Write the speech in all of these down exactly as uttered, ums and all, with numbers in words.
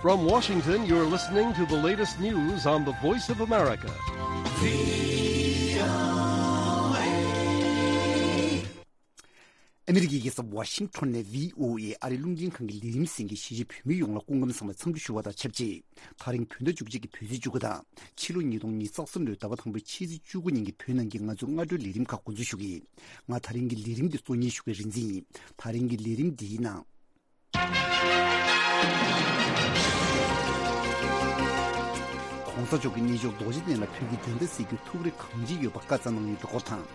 From Washington, you're listening to the latest news on the Voice of America. ཨ་མི་རི་ཀའི་རྒྱལ་ས་ཝ་ཤིང་ཊོན་ནས་བྷི་ཨོ་ཨེ་ཨ་རིའི་རླུང་འཕྲིན་ཁང་གི་ལས་རིམ་གསན་མཁན་གཞིས་བྱེས་བོད་མི་ཡོངས་ལ་སྐུ་ཁམས་བཟང་བའི་འཚམས་འདྲི་ཞུ་བ་དང་ཆབས་ཅིག་ད་རིང་བོད་ཟླ་བཅུ་གཅིག་གི་བོད་ཚེས་བཅུ་དགུ་དང་། ཕྱི་ལོ་ཉིས་སྟོང་ཉི་ཤུ་རྩ་གསུམ་ལོའི་ཟླ་བ་དང་པོའི་ཕྱི་ཚེས་བཅུ་དགུ་ཉིན་གྱི་བོད་ནང་གི་ང་ཚོའི་སྔ་དྲོའི་ལས་རིམ་ཁག་འགོ་འཛུགས་ཞུ་གི་ཡིན། ང་ད་རིང་གི་ལས་རིམ་འདི་གཙོ་གཉེར་ཞུ་མཁན་རིག་འཛིན་ཡིན། ད་རིང་གི་ལས་རིམ་འདིའི་ནང་། ༸གོང་ས་མཆོག་གིས་གནས་མཆོག་རྡོ་རྗེ་གདན་ལ་བོད་ཀྱི་བདེན་མཐའ་གསལ་རྒྱུའི་ཐུགས་རེ་གང་ཅི་ཡོད་པ་བཀའ་སྩལ་གནང་ཡོད་པའི་སྐོར་དང་།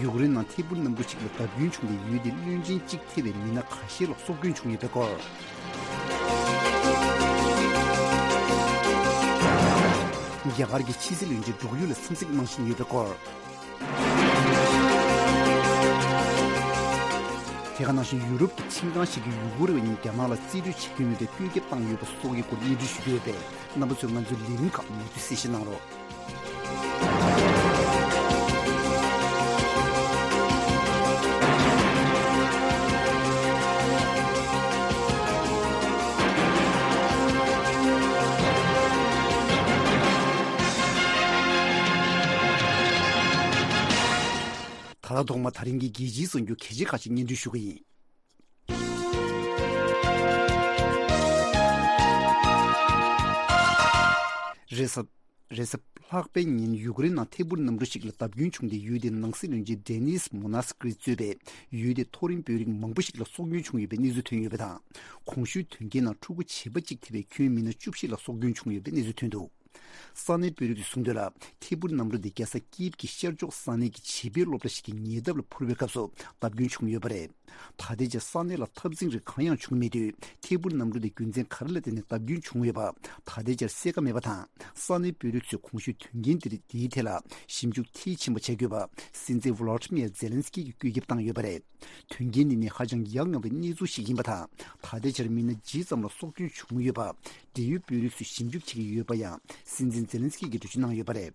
ཡུཀ་རེན་ནང་ཐད་འཕུར་གནམ་གྲུ་གཅིག་ལ་བརྡབ་སྐྱོན་བྱུང་སྟེ་ཡུལ་དེའི་བློན་ཆེན་གཅིག་ཐེ་བའི་མི་སྣ་ཁ་ཤས་ལ་སྲོག་སྐྱོན་བྱུང་ཡོད་པའི་སྐོར། རྒྱ་གར་གྱི་ཕྱི་སྲིད་བློན་ཆེན་འབྲུག་ཡུལ་ལ་འཚམས་གཟིགས་གནང་བཞིན་ཡོད་པའི་སྐོར། དེ་ག་ནང་བཞིན་ཡུ་རོབ་ཀྱི་ཁྲིམས་ཁང་ཞིག་གིས་ཡུ་གུར་བ་ཉིད་རྒྱ་ནག་ལ་རྩིས་སྤྲོད་བྱེད་ཀྱི་མེད་པའི་བཀོད་ཁྱབ་བཏང་ཡོད་པ་སོགས་ཀྱི་སྐོར་སྙན་སྒྲོན་ཞུ་རྒྱུ་ཡོད་པས། རྣམ་པ་ཚོས་ང་ཚོའི་ལས་རིམ་ཁག་མུ་མཐུད་གསན་བཞེས་གནང་རོགས། ད་ལྟ་ཐོག་མ་ད་རིང་གི་རྒྱལ་སྤྱིའི་གསར་འགྱུར་གལ་ཆེ་ཁག་ཅིག་སྙན་སྒྲོན་ཞུ་གི་ཡིན། རེས་གཟའ། རེས་གཟའ་ལྷག་པའི་ཉིན་ཡུཀ་རེན་ནང་ཐད་འཕུར་གནམ་གྲུ་ཞིག་ལ་བརྡབ་སྐྱོན་བྱུང་སྟེ་ཡུལ་དེའི་ནང་སྲིད་བློན་ཆེན་ཌེ་ནིས་མོ་ནཱས་ཀི་རི་གཙོས་པའི་ཡུལ་དེའི་མཐོ་རིམ་དཔོན་རིགས་མང་པོ་ཞིག་ལ་སྲོག་སྐྱོན་བྱུང་ཡོད་པའི་གནས་ཚུལ་ཐོན་ཡོད་པ་དང་། གོང་ཞུས་དོན་རྐྱེན་ནང་ཕྲུ་གུ་བྱིས་པ་གཅིག་ཐེ་བའི་ཁྱོན་མི་སྣ་བཅུ་བཞི་ལ་སྲོག་སྐྱོན་བྱུང་ཡོད་པའི་གནས་ཚུལ་ཐོན་འདུག་ས་གནས་དཔོན་རིགས་ཀྱིས་གསུངས་དོན་ལ། ཐད་འཕུར་གནམ་གྲུ་དེ་རྒྱལ་ས་ཀིབ་ཀྱི་ཤར་ཕྱོགས་ས་གནས་ཀྱི་བྱིས་པའི་སློབ་གྲྭ་ཞིག་གི་ཉེ་འདབས་ལ་འཕུར་བའི་སྐབས་སུ་བརྡབ་སྐྱོན་བྱུང་ཡོད་པ་རེད། ད་ལྟའི་ཆར་ས་གནས་ལ་འཐབ་འཛིང་རིགས་གང་ཡང་བྱུང་མེད་དུས། ཐད་འཕུར་གནམ་གྲུ་དེ་རྒྱུ་མཚན་ག་རེ་ལ་བརྟེན་ནས་བརྡབ་སྐྱོན་བྱུང་ཡོད་པ་ད་ལྟའི་ཆར་གསལ་ཁ་མེད་པ་དང་། ས་གནས་དཔོན་རིགས་ཚོས་གོང་ཞུས་དོན་རྐྱེན་དེ་རིགས་དེའི་ཐད་ལ་ཞིབ་འཇུག་མཐིལ་ཕྱིན་པ་བྱ་དགོས་པ་སྲིད་འཛིན་ཝོ་ལོ་ཏི་མིར་ཛེ་ལན་སི་ཀི་གིས་བཀོད་ཁྱབ་བཏང་ཡོད་པ་རེད། དོན་རྐྱེན་འདི་ནི་ཧ་ཅང་ཡ་ང་བའི་གནས་ཚུལ་ཞིག་ཡིན་པ་དང་། ད་ལྟའི་ཆར་མི་སྣ་བཞི་ཙམ་ལ་སྲོག་སྐྱོན་བྱུང་ཡོད་པ། འབྲེལ་ཡོད་དཔོན་རིགས་ཚོས་ཞིབ་འཇུག་བྱེད་ཀྱི་ཡོད་པ་ཡང་སྲིད་འཛིན་ཛེ་ལན་སི་ཀི་གིས་འགྲེལ་བརྗོད་གནང་ཡོད་པ་རེད།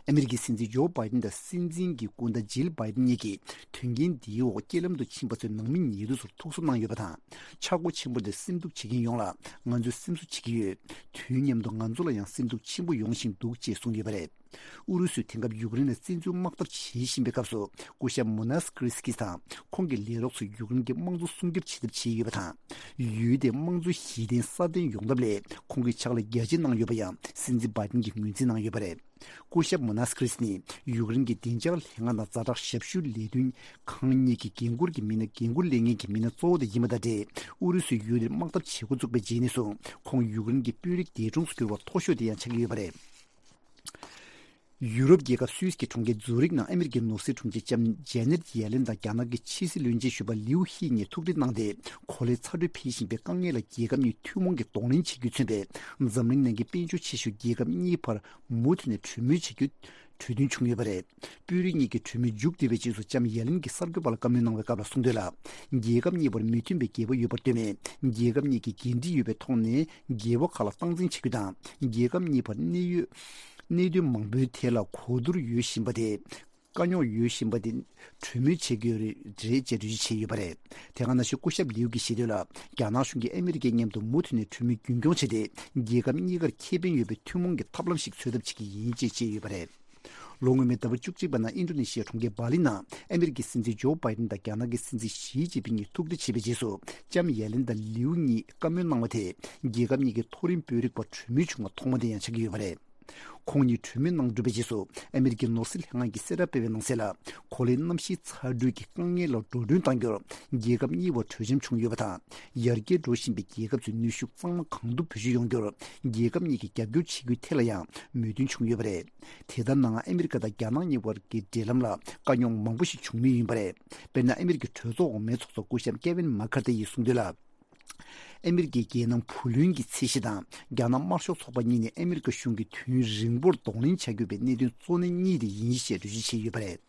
ཨ་མི་རི་ཀའི་སྲིད་འཛིན་ཇོ་བྷའི་ཏིན་དང་སྲིད་འཛིན་གྱི་སྐུ་ཟླ་ཇིལ་བྷའི་ཏིན་གཉིས་ཀྱིས་དོན་རྐྱེན་འདིའི་འོག་རྐྱེན་ལམ་དུ་ཕྱིན་པ་ཚོའི་ནང་མི་ཉེ་དུ་ཚོར་ཐུགས་གསོ་གནང་ཡོད་པ་དང་། ཆག་སྒོ་ཆེན་པོ་དེར་སེམས་སྡུག་བྱེད་མཁན་ཡོངས་ལ་ང་ཚོས་སེམས་གསོ་བྱེད་ཀྱི་ཡོད། དུས་མཉམ་དུ་ང་ཚོ་ལ་ཡང་སེམས་སྡུག་ཆེན་པོ་ཡོང་བཞིན་འདུག་ཅེས་གསུངས་ཡོད་པ་རེད། ཨུ་རུ་སུས་དེང་སྐབས་ཡུཀ་རེན་ལ་བཙན་འཛུལ་དམག་འཐབ་བྱེད་བཞིན་པའི་སྐབས་སུ། སྐུ་ཞབས་མུ་ནཱས་ཀི་རི་སི་ཀིས་དང་ཁོང་གི་ལས་རོགས་ཚོས་ཡུཀ་རེན་གྱི་དམངས་གཙོ་སྲུང་སྐྱོབ་བྱེད་ཐབས་བྱས་ཡོད་པ་དང་། ཡུལ་དེའི་དམངས་གཙོ་གཞི་རྟེན་སྲ་བརྟན་ཡོང་ཐབས་ལ་ཁོང་གིས་ཕྱག་ལས་རྒྱ་ཆེ་གནང་ཡོད་པ་ཡང་སྲིད་འཛིན་བྷའི་ཏིན་གྱིས་ངོས་འཛིན་གནང་ཡོད་པ་རེད། སྐུ་ཞབས་མུ་ནཱས་ཀི་རི་སི་ནི་ཡུཀ་རེན་གྱི་བདེ་འཇགས་ལྷན་ཁང་དང་ཛ་དྲག་ཞབས་ཞུའི་ལས་དོན་ཁང་གཉིས་ཀྱི་འགན་འཁུར་གྱི་མི་སྣ་འགན་འཁུར་ལེན་མཁན་གྱི་མི་སྣ་གཙོ་བོ་དེ་ཡིན་པ་དང་འབྲེལ། ཨུ་རུ་སུས་ཡུལ་དེར་དམག་འཐབ་བྱེད་འགོ་བཙུགས་པའི་རྗེས་ནས་བཟུང་ཁོང་ཡུཀ་རེན་གྱི་དཔོན་རིགས་འདས་གྲོངས་སུ་གྱུར་བ་མཐོ་ཤོས་དེ་ཡང་ཆགས་ཀྱི་ཡོད་པ་རེད། ཡུ་རོབ་རྒྱལ་ཁབ་སུད་སི་གི་གྲོང་ཁྱེར་ཛུ་རིག་ནང་ཨ་མི་རི་ཀའི་ནོར་སྲིད་དྲུང་ཆེ་ལྕམ་ཇེ་ནེད་ཡེ་ལེན་དང་རྒྱ་ནག་གི་ཕྱི་སྲིད་བློན་ཆེན་ཞུ་བ་ལིའུ་ཧི་གཉིས་ཐུག་འཕྲད་གནང་སྟེ། གོ་ལའི་ཚ་དྲོད་འཕེལ་བཞིན་པའི་དཀའ་ངལ་ལ་རྒྱལ་ཁབ་གཉིས་ཐུན་མོང་གིས་གདོང་ལེན་བྱེད་རྒྱུས་མཚོན་པའི་འཛམ་གླིང་ནང་གི་དཔལ་འབྱོར་ཆེ་ཤོས་རྒྱལ་ཁབ་གཉིས་བར་མུ་མཐུད་ནས་གྲོས་མོལ་བྱེད་རྒྱུ་གྲོས་མཐུན་བྱུང་ཡོད་པ་རེད། དཔོན་རིགས་གཉིས་ཀྱི་གྲོས་མོལ་མཇུག་བསྒྲིལ་བའི་རྗེས་སུ་ལྕམ་ཡེ་ལེན་གྱིས་གསར་འགོད་པ་ལ་བཀའ་མོལ་གནང་བའི་སྐབས་ལ་གསུངས་དོན་ལ། རྒྱལ་ཁབ་གཉིས་བར་མི་མཐུན་པའི་འགལ་བ་ཡོད་པར་ལྟོས་མེད། རྒྱལ་ཁབ་གཉིས་ཀྱིས་འགན་འཁྲི་ཡོད་པའི་ཐོག་ནས་འགལ་བ་ཁག་ལ་སྟངས་འཛིན་བྱེད་རྒྱུ་དང་། རྒྱལ་ཁབ་གཉིས་བར་གནད་ཡོད། གནད་དོན་མང་པོའི་ཐད་ལ་གོ་བསྡུར་ཡོད་བཞིན་པ་དེ། དཀའ་རྙོག་ཡོད་བཞིན་པ་དེ་གྲོས་མོལ་བྱེད་དགོས་རེད་ཅེས་འགྲེལ་བརྗོད་བྱས་ཡོད་པ་རེད། དེ་ག་ནང་བཞིན་སྐུ་ཞབས་ལིའུ་གིས་བཤད་དོན་ལ། རྒྱ་ནག་གཞུང་གིས་ཨ་མི་རི་ཀའི་མཉམ་དུ་མུ་མཐུད་ནས་གྲོས་མོལ་རྒྱུན་སྐྱོང་བྱས་ཏེ། རྒྱལ་ཁབ་གཉིས་ཀར་ཁེ་ཕན་ཡོད་པའི་ཐུན་མོང་གི་ཐབས་ལམ་ཞིག་འཚོལ་ཐབས་བྱེད་ཀྱི་ཡིན་ཅེས་བཤད་ཡོད་པ་རེད། ལོ་སྔོན་མའི་ཟླ་བ་བཅུ་གཅིག་པ་ནང་ཨིན་ཌོ་ནེ་ཤི་ཡའི་གྲོང་ཁྱེར་སྦ་ལི་ནང་ཨ་མི་རི་ཀའི་སྲིད་འཛིན་ཇོ་བྷའི་ཏིན་དང་རྒྱ་ནག་གི་སྲིད་འཛིན་ཞི་ཅིན་ཕིང་གཉིས་ཐུག་འཕྲད་བྱས་པའི་རྗེས་སུ། ལྕམ་ཡེ་ལེན་དང་ལིའུ་གཉིས་བཀའ་མོལ་གནང་བ་དེ། རྒྱལ་ཁབ་གཉིས་ཀྱི་མཐོ་རིམ་དཔོན་རིགས་བར་གྲོས་མོལ་བྱུང་བ་ཐོག་མ་དེ་ཡང་ཆགས་ཀྱི་ཡོད་པ་རེད། ཁོང་གཉིས་གྲོས་མོལ་གནང་གྲུབ་པའི་རྗེས་སུ། ཨ་མི་རི་ཀའི་ནོར་སྲིད་ལྷན་ཁང་གིས་གསལ་བསྒྲགས་སྤེལ་བའི་ནང་གསལ་ལ། གོ་ལའི་གནམ་གཤིས་ཚ་དྲོད་ཀྱི་དཀའ་ངལ་ལ་འགྲོ་གྲོན་གཏང་རྒྱུར། རྒྱལ་ཁབ་གཉིས་བར་གྲོས་འཆམ་བྱུང་ཡོད་པ་དང་། ཡར་རྒྱས་འགྲོ་བཞིན་པའི་རྒྱལ་ཁབ་ཚོའི་ནུས་ཤུགས་གཙང་མ་གང་ཐུབ་བེད་སྤྱོད་ཡོང་རྒྱུར། རྒྱལ་ཁབ་གཉིས་ཀྱིས་རྒྱབ་སྐྱོར་བྱེད་རྒྱུའི་ཐད་ལ་ཡང་མོས་མཐུན་བྱུང་ཡོད་པ་རེད། དེ་ལྟར་ནའང་ཨ་མི་རི་ཀ་དང་རྒྱ་ནག་གཉིས་བར་གྱི་འབྲེལ་ལམ་ལ་དཀའ་རྙོག་མང་པོ་ཞིག་བྱུང་མུས་ཡིན་པ་རེད། དཔེར་ན། ཨ་མི་རི་ཀའི་གྲོས་ཚོགས་འོག་མའི་ཚོགས་གཙོ་སྐུ་ཞབས་ཀེ་ཝིན་མ་ཁར་ཐི་ཡིས་གསུངས་དོན་ལ། ཨ་མི་རི་ཀའི་རྒྱལ་ནང་བུ་ལོན་གྱི་ཚད་གཞི་དང་། རྒྱ་ནག་དམར་ཤོག་ཚོགས་པ་གཉིས་ནས་ཨ་མི་རི་ཀ་གཞུང་གིས་དུས་ཡུན་རིང་པོར་གདོང་ལེན་བྱ་དགོས་པའི་གནད་དོན་གཙོ་གནད་གཉིས་དེ་ཡིན་ཞེས་འགྲེལ་བརྗོད་བྱས་ཡོད་པ་རེད།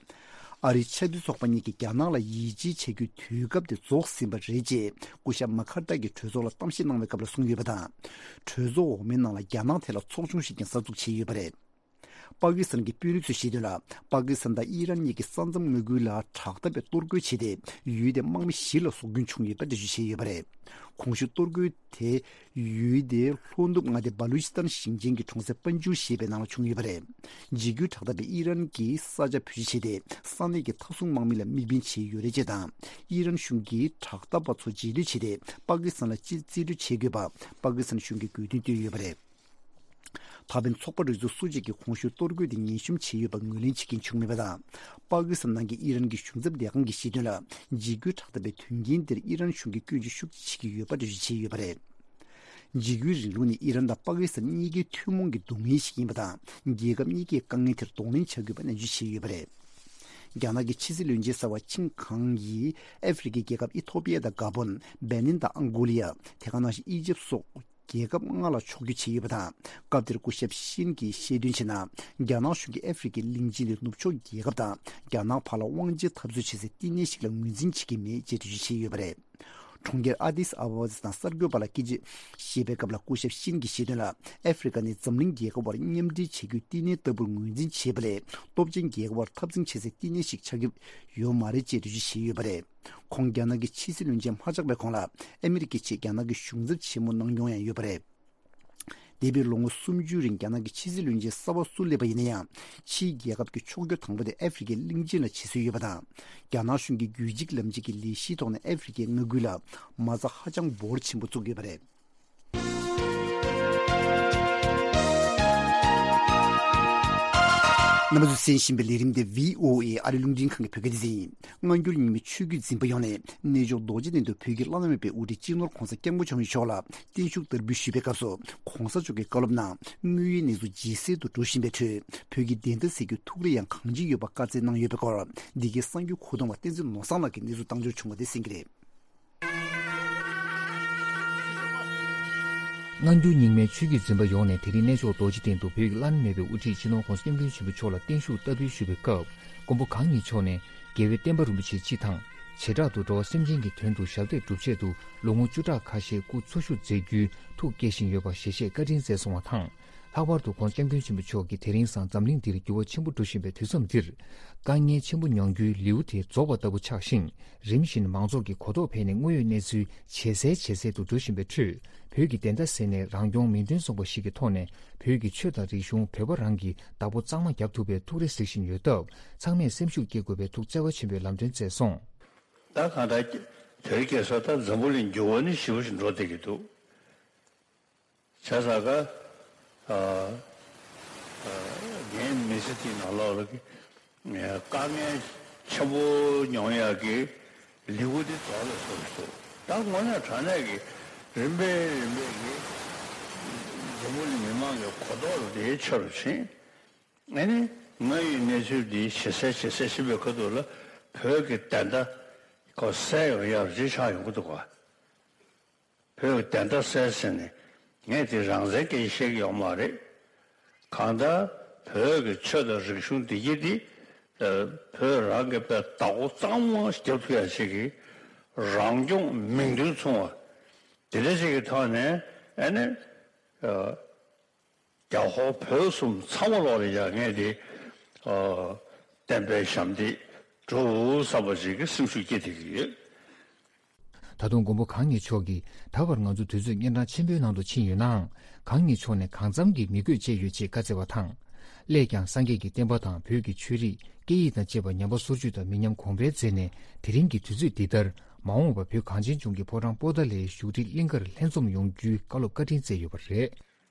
ཨ་རིའི་ཆབ་སྲིད་ཚོགས་པ་གཉིས་ཀྱིས་རྒྱ་ནག་ལ་ཡིད་ཆེས་བྱ་རྒྱུའི་དུས་སྐབས་དེ་རྫོགས་ཟིན་པ་རེད་ཅེས་སྐུ་ཞབས་མ་ཁར་ཐར་གྱིས་གྲོས་ཚོགས་ལ་གཏམ་བཤད་གནང་བའི་སྐབས་ལ་གསུངས་ཡོད་པ་དང་། གྲོས་ཚོགས་འོག་མའི་ནང་ལ་རྒྱ་ནག་ཐད་ལ་ཚོགས་ཆུང་ཞིག་ཀྱང་གསར་འཛུགས་བྱས་ཡོད་པ་རེད། པ་ཀི་སི་ཐན་གྱི་དཔོན་རིགས་ཚོས་བཤད་དོན་ལ། པ་ཀི་སི་ཐན་དང་ཨི་རན་གཉིས་ཀྱིས་ས་མཚམས་མངའ་ཁུལ་ལ་དྲག་འཐབ་པའི་གཏོར་རྒོལ་བྱས་ཏེ། ཡུལ་དེའི་དམག་མི་བཞི་ལ་སྲོག་སྐྱོན་བྱུང་ཡོད་པ་འགྲེལ་བརྗོད་བྱས་ཡོད་པ་རེད། གོང་ཞུས་གཏོར་རྒོལ་དེ་ཡུལ་དེའི་ལྷོ་ནུབ་མངའ་སྡེ་བ་ལུ་ཅི་སི་ཐན་ཞིང་ཆེན་གྱི་གྲོང་གསེབ་པན་ཇུར་ཞེས་པའི་ནང་ལ་བྱུང་ཡོད་པ་རེད། འཇིགས་སྐུལ་དྲག་འཐབ་པས་ཨི་རན་གྱི་ས་ཆ་བེད་སྤྱོད་བྱས་ཏེ། ས་གནས་ཀྱི་མཐའ་སྲུང་དམག་མི་ལ་དམིགས་འབེན་བྱས་ཡོད་རེད་ཅེས་དང་། ཨི་རན་གཞུང་གིས་དྲག་འཐབ་པ་ཚོ་རྗེས་ལུས་བྱས་ཏེ། པ་ཀི་སི་ཐན་ལ་རྩིས་རྩིས་སྤྲོད་བྱེད་དགོས་པ་པ་ཀི་སི་ཐན་གཞུང་གིས་དགོས་འདུན་བཏོན་ཡོད་པ་རེད། ད་ཕན་ཚོགས་པ་རིགས་ཚོགས་སུ་གཅིག་གིས་གོང་ཞུས་གཏོར་རྒོལ་དེ་ངན་ཤོམ་བྱས་ཡོད་པར་ངོས་ལེན་བྱེད་མཁན་བྱུང་མེད་པ་དང་། པ་ཀི་སི་ཐན་ནང་གི་ཨི་རན་གྱི་གཞུང་ཚབ་ལས་ཁང་གིས་བཤད་དོན་ལ། འཇིགས་སྐུལ་དྲག་འཐབ་པའི་དོན་རྐྱེན་འདིར་ཨི་རན་གཞུང་གིས་སྐྱོན་བརྗོད་ཤུགས་ཆེ་བྱེད་ཀྱི་ཡོད་པ་འགྲེལ་བརྗོད་བྱས་ཡོད་པ་རེད། འཇིགས་སྐུལ་རིང་ལུགས་ནི་ཨི་རན་དང་པ་ཀི་སི་ཐན་གཉིས་ཀའི་ཐུན་མོང་གི་སྡུག་བསྔལ་ཞིག་ཡིན་པ་དང་། རྒྱལ་ཁབ་གཉིས་ཀས་དཀའ་ངལ་དེར་གདོང་ལེན་བྱ་དགོས་པ་ནན་བརྗོད་བྱས་ཡོད་པ་རེད། རྒྱ་ནག་གི་ཕྱི་སྲིད་བློན་ཆེན་གསར་པ་ཆིན་ཁང་ཡིས་ཨ་ཧྥེ་རི་ཁའི་རྒྱལ་ཁབ་ཨི་ཐོ་པི་ཡ་དང་གཱ་བོན། སྦེ་ནིན་དང་ཨང་གོ་ལི་ཡ། དེ་ག་ནང་བཞིན་ཨི་ཇིབ་སོགས་རྒྱལ་ཁབ་ལྔ་ལ་ཕྱོགས་བསྐྱོད་བྱས་ཡོད་པ་དང་། སྐབས་དེར་སྐུ་ཞབས་ཤིན་གྱིས་བཤད་དོན་བྱས་ན། རྒྱ་ནག་གཞུང་གིས་ཨ་ཧྥེ་རི་ཁའི་གླིང་ཆེན་དེ་ནུབ་ཕྱོགས་རྒྱལ་ཁབ་དང་རྒྱ་ནག་བར་ལ་དབང་ཆའི་འཐབ་རྩོད་བྱེད་སའི་བསྟི་གནས་ཤིག་ལ་ངོས་འཛིན་བྱེད་ཀྱི་མེད་ཅེས་འགྲེལ་བརྗོད་བྱས་ཡོད་པ་རེད། གྲོང་ཁྱེར་ཨ་དིས་ཨ་བ་བ་དང་གསར་འགོད་པ་ལ་སྐད་ཆ་བཤད་པའི་སྐབས་ལ། སྐུ་ཞབས་ཤིན་གྱིས་བཤད་དོན་ལ། ཨ་ཧྥེ་རི་ཁ་ནི་འཛམ་གླིང་རྒྱལ་ཁབ་དབར་མཉམ་འབྲེལ་བྱེད་རྒྱུའི་བསྟི་གནས་ལྟ་བུར་ངོས་འཛིན་བྱས་པ་ལས། སྟོབས་ཆེན་རྒྱལ་ཁབ་དབར་འཐབ་འཛིང་བྱེད་སའི་བསྟི་གནས་ཤིག་ཆགས་ཀྱི་ཡོད་མ་རེད་ཅེས་འགྲེལ་བརྗོད་བྱས་ཡོད་པ་རེད། ཁོང་རྒྱ་ནག་གི་ཕྱི་སྲིད་བློན་ཆེན་མ་ཆགས་པའི་གོང་ལ། ཨ་མི་རི་ཀའི་ཆེད་རྒྱ་ནག་གི་གཞུང་ཚབ་ཆེན་མོ་གནང་མྱོང་ཡང་ཡོད་པ་རེད། འདས་པའི་ལོ་ངོ་སུམ་ཅུའི་རིང་རྒྱ་ནག་གི་ཕྱི་སྲིད་བློན་ཆེན་གསར་པ་སུ་སླེབས་པ་ཡིན་ན་ཡང་། ཕྱིའི་རྒྱལ་ཁབ་ཀྱི་ཕྱོགས་བསྐྱོད་དང་པོ་དེ་ཨ་ཧྥེ་རི་ཁའི་གླིང་ཆེན་ལ་བྱེད་སྲོལ་ཡོད་པ་དང་། རྒྱ་ནག་གཞུང་གིས་རྒྱུད་གཅིག་ལམ་གཅིག་གི་ལས་གཞིའི་ཐོག་ནས་ཨ་ཧྥེ་རི་ཁའི་མངའ་ཁུལ་ལ་མ་རྩ་ཧ་ཅང་འབོར་ཆེན་པོ་བཙུགས་ཡོད་པ་རེད། རྣམ་པ་ཚོས་གསན་བཞིན་པའི་ལས་རིམ་དེ་བྷི་ཨོ་ཨེ་ཨ་རི་རླུང་འཕྲིན་ཁང་གི་བོད་སྐད་སྡེ་ཚན་ཡིན། སྔ་འགྱུར་རྙིང་མའི་ཆོས་བརྒྱུད་འཛིན་པ་ཡོངས་ནས་གནས་མཆོག་རྡོ་རྗེ་གདན་དུ་བོད་ཀྱི་བླ་ན་མེད་པའི་དབུ་ཁྲིད་སྤྱི་ནོར་༧གོང་ས་༧སྐྱབས་མགོན་ཆེན་པོ་མཆོག་ལ་བརྟན་བཞུགས་བསྟར་འབུལ་ཞུས་པའི་སྐབས་སུ། ༧གོང་ས་མཆོག་གིས་བཀའ་སློབ་ནང་དངོས་ཡོད་གནས་ཚུལ་ཇེ་གསལ་དུ་འགྲོ་བཞིན་པའི་ཁྲོད། བོད་ཀྱི་བདེན་མཐའ་གསལ་རྒྱུའི་ཐུགས་རེ་ཡང་གང་ཅི་ཡོད་པ་བཀའ་སྩལ་གནང་ཡོད་པའི་སྐོར། འདི་གའི་གསར་འགྱུར་མཁོ་གཏོང་བ་བསྟན་འཛིན་ནོར་བཟང་ལགས་ཀྱིས་གནས་ཚུལ་བཏང་འབྱོར་བྱུང་བ་དེ་གསན་གྱི་རེད། སྔ་འགྱུར་རྙིང་མའི་ཆོས་བརྒྱུད་འཛིན་པ་ཡོངས་ནས་དེ་རིང་གནས་མཆོག་རྡོ་རྗེ་གདན་དུ་བོད་ཀྱི་བླ་ན་མེད་པའི་དབུ་ཁྲིད་སྤྱི་ནོར་༧གོང་ས་༧སྐྱབས་མགོན་ཆེན་པོ་མཆོག་ལ་བརྟན་བཞུགས་བསྟར་འབུལ་ཞུས་པའི་སྐབས། མགོན་པོ་གང་ཉིད་མཆོག་ནས་རྒྱལ་བའི་བསྟན་པ་རིན་པོ་ཆེ་སྤྱི་དང་། བྱེ་བྲག་ཏུ་འགྲོ་བ་སེམས་ཅན་གྱི་དོན་དུ་ཞབས་འདེགས་སྒྲུབ་ཆེད་དུ་ལོ་ངོ་བཅུ་ཕྲག་ཁ་ཤས་སྐུ་འཚོ་བཞུགས་མཛད་རྒྱུའི་ཐུགས་བསྐྱེད་བཞིན་ཡོད་པ་ཞལ་བཞེས་བཀའ་དྲིན་སྩལ་སོང་བ་དང་། ལྷག་པར་དུ་༧གོང་ས་༧སྐྱབས་མགོན་ཆེན་པོ་མཆོག་གིས་དེ་རིང་སང་འཛམ་གླིང་འདིར་འགྱུར་བ་ཆེན་པོ་འགྲོ་བཞིན་པའི་དུས་མཚམས་འདིར། དཀའ་ངལ་ཆེན་པོ་མྱོང་རྒྱུའི་ལེའུ་དེ་རྫོགས་པ་ལྟ་བུ་ཆགས་ཤིང་། རིམ་བཞིན་མང་ཚོགས་ཀྱི་གོ་རྟོགས་འཕེལ་ནས་དངོས་ཡོད་གནས་ཚུལ་ཇེ་གསལ་ཇེ་གསལ་དུ་འགྲོ་བཞིན་པའི་ཁྲོད། བོད་ཀྱི་བདེན་མཐའ་གསལ་ནས་རང་སྐྱོང་མིང་དོན་མཚུངས་པ་ཞིག་གི་ཐོག་ནས་བོད་ཀྱི་ཆོས་དང་རིག་གཞུང་བོད་པ་རང་གི་བདག་པོ་གཙང་མ་རྒྱག་ཐུབ་པའི་ཐུགས་རེ་གཟིགས་བཞིན་ཡོད་སྟབས། ཚང་མས་སེམས་ཤུགས་སྐྱེད་དགོས་པའི་ཐུགས་བརྩེ་བ་ཆེན་པོས་ལམ་སྟོན་སྩལ་སོང་། ད་གང་ལྟར་དེ་རིང་ཁ་སང་ད་འཛམ་བུ་གླིང་འགྱུར་བ་ནི་ཞེ་པོ་ཞིག་འགྲོ་བསྡད་ཀྱི་འདུག་བྱས་ཙང་ཀ་ཨ་ཨ་ངའི་མི་ཚེ་འདིའི་ནང་ལོགས་ལ་གི་དཀའ་ངལ་ཆེན་པོ་མྱོང་ཡག་གི་ལེའུ་དེ་རྫོགས་ལ་སོང་སོང་། ད་དངོས་གནས་དྲང་གནས་ཀྱི་རིམ་པས་རིམ་པས་ཀྱི་འཛམ་བུ་གླིང་མི་མང་གི་གོ་རྟོགས་དེ་ཆེ་རུ་ཕྱིན། ཨ་ནི་དངོས་ཡོད་གནས་ཚུལ་འདི་ཞེ་གསལ་ཇེ་གསལ་ཕྱིན་པའི་ཁ་ཐུག་ལ་བོད་ཀྱི་བདེན་མཐའ་ཁོ་གསལ་ཡོང་ཡག་ཅིག་ཆགས་ཡོང་གི་འདུག་ག་བོད་ཀྱི་བདེན་མཐའ་གསལ་ཟེར་ནས་ངས་དེ་རང་བཙན་སྐད་ཆ་བཤད་ཀྱི་ཡོད་མ་རེད། གང་ལྟར་བོད་ཀྱི་ཆོས་དང་རིག་གཞུང་བདེ་སྐྱིད་འདི་བོད་རང་གི་དཔེ་བདག་པོ་གཙང་མ་རྒྱབ་ཐུབ་ཡག་ཅིག་གི་རང་སྐྱོང་མིང་དོན་མཚུངས་པ་དེ་འདྲ་ཅིག་གི་ཐོག་ནས་ཨ་ནི། རྒྱ་ཧོར་བོད་གསུམ་ཚང་མ་ལོག་ལ་ཡ་ངས་དེ་ཨ་བསྟན་པའི་ཞབས་འདེགས་སྒྲུབ་བསམ་པ་ཞིག་གི་སེམས་ཤུགས་སྐྱེད་བསྡད་ཀྱི་ཡོད། ད་དུང་མགོན་པོ་གང་ཉིད་མཆོག་གིས་ད་བར་ང་ཚོ་དུས་ཚོད་གཉན་འཕྲང་ཆེན་པོའི་ནང་དུ་ཕྱིན་ཡོད་ནའང་། གང་ཉིད་མཆོག་ནས་གང་འཚམ་གྱི་མི་དགོས་བཅས་ཡོད་ཅེས་བཀའ་སྩལ་བ་དང་། སླད་ཀྱང་སངས་རྒྱས་ཀྱི་བསྟན་པ་དང་བོད་ཀྱི་ཆོས་རིག་སྐད་ཡིག་དང་བཅས་པ་ཉམས་པ་སོར་ཆུད་དང་མི་ཉམས་གོང་འཕེལ་མཛད་ནས། དེ་རིང་གི་དུས་ཚོད་འདི་ལྟར་མ་འོངས་པ་བོད་གངས་ཅན་ལྗོངས་ཀྱི་ཕོ་བྲང་པོ་ཏཱ་ལའི་བཞུགས་ཁྲི་གླིང་གར་ལྷན་འཛོམས་ཡོང་རྒྱུའི་བཀའ་སློབ་བཀའ་དྲིན་སྩལ་ཡོད་པ་རེད།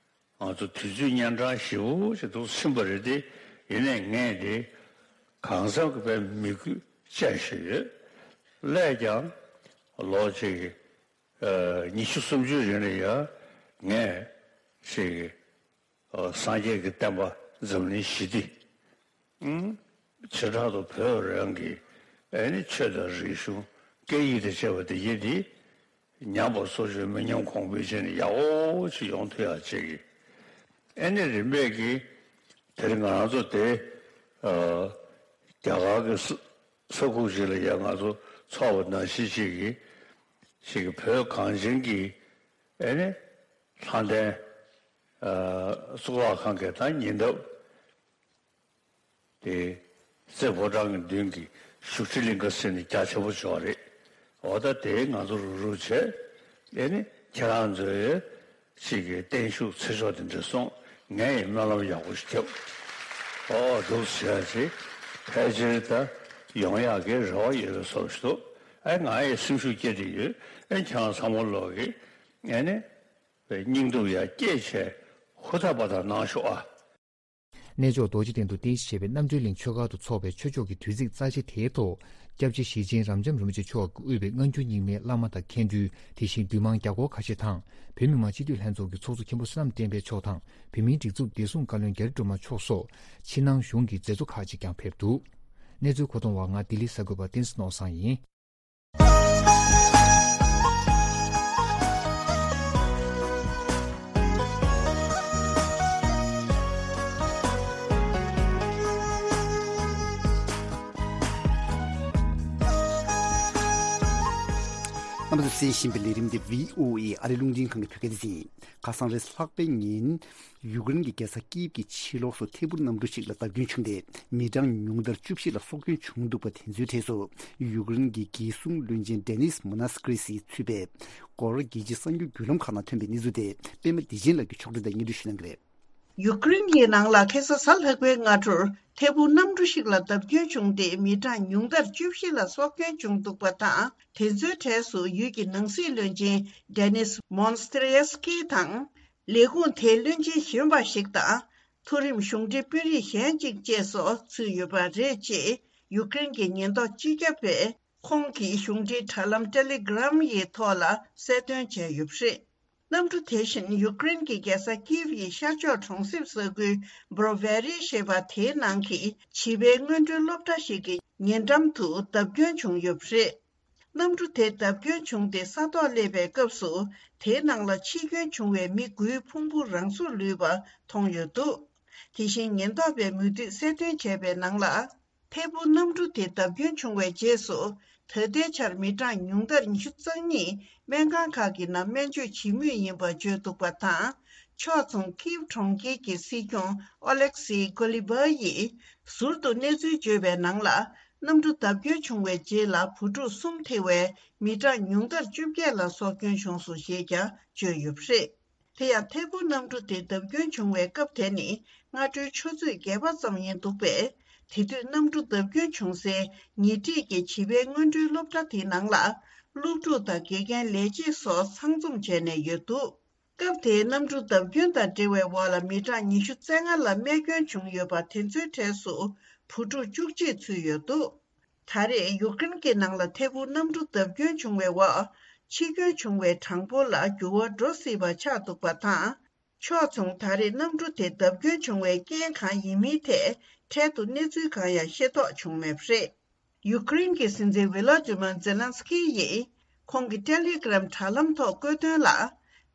ང་ཚོ་དུས་ཚོད་གཉན་འཕྲང་ཞེ་པོ་ཞིག་ཏུ་ཕྱིན་པ་རེད་དེ། ཡིན་ནའི་ངས་དེ་གང་འཚམ་གྱི་དཔེ་མི་དགོས་བཅས་ཞུས་ཡོད། སླད་ཀྱང་ལོ་གཅིག་གི་ཉི་ཤུ་སུམ་ཅུའི་རིང་ལ་ཡང་ངས་ཅིག་སངས་རྒྱས་ཀྱི་བསྟན་པ་འཛམ་གླིང་ཞི་བདེ། བྱེ་བྲག་ཏུ་བོད་རང་གི་ཨ་ནི་ཆོས་དང་རིག་གཞུང་སྐད་ཡིག་དང་བཅས་པ་དེ་ཡིན་དེ། ཉམས་པ་སོར་ཆུད་མི་ཉམས་གོང་འཕེལ་བྱས་ནས་ཡག་པོ་ཅིག་ཡོང་ཐུབ་ཡག་ཅིག་གི་ཨ་ནི་རིམ་པས་ཀྱི་དེ་རིང་ང་རང་ཚོ་དེ་རྒྱ་གར་གྱི་ས་ས་ཁུག་ཅིག་ལ་ཡང་ང་ཚོ་ཚོགས་པ་ནང་བཞིན་ཅིག་གི་ཅིག་གི་བོད་གངས་ཅན་གྱི་ཨ་ནི་ལྷ་ལྡན་གཙུག་ལག་ཁང་གི་ད་ཉེ་འདབས། རྩེ་ཕོ་བྲང་གི་མདུན་གྱི་བཞུགས་ཁྲི་གླིང་ག་ཟེར་ནས་རྒྱ་ཆེན་པོ་ཅིག་ཡོད་རེད། འོ་ད་དེ་ང་ཚོ་རུག་རུག་བྱས། ཨེ་ནི་ཁྱེད་རང་ཚོའི་ཅིག་གི་བརྟན་བཞུགས་ཚེ་ཆོག་དེ་འདྲ་སོང་། ངས་ཡང་སྨོན་ལམ་ཡག་པོ་ཞིག་བརྒྱབ། ཨོ་འདུག་ཟེར་ཡ་ཅིག་ཕལ་ཆེར་ད་ཡོང་ཡག་གི་རེ་བ་ཡོད་པའི་བཟོ་ཞིག་འདུག་ཨེ་ང་ཡི་སེམས་ཤུགས་སྐྱེད་དེ་ཡོད། ཨེ་ཁྱེད་རང་ཚང་མ་ལོག་གི་ཨེ་ནི་སྙིང་སྡུག་ཡ་སྐྱེད་བྱས་ཧུར་ཐག་པ་དང་གནང་ཤོག་ཨ། གནས་མཆོག་རྡོ་རྗེ་གདན་དུ་རྟེན་གཞི་བྱས་པའི་རྣམ་གྲོལ་གླིང་ཆོས་སྒར་དུ་འཚོགས་པའི་ཆོས་ཕྱོགས་ཀྱི་དུས་ཚིགས་རྩ་ཆེ་དེའི་ཐོག་སྐྱབས་རྗེ་ཞེ་ཆེན་རབ་འབྱམས་རིན་པོ་ཆེ་མཆོག་གིས་དབུས་པའི་སྔ་འགྱུར་རྙིང་མའི་བླ་མ་དང་མཁན་སྤྲུལ། དེ་བཞིན་འདུས་མང་བརྒྱ་སྐོར་ཁ་ཤས་དང་། བོད་མི་མང་སྤྱི་འཐུས་ལྷན་ཚོགས་ཀྱི་ཚོགས་གཙོ་མཁན་པོ་བསོད་ནམས་བསྟན་འཕེལ་མཆོག་དང་། བོད་མིའི་སྒྲིག་འཛུགས་བདེ་སྲུང་བཀའ་བློན་རྒྱ་རི་སྒྲོལ་མ་མཆོག་སོགས་ཕྱི་ནང་གཞུང་གི་མཛད་གཙོ་ཁག་ཅིག་ཀྱང་ཕེབས་འདུག་གནས་ཚུལ་མཁོ་གཏོང་བ་ང་ལྡི་ལི་ས་རྒོད་པ་བསྟན་འཛིན་ནོར་བཟང་ཡིན། རྣམ་པ་ཚོས་གསན་བཞིན་པའི་ལས་རིམ་འདི་བྷི་ཨོ་ཨེ་ཨ་རི་རླུང་འཕྲིན་ཁང་གི་བོད་སྐད་སྡེ་ཚན་ཡིན། ཁ་སང་རེས་ལྷག་པའི་ཉིན། ཡུཀ་རེན་གྱི་རྒྱལ་ས་ཀིབ་ཀྱི་ཕྱི་ལོགས་སུ་ཐད་འཕུར་གནམ་གྲུ་ཞིག་ལ་བརྡབ་སྐྱོན་བྱུང་སྟེ། མི་གྲངས་ཉུང་མཐར་བཅུ་བཞི་ལ་སྲོག་སྐྱོན་བྱུང་འདུག་པ་དེ་ཚོའི་གྲས་སུ། ཡུཀ་རེན་གྱི་རྒྱལ་སྲུང་བློན་ཆེན་ཌེ་ནིས་མོ་ནཱས་ཀི་རི་སི་ཚུད་པའི་སྐོར་རྒྱལ་སྤྱིའི་གསར་འགྱུར་བརྒྱུད་ལམ་ཁག་ནང་ཐོན་པའི་གནས་ཚུལ་དེ། པད་མ་བདེ་ཆེན་ལགས་ཀྱིས་ཕྱོགས་སྒྲིག་དང་སྙན་སྒྲོན་ཞུ་གནང་གི་རེད། ཡུཀ་རེན་གྱི་ནང་ལ་ཁ་སང་གཟའ་ལྷག་པའི་སྔ་དྲོར་ཐད་འཕུར་གནམ་གྲུ་ཞིག་ལ་བརྡབ་སྐྱོན་བྱུང་སྟེ། མི་གྲངས་ཉུང་མཐར་བཅུ་བཞི་ལ་སྲོག་སྐྱོན་བྱུང་འདུག་པ་དང་། དེ་ཚོའི་གྲས་སུ་ཡུལ་གྱི་ནང་སྲིད་བློན་ཆེན་ཌེ་ནིས་མོན་སྟི་རི་ཡེ་སི་ཀི་དང་། ལས་ཁུངས་དེའི་བློན་ཆེན་གཞོན་པ་ཞིག་དང་། མཐོ་རིམ་གཞུང་འབྲེལ་དཔོན་རིགས་གཞན་གཅིག་བཅས་སུ་ཚུད་ཡོད་པ་རེད། ཅེས་ཡུཀ་རེན་གྱི་ཉེན་རྟོག་སྤྱི་ཁྱབ་པས། ཁོང་གིས་གཞུང་འབྲེལ་དྲ་ལམ་ཊེ་ལི་གྷི་རམ་ཡི་ཐོག་ལ་གསལ་སྟོན་བྱས་ཡོད་པ་རེད། གནམ་གྲུ་དེ་བཞིན་ཡུཀ་རེན་གྱི་རྒྱལ་ས་ཀིབ་ཡི་ཤར་ཕྱོགས་གྲོང་གསེབ་ས་ཁུལ་བྷོ་རོ་ཝེ་རི་ཞེས་པ་དེའི་ནང་གི་བྱིས་པའི་སྔོན་འགྲོའི་སློབ་གྲྭ་ཞིག་གི་ཉེ་འགྲམ་དུ་བརྡབ་སྐྱོན་བྱུང་ཡོད་པ་རེད། གནམ་གྲུ་དེ་བརྡབ་སྐྱོན་བྱུང་སྟེ་ས་ཐོག་སླེབས་པའི་སྐབས་སུ། དེའི་ནང་ལ་འཆི་སྐྱོན་བྱུང་བའི་མི་དགུའི་ཕུང་པོ་རང་སོར་ལུས་པ་མཐོང་ཡོད་འདུག་དེ་བཞིན་ཉེན་རྟོག་པས་མུ་མཐུད་གསལ་སྟོན་བྱས་པའི་ནང་ལ། ཐད་འཕུར་གནམ་གྲུ་དེ་བརྡབ་སྐྱོན་བྱུང་བའི་རྗེས་སུ། ད་ལྟའི་ཆར་མི་གྲངས་ཉུང་མཐར་ཉི་ཤུ་རྩ་གཉིས་སྨན་ཁང་ཁག་གི་ནང་སྨན་བཅོས་བྱེད་མུས་ཡིན་པ་བརྗོད་འདུག་པ་དང་། ཕྱོགས་མཚུངས་ཀིབ་གྲོང་ཁྱེར་གྱི་སྲིད་སྐྱོང་ཨོ་ལེག་སི་ཀོ་ལི་བྷ་ཡིས། ཟུར་དུ་གནས་ཚུལ་བརྗོད་པའི་ནང་ལ། གནམ་གྲུ་བརྡབ་སྐྱོན་བྱུང་བའི་རྗེས་ལ་བུ་ཕྲུག་གསུམ་ཐེ་བའི་མི་གྲངས་ཉུང་མཐར་བཅོ་བརྒྱད་ལ་སྲོག་སྐྱོན་བྱུང་སོང་ཞེས་ཀྱང་བརྗོད་ཡོད་པ་རེད། དེ་ཡང་ཐད་འཕུར་གནམ་གྲུ་དེ་བརྡབ་སྐྱོན་བྱུང་བའི་སྐབས་དེ་ནི་སྔ་དྲོའི་ཆུ་ཚོད་བརྒྱད་པ་ཙམ་ཡིན་འདུག་པས། དེ་དུས་གནམ་གྲུ་བརྡབ་སྐྱོན་བྱུང་སའི་ཉེ་འཁྲིས་ཀྱི་བྱིས་པའི་སྔོན་འགྲོའི་སློབ་གྲྭ་དེའི་ནང་ལ་སློབ་ཕྲུག་དང་དགེ་རྒན་ལས་བྱེད་སོགས་ཚང་འཛོམས་བྱས་ནས་ཡོད་འདུག་སྐབས་དེའི་གནམ་གྲུ་བརྡབ་སྐྱོན་དང་འབྲེལ་བའི་འོག་ལ་མི་གྲངས་ཉི་ཤུ་རྩ་ལྔ་ལ་རྨས་སྐྱོན་བྱུང་ཡོད་པ་དེ་ཚོའི་གྲས་སུ་བུ་ཕྲུག་བཅུ་གཅིག་ཚུད་ཡོད་འདུག་ད་རེས་ཡུཀ་རེན་གྱི་ནང་ལ་ཐད་འཕུར་གནམ་གྲུ་བརྡབ་སྐྱོན་བྱུང་བའི་འོག་འཆི་སྐྱོན་བྱུང་བའི་གྲངས་འབོར་ལ་འགྱུར་བ་འགྲོ་སྲིད་པ་ཆགས་འདུག་པ་དང་། ཕྱོགས་མཚུངས་ད་རེས་གནམ་གྲུ་དེ་བརྡབ་སྐྱོན་བྱུང་བའི་རྐྱེན་གང་ཡིན་མིན་ཐད་འཕྲལ་དུ་གནས་ཚུལ་གང་ཡང་ཤེས་རྟོགས་བྱུང་མེད་པ་རེད། ཡུཀ་རེན་གྱི་སྲིད་འཛིན་ཝི་ལོ་ཏི་མར་ཛེ་ལན་སི་ཀི་ཡིས་ཁོང་གི་ཊེ་ལི་གྷི་རམ་དྲ་ལམ་ཐོག་བཀོད་དོན་ལ།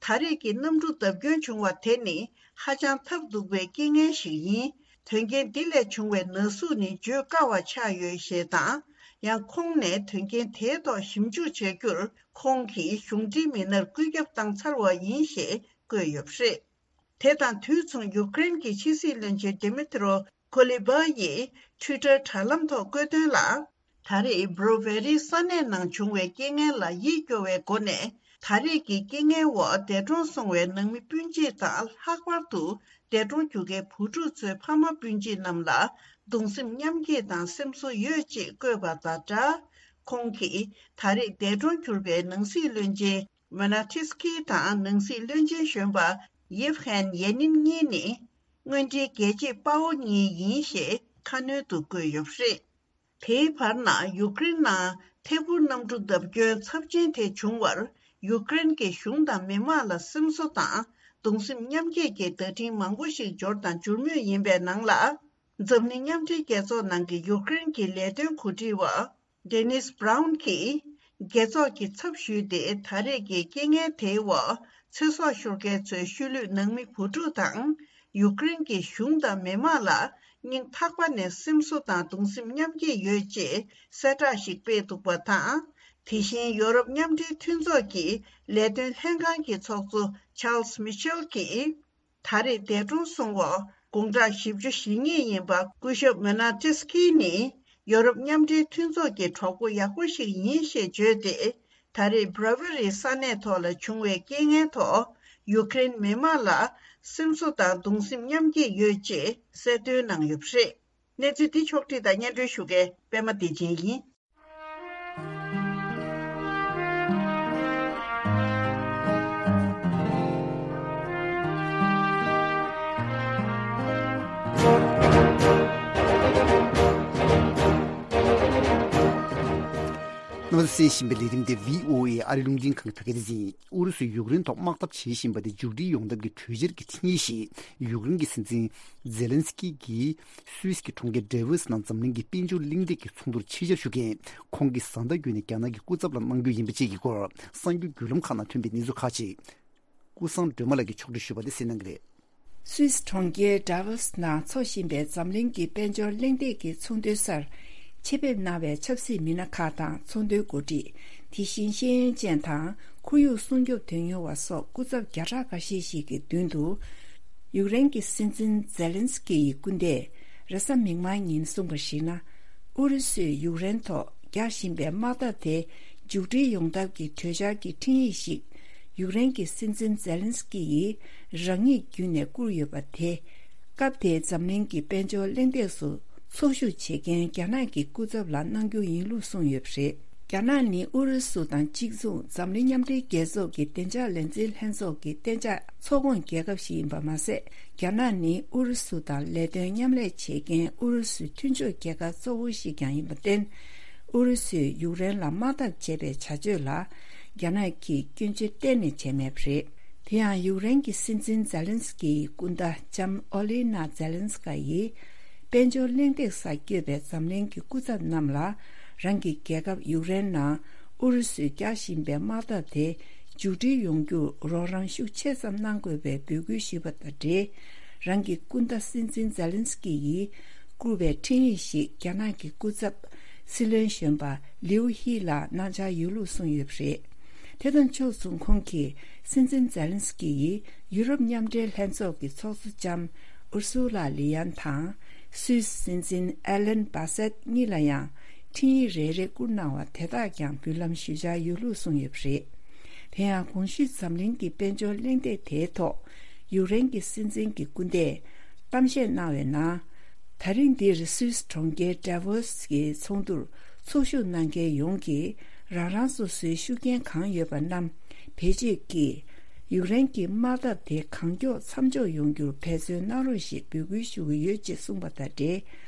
ད་རེས་ཀྱི་གནམ་གྲུ་བརྡབ་སྐྱོན་བྱུང་བ་དེ་ནི་ཧ་ཅང་ཐབས་སྡུག་པའི་རྐྱེན་ངན་ཞིག་ཡིན། དོན་རྐྱེན་འདི་ལས་བྱུང་བའི་ན་ཟུག་ནི་བརྗོད་དཀའ་བ་ཆགས་ཡོད་ཞེས་དང་། ཡང་ཁོང་ནས་དོན་རྐྱེན་དེའི་ཐོག་ཞིབ་འཇུག་བྱ་རྒྱུར་ཁོང་གིས་གཞུང་འབྲེལ་མི་སྣར་བཀོད་ཁྱབ་བཏང་ཚར་བ་ཡིན་ཞེས་བཀོད་ཡོད་པ་རེད། དེ་དང་དུས་མཚུངས་ཡུཀ་རེན་གྱི་ཕྱི་སྲིད་བློན་ཆེན་ཌི་མི་ཏྲོ་ཀོ་ལི་བྷ་ཡིས་ཊུའི་ཊར་དྲ་ལམ་ཐོག་བཀོད་དོན་ལ། ད་རེས་བྷོ་རོ་ཝེ་རིའི་ས་གནས་ནང་བྱུང་བའི་རྐྱེན་ངན་ལ་ཡིད་སྐྱོ་བའི་སྒོ་ནས། ད་རེས་ཀྱི་རྐྱེན་ངན་འོག་འདས་གྲོངས་སོང་བའི་ནང་མི་སྤུན་མཆེད་དང་། ལྷག་པར་དུ་འདས་གྲོངས་གྱུར་མཁན་བུ་ཕྲུག་ཚོའི་ཕ་མ་སྤུན་མཆེད་རྣམས་ལ་གདུང་སེམས་མཉམ་སྐྱེད་དང་སེམས་གསོ་ཡོད་ཅེས་བཀོད་པ་དང་སྦྲགས། ཁོང་གིས་ད་རེས་འདས་གྲོངས་གྱུར་པའི་ནང་སྲིད་བློན་ཆེན་མོ་ན་ཐི་སི་ཀི་དང་ནང་སྲིད་བློན་ཆེན་གཞོན་པ་ཡེབ་ཧན་ཡེ་ནིན་གཉིས་ནི་དངོས་འབྲེལ་རྒྱལ་གཅེས་དཔའ་བོ་གཉིས་ཡིན་ཞེས་ཁ་སྣོན་དུ་བཀོད་ཡོད་པ་རེད། དེའི་བར་ན་ཡུཀ་རེན་ནང་ཐད་འཕུར་གནམ་གྲུ་བརྡབ་སྐྱོན་ཚབས་ཆེན་དེ་བྱུང་བར་ཡུཀ་རེན་གྱི་གཞུང་དང་མི་མང་ལ་སེམས་གསོ་དང་གདུང་སེམས་མཉམ་སྐྱེད་ཀྱི་བརྡ་འཕྲིན་མང་པོ་ཞིག་འབྱོར་དང་འབྱོར་མུས་ཡིན་པའི་ནང་ལ། འཛམ་གླིང་མཉམ་འབྲེལ་རྒྱལ་ཚོགས་ནང་གི་ཡུཀ་རེན་གྱི་ལས་དོན་གོ་སྒྲིག་པ་ཌེ་ནིས་བྷ་རའུན་གྱིས་རྒྱལ་ཚོགས་ཀྱི་ཚབ་ཞུས་ཏེ། ད་རེས་ཀྱི་རྐྱེན་ངན་དེའི་འོག་ཚེ་སྲོག་ཤོར་མཁན་ཚོའི་ཤུལ་ལུས་ནང་མི་བུ་ཕྲུག་དང་ཡུཀ་རེན་གྱི་གཞུང་དང་མི་མང་ལ་སྙིང་ཐག་པ་ནས་སེམས་གསོ་དང་གདུང་སེམས་མཉམ་སྐྱེད་ཡོད་ཅེས་གསལ་བསྒྲགས་ཤིག་སྤེལ་འདུག་པ་དང་། དེ་བཞིན་ཡོ་རོབ་མཉམ་འབྲེལ་མཐུན་ཚོགས་ཀྱི་ལས་དོན་ལྷན་ཁང་གི་ཚོགས་གཙོ་ཆཱལ་སི་མི་ཤེལ་གྱིས། ད་རེས་འདས་གྲོངས་སོང་བ་ དགུང་གྲངས་བཞི་བཅུ་ཞེ་གཉིས་ཡིན་པ་སྐུ་ཞབས་མོ་ན་ཏི་སི་ཀི་ནི་ཡོ་རོབ་མཉམ་འབྲེལ་མཐུན་ཚོགས་ཀྱི་གྲོགས་པོ་ཡག་པོ་ཞིག་ཡིན་ཞེས་བརྗོད་དེ། ད་རེས་བྷ་ར་ཝེ་རིའི་ས་གནས་ཐོག་ལ་བྱུང་བའི་རྐྱེན་ངན་ཐོག་ཡུཀ་རེན་མི་མང་ལ་སེམས་གསོ་དང་གདུང་སེམས་མཉམ་སྐྱེད་ཡོད་ཅེས་གསལ་སྟོན་གནང་ཡོད་པ་རེད། གནས་ཚུལ་འདི་ཕྱོགས་བསྒྲིགས་དང་སྙན་སྒྲོན་ཞུ་མཁན་པད་མ་བདེ་ཆེན་ཡིན། རྣམ་པ་ཚོས་གསན་བཞིན་པའི་ལས་རིམ་དེ་བྷི་ཨོ་ཨེ་ཨ་རི་རླུང་འཕྲིན་ཁང་གི་བོད་སྐད་སྡེ་ཚན་ཡིན། ཨུ་རུ་སུས་ཡུཀ་རེན་ཐོག་དམག་འཐབ་བྱེད་བཞིན་པ་དེ་མཇུག་སྒྲིལ་ཡོང་ཐབས་ཀྱི་གྲོས་འཆར་གྱི་འཕྲིན་ཡིག་ཞིག་ཡུཀ་རེན་གྱི་སྲིད་འཛིན་ཛེ་ལན་སི་ཀི་གིས་སུད་སི་གི་གྲོང་ཁྱེར་ཌེ་ཝོ་སི་ནང་འཛམ་གླིང་གི་དཔལ་འབྱོར་གླེང་སྟེགས་ཀྱི་ཚོགས་འདུར་ཆེད་བཅར་ཞུ་མཁན་ཁོང་གིས་བཟའ་ཟླ་བརྒྱུད་ནས་རྒྱ་ནག་གི་སྐུ་ཚབ་ལ་གནང་རྒྱུ་ཡིན་པ་བཅས་ཀྱི་སྐོར་གསར་འགྱུར་བརྒྱུད་ལམ་ཁག་ནང་ཐོན་པའི་གནས་ཚུལ་ཁག་ཅིག་ཀུན་བཟང་སྒྲོལ་མ་ལགས་ཀྱིས་ཕྱོགས་བསྒྲིགས་ཞུས་པ་དེ་གསན་གནང་གི་རེད། སུད་སི་གྲོང་ཁྱེར་ཌ་ཝོ་སི་ནང་འཚོགས་བཞིན་པའི་འཛམ་གླིང་གི་དཔལ་འབྱོར་གླེང་སྟེགས་ཀྱི་ཚོགས་འདུའི་སར་ཆེད་ཕེབས་གནང་བའི་ཆབ་སྲིད་མི་སྣ་ཁག་དང་ཚོགས་འདུའི་འགོ་ཁྲིད། དེ་བཞིན་ཤེས་ཡོན་ཅན་དང་ཁོར་ཡུག་སྲུང་སྐྱོབ་དོན་གཉེར་བ་སོགས་སྐུ་ཚབ་བརྒྱ་ཕྲག་འགའ་ཤས་ཤིག་གི་མདུན་དུ། ཡུཀ་རེན་གྱི་སྲིད་འཛིན་ཛེ་ལན་སི་ཀི་ཡི་སྐུ་ཟླས་རེས་གཟའ་མིག་དམར་ཉིན་གསུངས་པར་གཞིགས་ན། ཨུ་རུ་སུས་ཡུཀ་རེན་ཐོག་རྒྱག་བཞིན་པའི་དམག་འཐབ་དེ་མཇུག་སྒྲིལ་ཡོང་ཐབས་ཀྱི་གྲོས་འཆར་གྱི་འཕྲིན་ཡིག་ཞིག་ཡུཀ་རེན་གྱི་སྲིད་འཛིན་ཛེ་ལན་སི་ཀི་ཡིས་རང་ཉིད་བརྒྱུད་ནས་བསྐུར་ཡོད་པ་དེ། སྐབས་དེའི་འཛམ་གླིང་གི་དཔལ་འབྱོར་གླེང་སྟེགས་སུ་འཚོགས་ཞུགས་བྱེད་མཁན་རྒྱ་ནག་གི་སྐུ་ཚབ་ལ་གནང་རྒྱུ་ཡིན་ལུགས་གསུངས་ཡོད་པ་རེད། རྒྱ་ནག་ནི་ཨུ་རུ་སུ་དང་གཅིག་མཚུངས་འཛམ་གླིང་མཉམ་འབྲེལ་རྒྱལ་ཚོགས་ཀྱི་བདེ་འཇགས་ལས་འཛིན་ལྷན་ཚོགས་ཀྱི་གཏན་འཇགས་ཚོགས་ཁོངས་རྒྱལ་ཁབ་ཞིག་ཡིན་པ་མ་ཟད། རྒྱ་ནག་ནི་ཨུ་རུ་སུ་དང་ལས་དོན་མཉམ་ལས་བྱེད་མཁན་ཨུ་རུ་སུའི་མཐུན་ཕྱོགས་རྒྱལ་ཁབ་གཙོ་བོ་ཞིག་ཀྱང་ཡིན་པར་བརྟེན། ཨུ་རུ་སུས་ཡུཀ་རེན་ལ་དམག་འཐབ་བྱས་པའི་བྱ་སྤྱོད་ལ་རྒྱ་ནག་གིས་སྐྱོན་བརྗོད་གཏན་ནས་བྱས་མེད་པ་རེད། དེ་ཡང་ཡུཀ་རེན་གྱི་སྲིད་འཛིན་ཛེ་ལན་སི་ཀི་ཡི་སྐུ་ཟླ་ལྕམ་ཨོ་ལི་ན་ཛེ་ལན་སི་ཀ་ཡིས་དཔལ་འབྱོར་གླེང་སྟེགས་སར་བསྐྱོད་པའི་འཛམ་གླིང་གི་སྐུ་ཚབ་རྣམས་ལ་རང་གི་རྒྱལ་ཁབ་ཡུཀ་རེན་ནང་ཨུ་རུ་སུས་རྒྱག་བཞིན་པའི་དམག་འཐབ་དེ་མཇུག་སྒྲིལ་ཡོང་རྒྱུར་རོགས་རམ་ཤུགས་ཆེ་ཙམ་གནང་དགོས་པའི་འབོད་སྐུལ་ཞུས་པ་དང་འབྲེལ། རང་གི་སྐུ་ཟླ་སྲིད་འཛིན་ཛེ་ལན་སི་ཀི་ཡིས་བསྐུར་བའི་འཕྲིན་ཡིག་ཞིག་རྒྱ་ནག་གི་སྐུ་ཚབ་སྲིད་བློན་གཞོན་པ་ལིའུ་ཧི་ལ་གནང་འཆར་ཡོད་ལུགས་གསུངས་ཡོད་པ་རེད། དེ་དང་ཕྱོགས་མཚུངས་ཁོང་གིས་སྲིད་འཛིན་ཛེ་ལན་སི་ཀི་ཡིས་ཡུ་རོབ་མཉམ་འབྲེལ་ལྷན་ཚོགས་ཀྱི་ཚོགས་གཙོ་ལྕམ་ཨུར་སུ་ལ་ལི་ཡན་དང་སུད་སི་སྲིད་འཛིན་ཨེ་ལན་བ་སེད་གཉིས་ལ་ཡང་འཕྲིན་ཡིག་རེ་རེ་བསྐུར་གནང་བ་དེ་དག་ཀྱང་འབུལ་ལམ་ཞུ་འཆར་ཡོད་ལུགས་གསུངས་ཡོད་པ་རེད། དེ་ཡང་གོང་ཞུས་འཛམ་གླིང་གི་དཔལ་འབྱོར་གླེང་སྟེགས་དེའི་ཐོག་ཡུཀ་རེན་གྱི་སྲིད་འཛིན་གྱི་སྐུ་ཟླས་གཏམ་བཤད་གནང་བའི་ནང་། ད་རིང་འདིར་སུད་སི་གྲོང་ཁྱེར་ཌ་ཝོ་སི་གི་ཚོགས་འདུར་ཚོགས་ཞུགས་གནང་མཁན་ཡོངས་ཀྱིས་རང་རང་སོ་སོའི་ཤུགས་རྐྱེན་གང་ཡོད་པ་རྣམས་བེད་སྤྱོད་ཀྱིས་ཡུཀ་རེན་གྱི་དམག་འཐབ་དེ་གང་མགྱོགས་མཚམས་འཇོག་ཡོང་རྒྱུར་འབད་བརྩོན་གནང་རོགས་ཞེས་འབོད་སྐུལ་ཞུ་གི་ཡོད་ཅེས་གསུངས་པ་དང་འབྲེལ།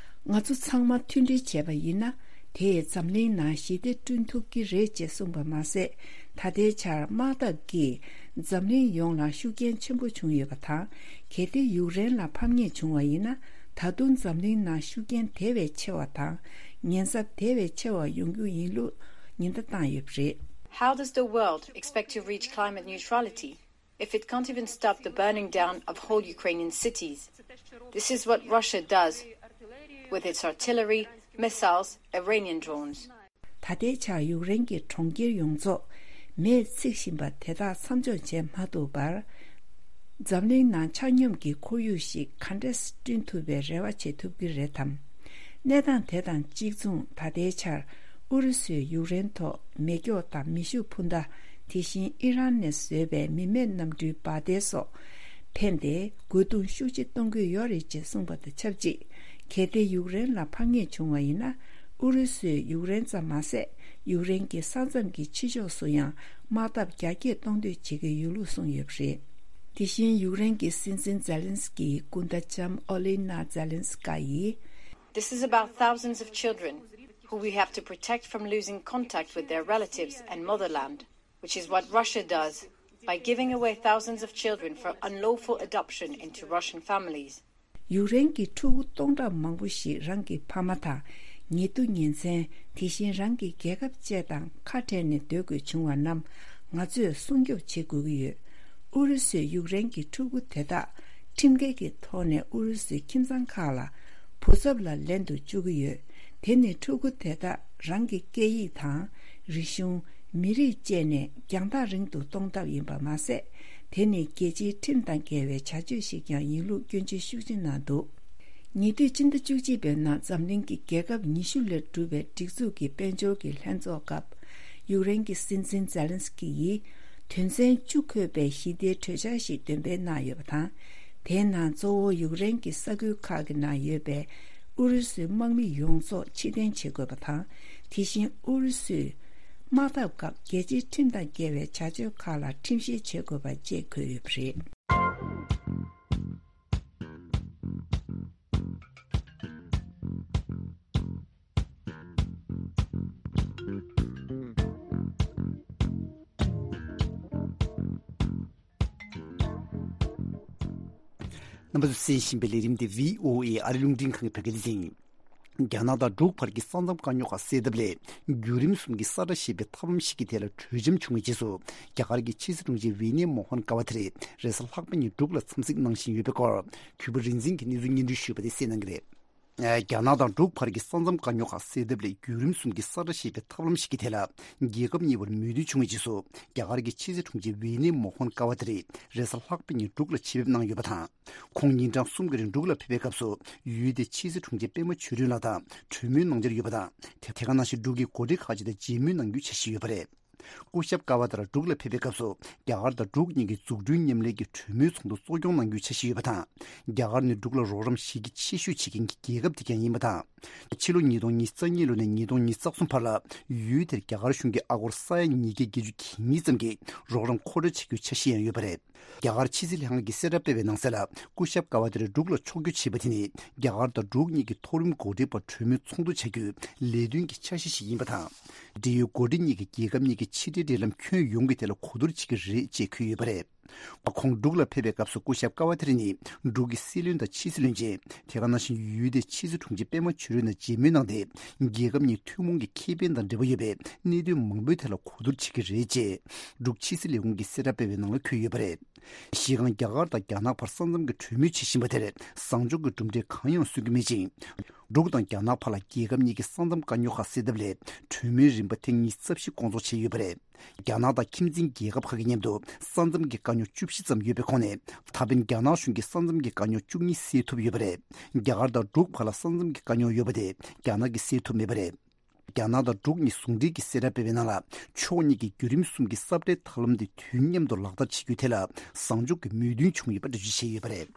ང་ཚོ་ཚང་མ་མཐུན་སྒྲིལ་བྱས་པ་ཡིན་ན། དེས་འཛམ་གླིང་ནང་ཞི་བདེ་བསྐྲུན་ཐུབ་ཀྱི་རེད་ཅེས་གསུངས་པ་མ་ཟད། ད་ལྟའི་ཆར་དམག་འཐབ་ཀྱིས་འཛམ་གླིང་ཡོངས་ལ་ཤུགས་རྐྱེན་ཆེན་པོ་བྱུང་ཡོད་པ་དང་། གལ་ཏེ་ཡུཀ་རེན་ལ་ཕམ་ཉེས་བྱུང་བ་ཡིན་ན། ད་དུང་འཛམ་གླིང་ནང་ཤུགས་རྐྱེན་དེ་བས་ཆེ་བ་དང་། ཉེན་ཚབས་དེ་བས་ཆེ་བ་ཡོང་རྒྱུ་ཡིན་ལུགས་ཉེན་བརྡ་བཏང་ཡོད་པ་རེད། How does the world expect to reach climate neutrality if it can't even stop the burning down of whole Ukrainian cities? This is what Russia does with its artillery, missiles, Iranian drones. ད་ལྟའི་ཆར་ཡུཀ་རེན་གྱི་གྲོང་ཁྱེར་ཡོངས་རྫོགས་མེས་འཚིག་བཞིན་པ་དེ་དག་མཚམས་འཇོག་བྱེད་མ་ཐུབ་པར། འཛམ་གླིང་ནང་ཆ་སྙོམས་ཀྱི་ཁོར་ཡུག་ཞིག་ག་འདྲས་བསྐྲུན་ཐུབ་པའི་རེ་བ་བྱེད་ཐུབ་ཀྱི་རེད་དམ། གནས་སྟངས་དེ་དང་གཅིག་མཚུངས་ད་ལྟའི་ཆར་ཨུ་རུ་སུས་ཡུཀ་རེན་ཐོག་མེ་སྒྱོགས་དང་མེ་ཤུགས་འཕུར་མདའ། དེ་བཞིན་ཨི་རན་ནས་བཟོས་པའི་མི་མེད་གནམ་གྲུའི་འབར་མདེལ་སོགས་འཕེན་ཏེ་རྒོལ་རྡུང་ཤུགས་ཆེ་གཏོང་གི་ཡོད་རེད་ཅེས་གསུངས་པ་དང་ཆབས་ཅིག་གལ་ཏེ་ཡུཀ་རེན་ལ་ཕམ་ཉེས་བྱུང་བ་ཡིན་ན། ཨུ་རུ་སུས་ཡུཀ་རེན་ཙམ་མ་ཟད། ཡུཀ་རེན་གྱི་ས་མཚམས་ཀྱི་ཕྱི་ཕྱོགས་སུ་ཡང་དམག་འཐབ་རྒྱ་སྐྱེད་གཏོང་འདོད་བྱེད་ཀྱི་ཡོད་ལུགས་གསུངས་ཡོད་པ་རེད། དེ་བཞིན་ཡུཀ་རེན་གྱི་སྲིད་འཛིན་ཛེ་ལན་སི་ཀིའི་སྐུ་ཟླ་ལྕམ་ཨོ་ལི་ན་ཛེ་ལན་སི་ཀ་ཡིས། This is about thousands of children who we have to protect from losing contact with their relatives and motherland, which is what Russia does by giving away thousands of children for unlawful adoption into Russian families. ཡུཀ་རེན་གྱི་ཕྲུ་གུ་སྟོང་ཕྲག་མང་པོ་ཞིག་རང་གི་ཕ་མ་དང་། ཉེ་དུ་ཉེ་ཚན། དེ་བཞིན་རང་གི་རྒྱལ་ཁབ་བཅས་དང་ཁ་བྲལ་ནས་སྡོད་དགོས་བྱུང་བ་རྣམས་ང་ཚོས་སྲུང་སྐྱོབ་བྱེད་དགོས་ཀྱི་ཡོད། ཨུ་རུ་སུས་ཡུཀ་རེན་གྱི་ཕྲུ་གུ་དེ་དག་ཁྲིམས་འགལ་གྱི་ཐོག་ནས་ཨུ་རུ་སུའི་ཁྱིམ་ཚང་ཁག་ལ་བུ་ཚབ་ལ་ལེན་དུ་བཅུག་གི་ཡོད། དེ་ནི་ཕྲུ་གུ་དེ་དག་རང་གི་སྐད་ཡིག་དང་། རིག་གཞུང་། མི་རིགས་བཅས་ནས་རྒྱང་ཐག་རིང་དུ་གཏོང་ཐབས་ཡིན་པ་མ་ཟད། དེ་ནི་རྒྱལ་སྤྱིའི་ཁྲིམས་དང་འགལ་བའི་བྱ་སྤྱོད་ཞིག་ཀྱང་ཡིན་ལུགས་སྐྱོན་བརྗོད་ཤུགས་ཆེ་གནང་འདུག། ཉེ་དུས་སྤྱི་ཟླ་བཅུ་གཅིག་པའི་ནང་འཛམ་གླིང་གི་རྒྱལ་ཁབ་ཉི་ཤུ་ལས་གྲུབ་པའི་སྒྲིག་འཛུགས་ཀྱི་དཔལ་འབྱོར་གྱི་ལྷན་ཚོགས་སྐབས། ཡུཀ་རེན་གྱི་སྲིད་འཛིན་ཛེ་ལན་སི་ཀི་ཡིས་དོན་ཚན་བཅུ་འཁོད་པའི་ཞི་བདེའི་གྲོས་འཆར་ཞིག་འདོན་སྤེལ་གནང་ཡོད་པ་དང་། དེའི་ནང་གཙོ་བོ་ཡུཀ་རེན་གྱི་ས་ཁུལ་ཁག་གི་ནང་ཡོད་པའི་ཨུ་རུ་སུའི་དམག་མི་ཡོངས་རྫོགས་ཕྱིར་འཐེན་བྱེད་དགོས་པ་དང་། དེ་བཞིན་ཨུ་རུ་སུས་དམག་འཐབ་སྐབས་རྒྱལ་སྤྱིའི་ཁྲིམས་དང་འགལ་བའི་བྱ་སྤྱོད་ཁག་ལ་ཁྲིམས་བཤེར་བྱེད་དགོས་པ་བཅས་འཁོད་ཡོད་པ་རེད། རྣམ་པ་ཚོས་གསན་བཞིན་པའི་ལས་རིམ་འདི་བྷི་ཨོ་ཨེ་ཨ་རི་རླུང་འཕྲིན་ཁང་གི་བོད་སྐད་སྡེ་ཚན་ཡིན། རྒྱ་ནག་དང་འབྲུག་བར་གྱི་ས་མཚམས་དཀའ་རྙོག་ཁག་སེལ་ཐབས་སླད་བརྒྱུད་རིམ་གསུམ་གྱི་ས་བཀྲ་ཞེས་པའི་ཐབས་ལམ་ཞིག་གི་ཐད་ལ་གྲོས་འཆམ་བྱུང་བའི་རྗེས་སུ། རྒྱ་གར་གྱི་ཕྱི་སྲིད་དྲུང་ཆེ་ཝི་ནེ་མོ་ཧོན་ཀ་བ་ཏི་རེ་རེས་གཟའ་ལྷག་པ་ཉིན་འབྲུག་ལ་འཚམས་གཟིགས་གནང་བཞིན་ཡོད་པའི་སྐོར། གུས་པ་རིག་འཛིན་གྱིས་གནས་ཚུལ་སྙན་སྒྲོན་ཞུས་པ་དེ་གསན་གནང་གི་རེད། རྒྱ་ནག་དང་འབྲུག་བར་གྱི་ས་མཚམས་དཀའ་རྙོག་ཁག་སེལ་ཐབས་སླད་བརྒྱུད་རིམ་གསུམ་གྱི་ས་བཀྲ་ཞེས་པའི་ཐབས་ལམ་ཞིག་གི་ཐད་ལ། རྒྱལ་ཁབ་གཉིས་བར་མོས་མཐུན་བྱུང་བའི་རྗེས་སུ། རྒྱ་གར་གྱི་ཕྱི་སྲིད་དྲུང་ཆེ་ཝི་ནེ་མོ་ཧོན་ཀ་བ་ཏི་རེ་རེས་གཟའ་ལྷག་པ་ཉིན་འབྲུག་ལ་ཆེད་ཕེབས་གནང་ཡོད་པ་དང་། ཁོང་ཉིན་གྲངས་གསུམ་གྱི་རིང་འབྲུག་ལ་ཕེབས་པའི་སྐབས་སུ། ཡུལ་དེའི་ཕྱི་སྲིད་དྲུང་ཆེ་པད་མ་ཆོས་སྒྲོན་ལགས་དང་གྲོས་མོལ་གནང་འཆར་ཡོད་པ་དང་། དེ་དེ་ག་ནང་བཞིན་འབྲུག་གི་འགོ་ཁྲིད་ཁག་ཅིག་དང་མཇལ་མོལ་གནང་རྒྱུའི་འཆར་གཞི་ཡོད་པ་རེད། སྐུ་ཞབས་ཀ་བ་ཏི་རེ་འབྲུག་ལ་ཕེབས་པའི་སྐབས་སུ། རྒྱ་གར་དང་འབྲུག་གཉིས་ཀྱི་འཛུགས་སྐྲུན་མཉམ་ལས་ཀྱི་གྲོས་མོལ་ཚོགས་འདུ་གཙོ་སྐྱོང་གནང་རྒྱུའི་འཆར་གཞི་ཡོད་པ་དང་། རྒྱ་གར་ནི་འབྲུག་ལ་རོགས་རམ་གཞི་རྒྱ་ཆེ་ཤོས་བྱེད་མཁན་གྱི་རྒྱལ་ཁབ་དེ་ཀྱང་ཡིན་པ་དང་། ཕྱི་ལོ་ཉིས་སྟོང་ཉི་ཤུ་རྩ་གཉིས་ལོ་ནས་ཉིས་སྟོང་ཉི་ཤུ་རྩ་གསུམ་བར་ལ། ཡུལ་དེར་རྒྱ་གར་གཞུང་གིས་ཨ་སྒོར་ས་ཡ་ཉིས་བརྒྱ་བརྒྱད་ཅུ་གྱ་གཉིས་ཙམ་གྱི་རོགས་རམ་མཁོ་སྤྲོད་བྱ་རྒྱུའི་འཆར་གཞི་ཡང་ཡོད་པ་རེད། རྒྱ་གར་ཕྱི་སྲིད་ལྷན་ཁང་གིས་གསལ་བསྒྲགས་སྤེལ་བའི་ནང་གསལ་ལ། སྐུ་ཞབས་ཀ་བ་ཏི་རེ་འབྲུག་ལ་ཕྱོགས་བསྐྱོད་བྱས་པ་དེ་ནི། རྒྱ་གར་དང་འབྲུག་གཉིས་ཀྱི་མཐོ་རིམ་འགོ་ཁྲིད་བར་གྲོས་མོལ་ཚོགས་འདུ་བྱ་རྒྱུའི་ལས་དོན་གྱི་འཆར་གཞི་ཞིག་ཡིན་པ་དང་། འབྲེལ་ཡོད་འགོ་ཁྲིད་གཉིས་ཀྱིས་རྒྱལ་ཁབ་གཉིས་ཀྱི་ཕྱི་འབྲེལ་འབྲེལ་ལམ་ཁྱོན་ཡོངས་ཀྱི་ཐད་ལ་གོ་བསྡུར་བྱེད་ཀྱི་རེད་ཅེས་འཁོད་ཡོད་པ་རེད། ཁོང་འབྲུག་ལ་ཕེབས་པའི་སྐབས་སུ་སྐུ་ཞབས་ཀ་བ་ཏི་རེ་ནི་འབྲུག་གི་སྲིད་བློན་དང་ཕྱི་སྲིད་བློན་ཆེན། དེ་ག་ནང་བཞིན་ཡུལ་དེའི་ཕྱི་སྲིད་དྲུང་ཆེ་པད་མ་ཆོས་སྒྲོན་དང་མཇལ་མོལ་གནང་སྟེ། རྒྱལ་ཁབ་གཉིས་ཐུན་མོང་གི་ཁེ་ཕན་དང་འབྲེལ་བ་ཡོད་པའི་གནད་དོན་མང་པོའི་ཐད་ལ་གོ་བསྡུར་བྱེད་ཀྱི་རེད་ཅེས་འབྲུག་ཕྱི་སྲིད་ལས་ཁུངས་ཀྱིས་གསལ་བསྒྲགས་སྤེལ་བའི་ནང་ལ་འཁོད་ཡོད་པ་རེད། གཞི་རྐང་རྒྱ་གར་དང་རྒྱ་ནག་བར་ས་མཚམས་ཀྱི་གྲོས་མོལ་བྱེད་བཞིན་པ་དེར་བཟང་ཕྱོགས་ཀྱི་གྲུབ་འབྲས་གང་ཡང་སོན་གྱི་མེད་ཅིང་། འབྲུག་དང་རྒྱ་ནག་བར་ལ་རྒྱལ་ཁབ་གཉིས་ཀྱི་ས་མཚམས་དཀའ་རྙོག་ཁག་སེལ་ཐབས་སླད་གྲོས་མོལ་རིམ་པ་ཐེངས་ཉི་ཤུ་རྩ་བཞི་སྐོང་ཚོགས་བྱས་ཡོད་པ་རེད། རྒྱ་ནག་དང་ཁྱིམ་མཚེས་རྒྱལ་ཁབ་ཁག་གི་མཉམ་དུ་ས་མཚམས་ཀྱི་དཀའ་རྙོག་བཅུ་བཞི་ཙམ་ཡོད་པའི་ཁོངས་ནས། ད་ཕན་རྒྱ་ནག་གཞུང་གིས་ས་མཚམས་ཀྱི་དཀའ་རྙོག་བཅུ་གཉིས་སེལ་ཐུབ་ཡོད་པ་རེད། རྒྱ་གར་དང་འབྲུག་བར་ལ་ས་མཚམས་ཀྱི་དཀའ་རྙོག་ཡོད་པ་དེ་རྒྱ་ནག་གིས་སེལ་ཐུབ་མེད་པ་རེད། རྒྱ་ནག་དང་འབྲུག་གཉིས་ཟུང་འབྲེལ་གྱིས་གསལ་བསྒྲགས་སྤེལ་བའི་ནང་ལ། ཕྱོགས་གཉིས་ཀྱིས་བརྒྱུད་རིམ་གསུམ་གྱི་ས་བཀྲའི་ཐབས་ལམ་དེ་དུས་མཉམ་དུ་ལག་བསྟར་བྱེད་རྒྱུའི་ཐད་ལ་བཟང་ཕྱོགས་ཀྱི་མོས་མཐུན་བྱུང་ཡོད་པ་འགྲེལ་བརྗོད་བྱས་ཡོད་པ་རེད།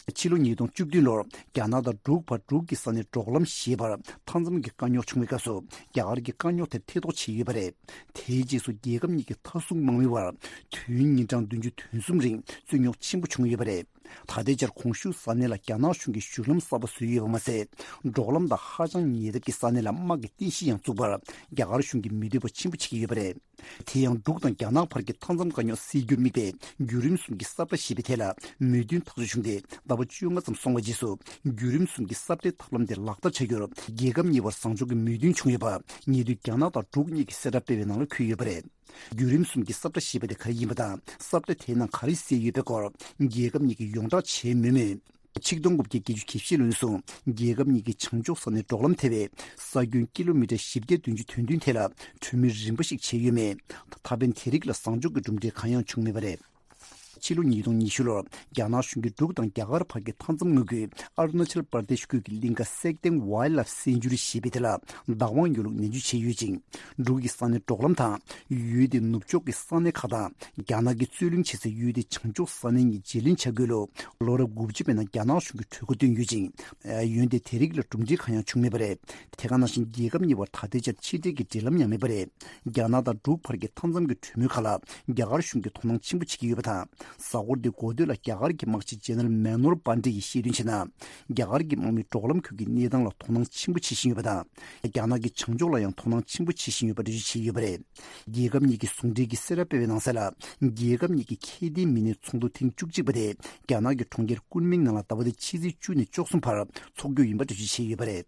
ཕྱི་ལོ་ཉིས་སྟོང་བཅུ་བདུན་ལོར་རྒྱ་ནག་དང་འབྲུག་བར་འབྲུག་གི་ས་གནས་འབྲོག་ལམ་ཞེས་པར་མཐའ་མཚམས་ཀྱི་དཀའ་རྙོག་བྱུང་བའི་སྐབས་སུ་རྒྱ་གར་གྱིས་དཀའ་རྙོག་དེར་ཐེ་གཏོགས་བྱས་ཡོད་པ་རེད། དེའི་རྗེས་སུ་རྒྱལ་ཁབ་གཉིས་ཀྱི་མཐའ་སྲུང་དམག་མི་བར་དུས་ཡུན་ཉིན་གྲངས་བདུན་ཅུ་དོན་གསུམ་རིང་རྩོད་རྙོག་ཆེན་པོ་བྱུང་ཡོད་པ་རེད། ད་ལྟའི་ཆར་གོང་ཞུས་ས་གནས་ལ་རྒྱ་ནག་གཞུང་གིས་བཞུགས་ལམ་གསར་པ་བཟོས་ཡོད་པ་མ་ཟད། འབྲོག་ལམ་དང་ཧ་ཅང་ཉེ་འདབས་ཀྱི་ས་གནས་ལ་དམག་གི་རྟེན་གཞི་ཡང་བཙུགས་པར་རྒྱ་གར་གཞུང་གིས་མི་འདོད་པ་ཆེན་པོ་བྱེད་ཀྱི་ཡོད་པ་རེད། དེ་ཡང་འབྲུག་དང་རྒྱ་ནག་བར་གྱི་མཐའ་མཚམས་དཀའ་རྙོག་སེལ་རྒྱུར་དམིགས་པའི་བརྒྱུད་རིམ་གསུམ་གྱི་ས་བཀྲ་ཞེས་པའི་ཐད་ལ་མོས་མཐུན་ཐག་གཅོད་བྱུང་སྟེ་ཟླ་བ་བཅོ་ལྔ་ཙམ་སོང་བའི་རྗེས་སུ་བརྒྱུད་རིམ་གསུམ་གྱི་ས་བཀྲའི་ཐབས་ལམ་དེ་ལག་བསྟར་བྱ་རྒྱུར་རྒྱལ་ཁབ་གཉིས་བར་བཟང་ཕྱོགས་ཀྱི་མོས་མཐུན་བྱུང་ཡོད་པ་ཉེ་དུས་རྒྱ་ནག་དང་འབྲུག་གཉིས་ཀྱིས་གསལ་བསྒྲགས་སྤེལ་བའི་ནང་ལ་འཁོད་ཡོད་པ་རེད། བརྒྱུད་རིམ་གསུམ་གྱི་ས་བཀྲ་ཞེས་པ་དེ་ག་རེ་ཡིན་པ་དང་ས་བཀྲ་དེའི་ནང་ག་རེ་གསལ་ཡོད་པའི་སྐོར་རྒྱལ་ཁབ་གཉིས་ཀྱིས་ཡོངས་བསྒྲགས་བྱས་མེད་མོད། ཆིག་སྟོང་དགུ་བརྒྱ་བརྒྱད་ཅུ་གྱ་བཞི་ལོའི་ནས་བཟུང་རྒྱལ་ཁབ་གཉིས་ཀྱི་བྱང་ཕྱོགས་ས་གནས་འབྲོག་ལམ་ཐེ་བའི་ས་ཁྱོན་ཀི་ལོ་མི་ཊར་བཞི་བརྒྱ་བདུན་ཅུ་དོན་བདུན་ཐད་ལ་གྲོས་མོལ་རིམ་པ་ཞིག་བྱས་ཡོད་མེད། ད་ཕན་དེ་རིགས་ལ་བཟང་ཕྱོགས་ཀྱི་གྲུབ་འབྲས་གང་ཡང་བྱུང་མེད་པ་རེད། ཕྱི་ལོ་ཉིས་སྟོང་ཉི་ཤུ་ལོར་རྒྱ་ནག་གཞུང་གིས་འབྲུག་དང་རྒྱ་གར་བར་གྱི་མཐའ་མཚམས་མངའ་ཁུལ་ཨ་རུ་ན་ཅལ་པར་དེ་ཤི་ཁུལ་གྱི་གླིང་ག་སེག་ཏེང་ཝའེལ་ལའིཕ་སེན་ཅུ་རི་ཞེས་པའི་དེ་ལ་བདག་དབང་ཡོད་ལུགས་ནན་བརྗོད་བྱས་ཡོད་ཅིང་། འབྲུག་གི་ས་གནས་འབྲོག་ལམ་དང་ཡུལ་དེའི་ནུབ་ཕྱོགས་ཀྱི་ས་གནས་ཁག་དང་རྒྱ་ནག་གིས་རྩོད་གླེང་བྱེད་སའི་ཡུལ་དེའི་བྱང་ཕྱོགས་ས་གནས་གཉིས་བརྗེ་ལེན་བྱ་དགོས་ལུགས་ལོ་རབས་དགུ་བཅུ་པའི་ནང་རྒྱ་ནག་གཞུང་གིས་གྲོས་འགོ་བཏོན་ཡོད་ཅིང་། འོན་ཏེ་དེ་རིགས་ལ་གྲུབ་འབྲས་གང་ཡང་བྱུང་མེད་པ་རེད། དེ་ག་ནང་བཞིན་རྒྱལ་ཁབ་གཉིས་བར་ད་ལྟའི་ཆར་ཕྱི་འབྲེལ་གྱི་འབྲེལ་ལམ་ཡང་མེད་པ་རེད། རྒྱ་ནག་དང་འབྲུག་བར་གྱི་མཐའ་མཚམས་ཀྱི་གྲོས་མོལ་ཁག་ལ་རྒྱ་གར་གཞུང་གིས་དོ་སྣང་ཆེན་པོ་བྱེད་ཀྱི་ཡོད་པ་དང་། གཟའ་འཁོར་འདིའི་འགོ་སྟོད་ལ་རྒྱ་གར་གྱི་དམག་སྤྱི་ཇེ་ནེ་རལ་མེ་ནོར་པཱན་ཌེ་ཡིས་བཤད་དོན་བྱས་ན། རྒྱ་གར་གྱི་དམག་མིས་འབྲོག་ལམ་ཁུལ་གྱི་གནས་སྟངས་ལ་དོ་སྣང་ཆེན་པོ་བྱེད་བཞིན་ཡོད་པ་དང་། རྒྱ་ནག་གིས་བྱང་ཕྱོགས་ལ་ཡང་དོ་སྣང་ཆེན་པོ་བྱེད་བཞིན་ཡོད་པ་འགྲེལ་བརྗོད་བྱས་ཡོད་པ་རེད། རྒྱལ་ཁབ་གཉིས་ཀྱི་ཟུང་འབྲེལ་གྱིས་གསལ་བསྒྲགས་སྤེལ་བའི་ནང་གསལ་ལ། རྒྱལ་ཁབ་གཉིས་ཀྱི་ཁེ་ལྡན་མི་སྣའི་ཚོགས་འདུ་ཐེངས་བཅུ་གཅིག་པ་དེ་རྒྱ་ནག་གི་གྲོང་ཁྱེར་ཀུན་མིང་ནང་ལ་ཟླ་བ་འདིའི་ཕྱི་ཚེས་བཅུ་ནས་བཅུ་གསུམ་བར་འཚོགས་རྒྱུ་ཡིན་པ་འགྲེལ་བརྗོད་བྱས་ཡོད་པ་རེད།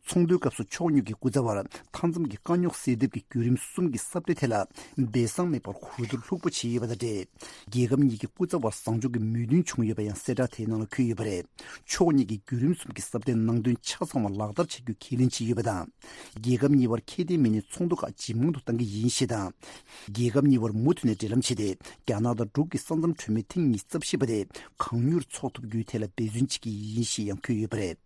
ཚོགས་འདུའི་སྐབས་སུ་ཕྱོགས་གཉིས་ཀྱི་སྐུ་ཚབ་བར་མཐའ་མཚམས་ཀྱི་དཀའ་རྙོག་སེལ་ཐབས་ཀྱི་བརྒྱུད་རིམ་གསུམ་གྱི་ས་བཀྲའི་ཐད་ལ་སྦས་གསང་མེད་པར་གོ་བསྡུར་ལྷུག་པོ་བྱས་ཡོད་པ་དང་འབྲེལ། རྒྱལ་ཁབ་གཉིས་ཀྱི་སྐུ་ཚབ་བར་བཟང་ཕྱོགས་ཀྱི་མོས་མཐུན་བྱུང་ཡོད་པ་ཡང་གསལ་བསྒྲགས་དེའི་ནང་ལ་འཁོད་ཡོད་པ་རེད། ཕྱོགས་གཉིས་ཀྱིས་བརྒྱུད་རིམ་གསུམ་གྱི་ས་བཀྲའི་ནང་དོན་ཆ་ཚང་བ་ལག་བསྟར་བྱ་རྒྱུ་ཁས་ལེན་བྱས་ཡོད་པ་དང་། རྒྱལ་ཁབ་གཉིས་བར་ཁེ་ཕན་མེད་ནས་ཚོགས་འདུ་ཁག་ཇེ་མང་དུ་གཏང་གི་ཡིན་ཞེས་དང་། རྒྱལ་ཁབ་གཉིས་བར་མུ་མཐུད་ནས་འབྲེལ་ལམ་བྱས་ཏེ། རྒྱ་ནག་དང་འབྲུག་གི་ས་མཚམས་གྲོས་མོལ་ཐེངས་ཉི་ཤུ་རྩ་བཞི་པ་དེ་གང་མྱུར་ཚོགས་ཐུབ་རྒྱུའི་ཐད་ལ་འབད་བརྩོན་བྱེད་ཀྱི་ཡིན་ཞེས་ཡང་འཁོད་ཡོད་པ་རེད།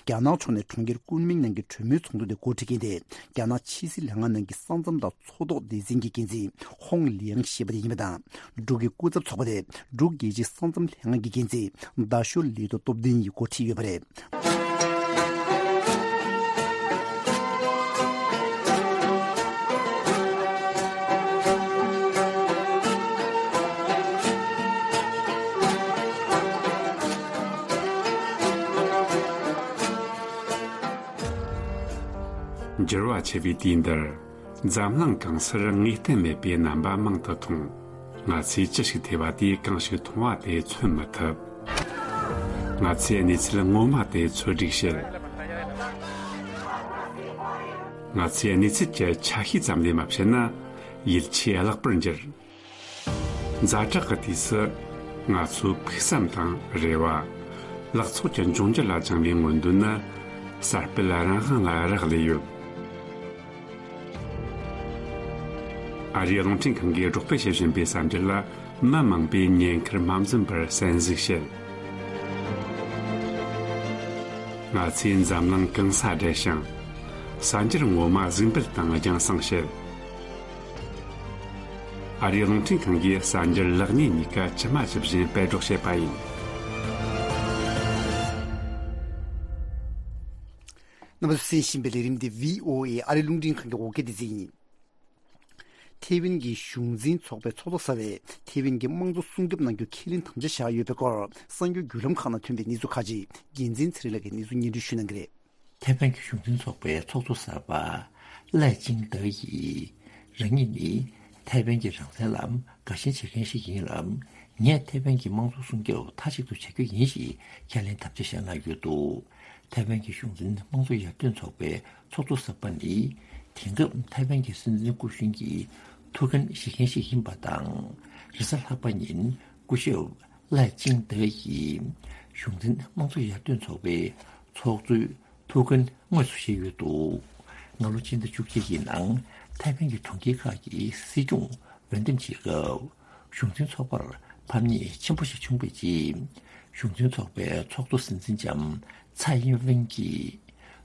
རྒྱ་ནག་ཕྱོགས་ནས་གྲོང་ཁྱེར་ཀུན་མིང་ནང་གི་གྲོས་མོལ་ཚོགས་འདུ་དེ་འགོ་ཁྲིད་མཁན་དེ་རྒྱ་ནག་ཕྱི་སྲིད་ལྷན་ཁང་ནང་གི་ས་མཚམས་དང་མཚོ་ཐོག་སྡེ་ཚན་གྱི་འགན་འཛིན་ཧོང་ལིའང་ཞེས་པ་དེ་ཡིན་པ་དང་། འབྲུག་གི་སྐུ་ཚབ་ཚོགས་པ་དེ་འབྲུག་རྒྱལ་སྤྱིའི་ས་མཚམས་ལྷན་ཁང་གི་འགན་འཛིན་རྡ་ཤོད་ལི་ཏོ་སྟོབས་ལྡན་ཡིས་འགོ་ཁྲིད་ཡོད་པ་རེད། འགྱུར་བ་ཆེ་བའི་དུས་འདིར། འཛམ་གླིང་གང་སར་ངེས་གཏན་མེད་པའི་རྣམ་པ་མང་དུ་མཐོང་། ང་ཚོས་ཅི་ཞིག་ཐོས་པ་དེས་གང་ཞིག་མཐོང་བ་དེ་མཚོན་མི་ཐུབ། ང་ཚོས་གནས་ཚུལ་ངོ་མ་དེ་འཚོལ་སྒྲིག་བྱེད། ང་ཚོས་གནས་ཚུལ་གྱི་ཆ་ཤས་ཙམ་ལས་མ་བཤད་ན། ཡིད་ཆེས་བརླག་པར་འགྱུར། ཛ་དྲག་གི་དུས་སུ། ང་ཚོའི་ཕུགས་བསམ་དང་རེ་བ། ལག་ཚོགས་ཀྱི་འབྱུང་འགྱུར་ལ་བཅངས་པའི་མངོན་འདོད་ནི། གསར་སྤེལ་རང་དབང་ལ་རག་ལས་ཡོད། ཨ་རིའི་རླུང་འཕྲིན་ཁང་གིས་སྒྲོག་སྤེལ་བྱེད་བཞིན་པའི་གསར་འགྱུར་ལ། མི་མང་པོས་ཉེན་ཁར་མ་འཛེམས་པར་གསན་གཟིགས་བྱེད། ང་ཚོས་འཛམ་གླིང་གང་སར་བསྡད་ཞིང་། གསར་འགྱུར་ངོ་མ་གཟིགས་འབུལ་དང་རྒྱང་སྲིང་བྱེད། ཨ་རིའི་རླུང་འཕྲིན་ཁང་གིས་གསར་འགྱུར་ལེགས་ཉེས་གཉིས་ཀ་ཇི་མ་ཇི་བཞིན་སྤེལ་སྒྲོག་བྱེད་པ་ཡིན། རྣམ་པ་ཚོས་གསན་བཞིན་པའི་ལས་རིམ་འདི་བྷི་ཨོ་ཨེ་ཨ་རིའི་རླུང་འཕྲིན་ཁང་གི་འོག་སྐད་སྡེ་ཚན་ཡིན། ཐེ་ཝན་གྱི་གཞུང་འཛིན་ཚོགས་པའི་ཚོགས་གཙོ་གསར་བས་ཐེ་ཝན་གྱི་དམངས་གཙོ་སྲུང་སྐྱོབ་གནང་རྒྱུ་ཁས་ལེན་དམ་བཅའ་བཞག་ཡོད་པའི་སྐོར་གསར་འགྱུར་བརྒྱུད་ལམ་ཁག་ནང་ཐོན་པའི་གནས་ཚུལ་ཁག་ཅིག་འགན་འཛིན་ཚེ་རིང་ལགས་ཀྱིས་གནས་ཚུལ་སྙན་སྒྲོན་ཞུ་གནང་གི་རེད། ཐེ་ཝན་གྱི་གཞུང་འཛིན་ཚོགས་པའི་ཚོགས་གཙོ་གསར་པ་ལའེ་ཆིང་ཏེ་ཡིས་རང་ཉིད་ནི་ཐེ་ཝན་གྱི་རང་བཙན་ལ་དགའ་ཞེན་བྱེད་མཁན་ཞིག་ཡིན་ལ། ངས་ཐེ་ཝན་གྱི་དམངས་གཙོ་སྲུང་སྐྱོབ་མཐའ་གཅིག་ཏུ་བྱ་རྒྱུ་ཡིན་ཞེས་ཁས་ལེན་དམ་བཅའ་བཞག་གནང་ཡོད་འདུག་ཐེ་ཝན་གྱི་གཞུང་འཛིན་དམངས་གཙོ་ཡར་ཐོན་ཚོགས་པའི་ཚོགས་གཙོ་གསར་པ་ནི། དེང་སྐབས་ཐའེ་ཝན་གྱི་སྲིད་འཛིན་སྐུ་གཞོན་གྱི་ཐུགས་འགན་བཞེས་མཁན་ཞིག་ཡིན་པ་དང་། རེས་གཟའ་ལྷག་པ་ཉིན་སྐུ་ཞབས་ལའེ་ཅིང་ཏེ་ཡིས་གཞུང་འཛིན་དམངས་གཙོ་ཡར་ཐོན་ཚོགས་པའི་ཚོགས་གཙོའི་ཐུགས་འགན་དངོས་སུ་བཞེས་ཡོད་འདུག་སྔ་ལོ་ཕྱི་ཟླ་བཅུ་གཅིག་གི་ནང་ཐའེ་ཝན་གྱི་གྲོང་ཁྱེར་ཁག་གི་སྲིད་སྐྱོང་འོས་འདེམས་བྱེད་སྐབས། གཞུང་འཛིན་ཚོགས་པར་ཕམ་ཉེས་ཆེན་པོ་ཞིག་བྱུང་བའི་རྗེས། གཞུང་འཛིན་ཚོགས་པའི་ཚོགས་གཙོ་སྲིད་འཛིན་ལྕམ་ཚའེ་ཡིན་ཝེན་གྱིས།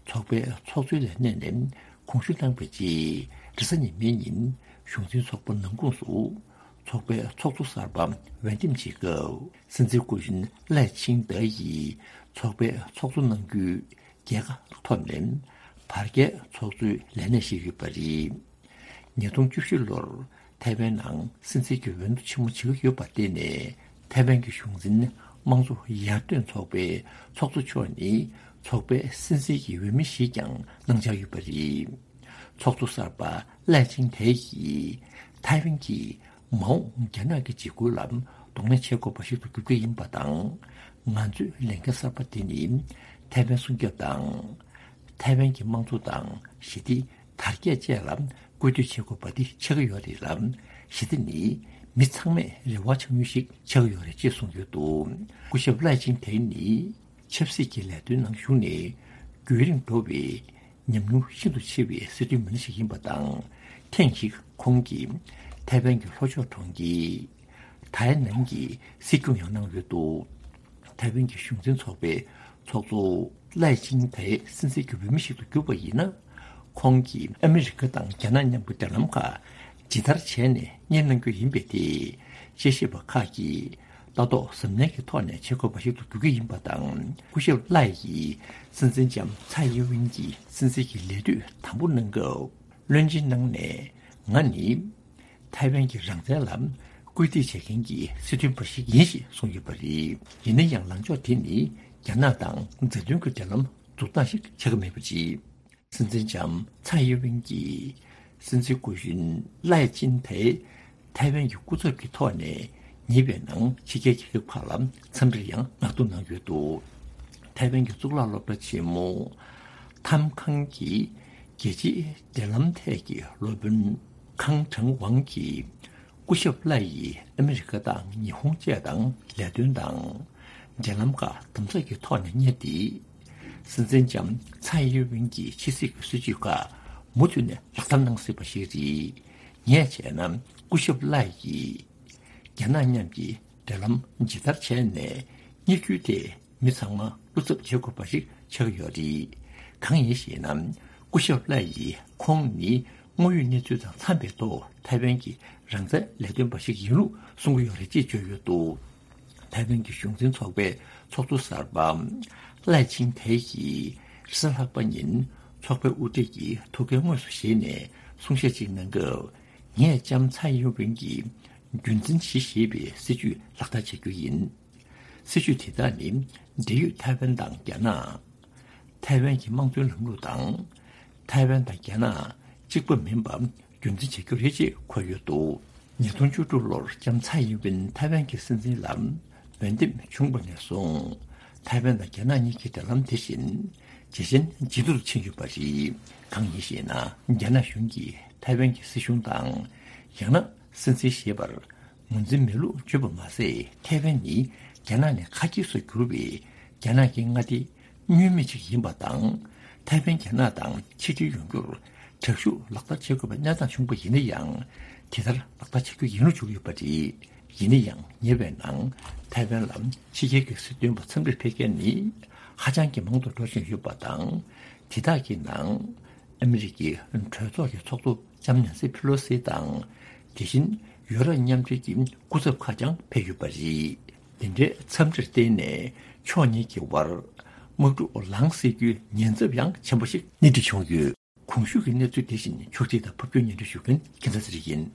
ཚོགས་པའི་ཚོགས་གཙོའི་ལས་གནས་ནས་དགོངས་ཞུ་གནང་བའི་རྗེས། རེས་གཟའ་ཉི་མའི་ཉིན་གཞུང་འཛིན་ཚོགས་པ་ནང་ཁོངས་སུ་ཚོགས་པའི་ཚོགས་གཙོ་གསར་པ་འོས་འདེམས་བྱེད་སྐབས། སྲིད་འཛིན་སྐུ་གཞོན་ལའེ་ཆིང་ཏེ་ཡིས་ཚོགས་པའི་ཚོགས་གཙོ་གནང་རྒྱུའི་རྒྱལ་ཁ་ཐོབ་ནས་བར་བརྒལ་ཚོགས་གཙོའི་ལས་གནས་བཞེས་ཡོད་པ་རེད། ཉིས་སྟོང་བཅུ་བཞི་ལོར་ཐའེ་ཝན་ནང་སྲིད་འཛིན་གྱི་འོས་བསྡུ་ཆེན་མོ་བྱེད་ཀྱི་ཡོད་པར་བརྟེན་ནས། ཐའེ་ཝན་གྱི་གཞུང་འཛིན་དམངས་གཙོ་ཡར་ཐོན་ཚོགས་པའི་ཚོགས་གཙོ་མཆོག་ནི་ཚོགས་པའི་སྲིད་འཛིན་གྱི་འོས་མི་ཞིག་ཀྱང་གནང་འཆར་ཡོད་པ་རེད། ཚོགས་གཙོ་གསར་པ་ལའེ་ཆིང་ཏེ་ཡིས་ཐའེ་ཝན་གྱིས་མ་འོངས་རྒྱ་ནག་གི་འཇིགས་སྐུལ་ལ་གདོང་ལེན་བྱེད་དགོས་པ་ཞིག་ཏུ་འགྱུར་གྱི་ཡིན་པ་དང་། ང་ཚོའི་ལས་འགན་གསར་པ་དེ་ནི་ཐའེ་ཝན་སྲུང་སྐྱོབ་དང་། ཐའེ་ཝན་གྱི་དམངས་གཙོ་དང་ཞི་བདེ། དར་རྒྱས་བཅས་ལ་སྐུལ་འདེད་བྱེད་དགོས་པ་འདི་ཆགས་ཀྱི་ཡོད་རེད་ལ། ཞི་བདེ་ནི་མི་ཚང་མས་རེ་བ་འཆང་ཡུལ་ཞིག་ཆགས་ཀྱི་ཡོད་རེད་ཅེས་གསུངས་ཡོད་འདུག་སྐུ་ཞབས་ལའེ་ཆིང་ཏེ་ནི་ཆབ་སྲིད་ཀྱི་ལས་དོན་ནང་ཞུགས་ནས་རྒྱུན་རིང་འགྲོ་བའི་ཉམས་མྱོང་ཤིན་ཏུ་ཆེ་བའི་སྲིད་དོན་མི་སྣ་ཞིག་ཡིན་པ་དང་། ཐེངས་ཤིག་ཁོང་གིས་ཐའེ་ཝན་གྱི་ལྷོ་ཕྱོགས་གྲོང་ཁྱེར་ཐའེ་ནན་གྱི་སྲིད་སྐྱོང་ཡང་གནང་ཡོད་འདུག་ཐའེ་ཝན་གྱི་གཞུང་འཛིན་ཚོགས་པའི་ཚོགས་གཙོ་ལའེ་ཆིང་ཏེ་སྲིད་འཛིན་གྱི་འོས་མི་ཞིག་ཏུ་གྱུར་པ་ཡིན་ན། ཁོང་གིས་ཨ་མི་རི་ཀ་དང་རྒྱ་ནག་མཉམ་གྱི་འབྲེལ་ལམ་ཁག་ཇི་ལྟར་བྱས་ནས་གཉེར་གནང་རྒྱུ་ཡིན་པའི་ཐད། དཔྱད་ཞིབ་པ་ཁག་གིས་ལྟ་རྟོག་གཟབ་ནན་གྱི་ཐོག་ནས་བྱེད་དགོས་པ་ཞིག་ཏུ་འགྱུར་གྱི་ཡིན་པ་དང་། སྐུ་ཞབས་ལའེ་ཡིས་སྲིད་འཛིན་ལྕམ་ཚའེ་ཡིན་ཝེན་གྱི་སྲིད་འཛིན་གྱི་ལས་དུས་དང་པོ་གནང་སྐབས། བློན་ཆེན་གནང་ནས་ང་ནི། ཐའེ་ཝན་གྱི་རང་བཙན་ལ་སྐུལ་འདེད་བྱེད་མཁན་གྱི་སྲིད་དོན་པ་ཞིག་ཡིན་ཞེས་གསུངས་ཡོད་པ་རེད། ཡིན་ན་ཡང་ལངས་ཕྱོགས་དེ་ནི་རྒྱ་ནག་དང་མཛའ་མཐུན་གྱི་འབྲེལ་ལམ་འཛུགས་སྟངས་ཤིག་ཆགས་ཀྱི་མེད་པ་རེད། སྲིད་འཛིན་ལྕམ་ཚའེ་ཡིན་ཝེན་གྱིས་སྲིད་འཛིན་སྐུ་གཞོན་ལའེ་ཅིན་ཏེ་ཐའེ་ཝན་གྱི་སྐུ་ཚབ་ཀྱི་ཐོག་ནས་ཉེ་བའི་ནང་ཕྱི་རྒྱལ་རྒྱལ་ཁབ་ཁག་ལ་འཚམས་འདྲིར་ཡང་མངགས་ཐོ་གནང་ཡོད་འདུག་ཐའེ་ཝན་གྱི་གཙུག་ལག་སློབ་གྲྭ་ཆེན་མོ་ ཐམ་ཁང་གི་རྒྱལ་སྤྱིའི་འབྲེལ་ལམ་ཐད་ཀྱི་སློབ་དཔོན་ཁང་ཁྲང་ཝང་གིས། སྐུ་ཞབས་ལའེ་ཡིས་ཨ་མི་རི་ཀ་དང་ཉི་ཧོང་བཅས་དང་ལས་དོན་དང་། འབྲེལ་ལམ་ཁག་དམ་ཚགས་ཀྱི་ཐོག་ནས་གཉེར་ཏེ། སྲིད་འཛིན་ལྕམ་ཚའེ་ཡིན་ཝིན་གྱི་ཕྱི་སྲིད་ཀྱི་སྲིད་ཇུས་ཁག་མུ་མཐུད་ནས་ལག་བསྟར་གནང་སྲིད་པ་ཞིག་རེད། ངས་བྱས་ན་སྐུ་ཞབས་ལའེ་ཡིས། རྒྱ་ནག་མཉམ་གྱི་འབྲེལ་ལམ་ཇི་ལྟར་བྱས་ནས་གཉེར་རྒྱུ་དེ་མི་ཚང་མ་བློ་འཚབ་བྱེད་དགོས་པ་ཞིག་ཆགས་ཀྱི་ཡོད་རེད། གང་ཡིན་ཞེ་ན། སྐུ་ཞབས་ལའེ་ཡིས་ཁོང་ནི་དངོས་ཡོད་གནས་ཚུལ་དང་འཚམས་པའི་ཐོག་ཐའེ་ཝན་གྱི་རང་བཙན་ལས་དོན་པ་ཞིག་ཡིན་ལུགས་གསུང་གི་ཡོད་རེད་ཅེས་བརྗོད་ཡོད་འདུག་ཐའེ་ཝན་གྱི་གཞུང་འཛིན་ཚོགས་པའི་ཚོགས་གཙོ་གསར་པ་ལའེ་ཆིང་ཐའེ་ཡིས་རེས་གཟའ་ལྷག་པ་ཉིན་ཚོགས་པའི་དབུ་ཁྲིད་ཀྱི་ཐུགས་འགན་དངོས་སུ་བཞེས་ནས་གསུང་བཤད་ཅིག་གནང་སྐབས། ངས་ལྕམ་ཚའེ་ཡིན་ཝིན་གྱིས་རྒྱུན་འཛིན་གཞི་བཞེས་པའི་སྲིད་ཇུས་ལག་བསྟར་བྱ་རྒྱུ་ཡིན། སྲིད་ཇུས་དེ་དག་ནི་འབྲེལ་ཡོད་ཐའེ་ཝན་དང་རྒྱ་ནག་ཐའེ་ཝན་གྱི་དམངས་གཙོའི་ལམ་ལུགས་དང་། ཐའེ་ཝན་དང་རྒྱ་ནག་གཅིག་པ་མིན་པ་རྒྱུན་འཛིན་བྱ་རྒྱུ་རེད་ཅེས་འཁོད་ཡོད་འདུག་ཉིས་སྟོང་བཅུ་དྲུག་ལོར་ལྕམ་ཚའེ་ཡིན་ཝིན་ཐའེ་ཝན་གྱི་སྲིད་འཛིན་ལ་འོས་འདེམས་བྱུང་བ་ནས་བཟུང་། ཐའེ་ཝན་དང་རྒྱ་ནག་གཉིས་ཀྱི་འབྲེལ་ལམ་དེ་བཞིན་ཇེ་ཞན་ཇེ་སྡུག་ཏུ་ཕྱིན་ཡོད་པ་རེད། གང་ཡིན་ཞེ་ན། རྒྱ་ནག་གཞུང་གིས་ཐའེ་ཝན་གྱི་སྲིད་གཞུང་དང་། ཡང་ན་སྲིད་འཛིན་ཞེས་པར་ངོས་འཛིན་མེད་ལུགས་བརྗོད་པ་མ་ཟད། ཐའེ་ཝན་ནི་རྒྱ་ནག་ནས་ཁ་གྱེས་སུ་གྱུར་བའི་རྒྱ་ནག་གི་མངའ་སྡེ་བསྙོན་མེད་ཅིག་ཡིན་པ་དང་། ཐའེ་ཝན་རྒྱ་ནག་དང་ཆིག་སྒྲིལ་ཡོང་རྒྱུར་དྲག་ཤུགས་ལག་བསྟར་བྱེད་དགོས་པའི་གནས་སྟངས་བྱུང་པ་ཡིན་ན་ཡང་། དེ་ལྟར་ལག་བསྟར་བྱ་རྒྱུ་ཡིན་ལུགས་བརྗོད་ཀྱི་ཡོད་པ་རེད། ཡིན་ན་ཡང་ཉེ་བའི་ནང་ཐའེ་ཝན་ལ་ཕྱི་རྒྱལ་གྱི་སྲིད་དོན་པ་འཚམས་འདྲིར་ཕེབས་མཁན་ནི་ཧ་ཅང་གི་མང་དུ་འགྲོ་བཞིན་ཡོད་པ་དང་། དེ་དག་གི་ནང་ཨ་མི་རི་ཀའི་གྲོས་ཚོགས་ཀྱི་ཚོགས་གཙོ་ལྕམ་ནན་སི་ཕི་ལོ་སི་དང་། དེ་བཞིན་ཡུ་རོབ་མཉམ་འབྲེལ་གྱི་སྐུ་ཚབ་ཁག་ཀྱང་ཕེབས་ཡོད་པ་རེད། འདི་འདྲའི་འཚམས་འདྲིར་བརྟེན་ནས་ཕྱོགས་གཉིས་ཀྱི་དབར་དམག་འཁྲུག་ལངས་སྲིད་རྒྱུའི་ཉེན་ཚབས་ཡང་ཆེན་པོ་ཞིག་སྣེ་ཁྲིད་བྱུང་ཡོད། གོང་ཞུས་ཀྱི་གནས་ཚུལ་དེ་བཞིན་ཕྱོགས་སྒྲིག་དང་ཕབ་སྒྱུར་སྙན་སྒྲོན་ཞུ་མཁན་རྒྱལ་མཚན་ཚེ་རིང་ཡིན།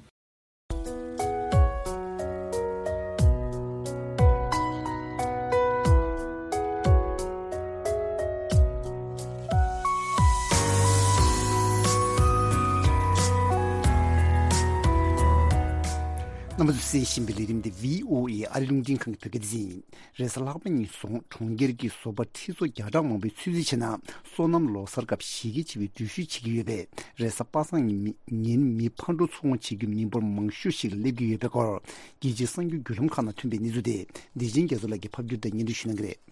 རྣམ་པ་ཚོས་གསན་བཞིན་པའི་ལས་རིམ་འདི་བྷི་ཨོ་ཨེ་ཨ་རིའི་རླུང་འཕྲིན་ཁང་གི་བོད་སྐད་སྡེ་ཚན་ཡིན། རེས་གཟའ་ལྷག་པ་ཉིན་རྫོང་གྲོང་ཁྱེར་གྱི་བཟོ་པ་ཁྲི་ཚོ་བརྒྱ་ཕྲག་མང་པོས་ཚོད་རྩིས་བྱས་ན། སོ་ནམ་ལོ་གསར་སྐབས་གཞི་རྒྱ་ཆེ་བའི་འགྲུལ་བཞུད་བྱེད་ཀྱི་ཡོད་པས། རེས་གཟའ་པ་སངས་ཉིན་མི་ཕར་འགྲོ་ཚུར་འོང་བྱེད་རྒྱུ་མི་འབོར་མང་ཤོས་ཤིག་སླེབས་ཀྱི་ཡོད་པའི་སྐོར། རྒྱལ་སྤྱིའི་གསར་འགྱུར་བརྒྱུད་ལམ་ཁག་ནང་ཐོན་པའི་གནས་ཚུལ་དེ། བདེ་ཆེན་རྒྱ་མཚོ་ལགས་ཀྱིས་ཕབ་སྒྱུར་དང་སྙན་སྒྲོན་ཞུ་གནང་གི་རེད།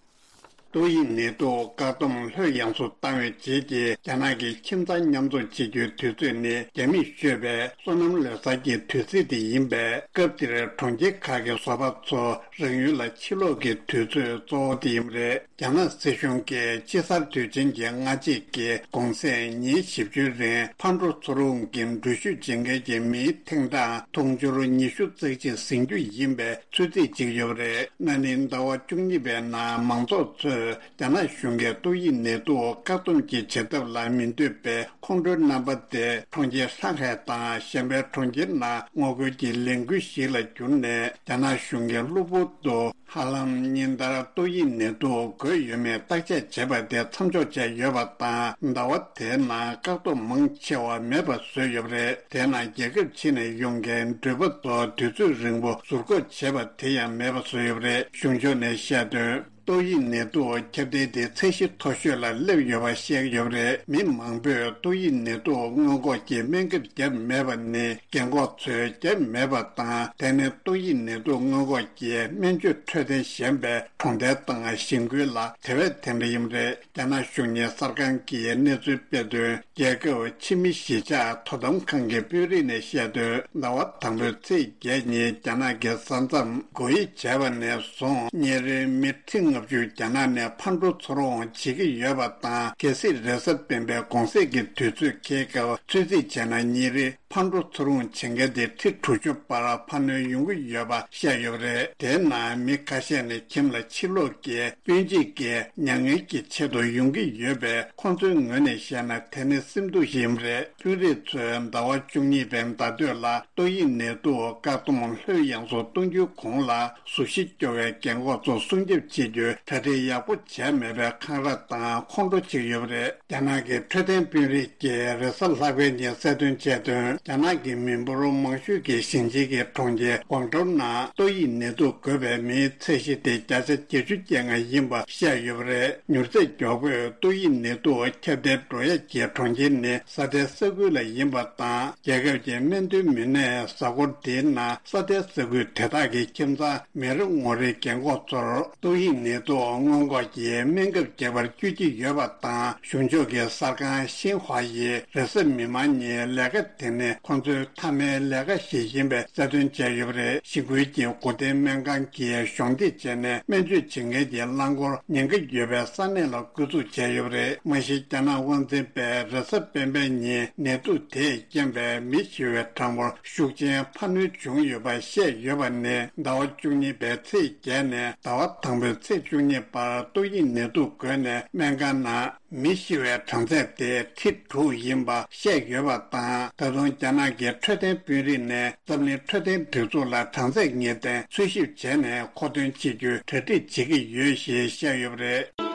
ཏོག་དབྱིབས་ནད་དུག་བཀག་སྡོམ་ལྷོད་ཡངས་སུ་བཏང་བའི་རྗེས་ཀྱི་རྒྱ་ནག་གི་ཁྱིམ་ཚང་མཉམ་འཛོམས་བྱེད་རྒྱུའི་དུས་ཚོད་ནི་རྒྱ་མིས་ཤོད་པའི་སོ་ནམ་ལོ་གསར་གྱི་དུས་ཚིགས་དེ་ཡིན་པས། སྐབས་དེར་གྲོང་ཁྱེར་ཁག་གི་བཟོ་པ་ཚོ་རང་ཡུལ་ལ་ཕྱིར་ལོག་གི་དུས་ཚོད་གཙོ་བོ་དེ་ཡིན་པ་རེད། རྒྱ་ནག་སྲིད་གཞུང་གིས་དཔྱིད་གསར་དུས་ཆེན་གྱི་སྔ་རྗེས་ཀྱི་གུང་སེང་ཉིན་བཞི་བཅུའི་རིང་ཕར་འགྲོ་ཚུར་འོང་གི་འགྲུལ་བཞུད་བྱེད་མཁན་གྱི་མིའི་ཐེངས་གྲངས་དུང་ཕྱུར་ཉི་ཤུ་རྩ་གཅིག་ཟིན་རྒྱུ་ཡིན་པའི་ཚོད་རྩིས་བྱེད་ཀྱི་ཡོད་པ་རེད། ན་ནིང་ཟླ་བ་བཅུ་གཉིས་པའི་ནང་མང་ཚོགས་ཚོས་རྒྱ་ནག་གཞུང་གིས་ཏོག་དབྱིབས་ནད་དུག་བཀག་སྡོམ་གྱི་བྱེད་ཐབས་ལ་མི་འདོད་པའི་ཁོང་ཁྲོའི་རྣམ་པ་དེ་གྲོང་ཁྱེར་ལྷང་ཧའེ་དང་གཞན་པའི་གྲོང་ཁྱེར་ནང་ངོ་རྒོལ་གྱི་ལས་འགུལ་ཞིག་ལ་བསྒྱུར་ནས། རྒྱ་ནག་གཞུང་གིས་གློ་བུར་དུ་ཧ་ལམ་ཉིན་ལྟར་ཏོག་དབྱིབས་ནད་དུག་འགོས་ཡོད་མེད་བརྟག་དཔྱད་བྱས་པ་དེ་མཚམས་འཇོག་བྱས་ཡོད་པ་དང་། ཟླ་བ་དེའི་ནང་བཀག་སྡོམ་མང་ཆེ་བ་མེད་པ་བཟོས་ཡོད་པ་རེད། དེས་ན་རྒྱལ་ཁབ་ཕྱི་ནས་ཡོང་མཁན་འགྲུལ་པ་ཚོ་དུས་ཚོད་རིང་པོ་ཟུར་འགོག་བྱས་པ་དེ་ཡང་མེད་པ་བཟོས་ཡོད་པ་རེད། གཞུང་ཕྱོགས་ནས་བཤད་དོན། ཏོག་དབྱིབས་ནད་དུག་ཁྱབ་གདལ་དེ་ཚད་གཞི་མཐོ་ཤོས་ལ་སླེབས་ཡོད་པ་བཤད་ཡོད་པ་རེད། མི་མང་པོས་ཏོག་དབྱིབས་ནད་དུག་སྔོན་འགོག་གི་སྨན་ཁབ་བརྒྱབ་མེད་པ་ནི། རྒན་འཁོགས་ཚོས་བརྒྱབ་མེད་པ་དང་། དེ་ནི་ཏོག་དབྱིབས་ནད་དུག་སྔོན་འགོག་གི་སྨན་བཅོས་འཕྲོད་བསྟེན་ཞན་པའི་གྲོང་རྡལ་དང་གཞིས་ཁུལ་ལ་དེ་བས་དེ་འདྲ་ཡིན་པ་རེད། རྒྱ་ནག་གཞུང་གཉེར་གསར་ཁང་གིས་གནས་ཚུལ་སྤེལ་དོན། རྒྱལ་ཁབ་ཕྱི་མི་གཞིས་ཆགས་དོ་དམ་ཁང་གི་དཔོན་རིགས་ནས་བཤད་དོན། ཟླ་བ་དང་པོའི་ཚེས་བརྒྱད་ཉིན་རྒྱ་ནག་གི་ས་མཚམས་སྒོ་དབྱེ་བྱས་པ་ནས་བཟུང་ཉིན་རེར་མི་ཁྲི་ལྔ་བཅུ་རྒྱ་ནག་ནས་ཕར་འགྲོ་ཚུར་འོང་བྱེད་ཀྱི་ཡོད་པ་དང་། གལ་སྲིད་རེས་གཟའ་སྤེན་པའི་གུང་གསེང་གི་དུས་ཚོད་འཁེལ་སྐབས་ཚོད་རྩིས་བྱས་ན་ཉིན་རེར་ཕར་འགྲོ་ཚུར་འོང་བྱེད་མཁན་དེ་ཁྲི་དྲུག་ཅུ་བར་འཕར་སྣོན་ཡོང་གི་ཡོད་པ་བཤད་ཡོད་པ་རེད། དེའི་ནང་མི་ཁ་ཤས་ནི་ཁྱིམ་ལ་ཕྱིར་ལོག་གི་སྤུན་མཆེད་ཀྱི་མྱ་ངན་གྱི་ཆེད་དུ་ཡོང་གི་ཡོད་པས། ཁོང་ཚོའི་ངོས་ནས་བཤད་ན་དེ་ནི་སེམས་སྡུག་ཞིག་ཡིན་པ་རེད། དཔོན་རིགས་ཚོས་ཟླ་བ་བཅུ་གཉིས་པའི་ཟླ་སྟོད་ལ་ཏོག་དབྱིབས་ནད་དུག་བཀག་སྡོམ་ལྷོད་ཡངས་སུ་གཏོང་རྒྱུའི་གོང་ལ། གཟུགས་གཞི་སྐྱོ་བའི་རྒན་འཁོགས་ཚོ་སྲུང་སྐྱོབ་བྱེད་རྒྱུའི་གྲ་སྒྲིག་ཡག་པོ་བྱས་མེད་པའི་འཁང་ར་དང་ཁོང་ཁྲོ་བྱེད་ཀྱི་ཡོད་པ་རེད། རྒྱ་ནག་གི་འཕྲོད་བསྟེན་དཔོན་རིགས་ཀྱིས་རེས་གཟའ་ལྷག་པའི་ཉིན་གསལ་སྟོན་བྱས་དོན། རྒྱ་ནག་གི་མི་འབོར་མང་ཤོས་ཀྱི་ཞིང་ཆེན་གྱི་གྲོང་ཁྱེར་ཀོང་ཀྲོའུ་ནང་ཏོག་དབྱིབས་ནད་དུག་འགོས་པའི་མིའི་ཚད་གཞི་དེ་བརྒྱ་ཆ་བརྒྱད་ཅུ་གྱ་ལྔ་ཡིན་པ་བཤད་ཡོད་པ་རེད། མྱུར་ཚད་མགྱོགས་པོས་ཏོག་དབྱིབས་ནད་དུག་ཁྱབ་གདལ་འགྲོ་ཡ་གྱི་གྲོང་ཁྱེར་ནི་ས་མཐའི་ས་ཁུལ་ལ་ཡིན་པ་དང་། རྒྱལ་ཁབ་ཀྱི་སྨན་དོན་མི་སྣས་གཟའ་འཁོར་འདིའི་ནང་ས་མཐའི་ས་ཁུལ་དེ་དག་གི་ཁྱིམ་ཚང་མི་རེ་ངོ་རེའི་རྒན་འཁོགས་ཚོར་ཏོག་དབྱིབས་ནད་དུག་སྔོན་འགོག་གི་སྨན་ཁབ་རྒྱག་པར་བསྐྱོད་ཀྱི་ཡོད་པ་དང་། གཞུང་ཕྱོགས་ཀྱི་གསར་ཁང་ཤིན་ཧྭ་ཡིས་རེས་གཟའ་མིག་དམར་ཉིན་ལས་ཀ་དེ་ནི་ཁོང་ཚོའི་མཐའ་མའི་ལས་ཀ་ཞིག་ཡིན་པའི་གསལ་སྟོན་བྱས་ཡོད་པ་རེད། ཞི་རྒོལ་གྱི་སྒོ་བསྟེན་སྨན་ཁང་གིས་གཞོགས་འདེགས་བྱས་ནས་སྨན་བཅོས་བྱེད་མཁན་གྱི་རླངས་འཁོར་ཉེན་ཁ་ཡོད་པའི་ས་གནས་ལ་བསྐྱོད་འཛུགས་བྱས་ཡོད་པ་རེད། མ་གཞི་རྒྱ་ནག་དབང་འཛིན་པས་རེས་གཟའ་སྤེན་པའི་ཉིན་ནད་དུག་དེས་རྐྱེན་པས་མི་ཤི་བའི་གྲངས་འབོར་ཤུགས་ཆེན་འཕར་སྣོན་བྱུང་ཡོད་པ་བཤད་ཡོད་པ་ནི་ཟླ་བ་བཅུ་གཉིས་པའི་ཚེས་བརྒྱད་ནས་ཟླ་བ་དང་པོའི་ཚེས་བཅུ་གཉིས་བར་ཏོག་དབྱིབས་ནད་དུག་འགོས་ནས་སྨན་ཁང་ནང་མི་ཤི་བའི་གྲངས་ཚད་དེ་ཁྲི་དྲུག་ཡིན་པ་བཤད་ཡོད་པ་དང་། ད་དུང་རྒྱ་ནག་གི་འཕྲོད་བསྟེན་དཔོན་རིགས་ནས་འཛམ་གླིང་འཕྲོད་བསྟེན་སྒྲིག་འཛུགས་ལ་གྲངས་ཚད་ངེས་གཏན་འཚོལ་ཞིབ་བྱས་ནས་མཁོ་འདོན་བྱེད་རྒྱུའི་གྲ་སྒྲིག་བྱེད་ཀྱི་ཡོད་ཞེས་བཤད་ཡོད་པ་རེད།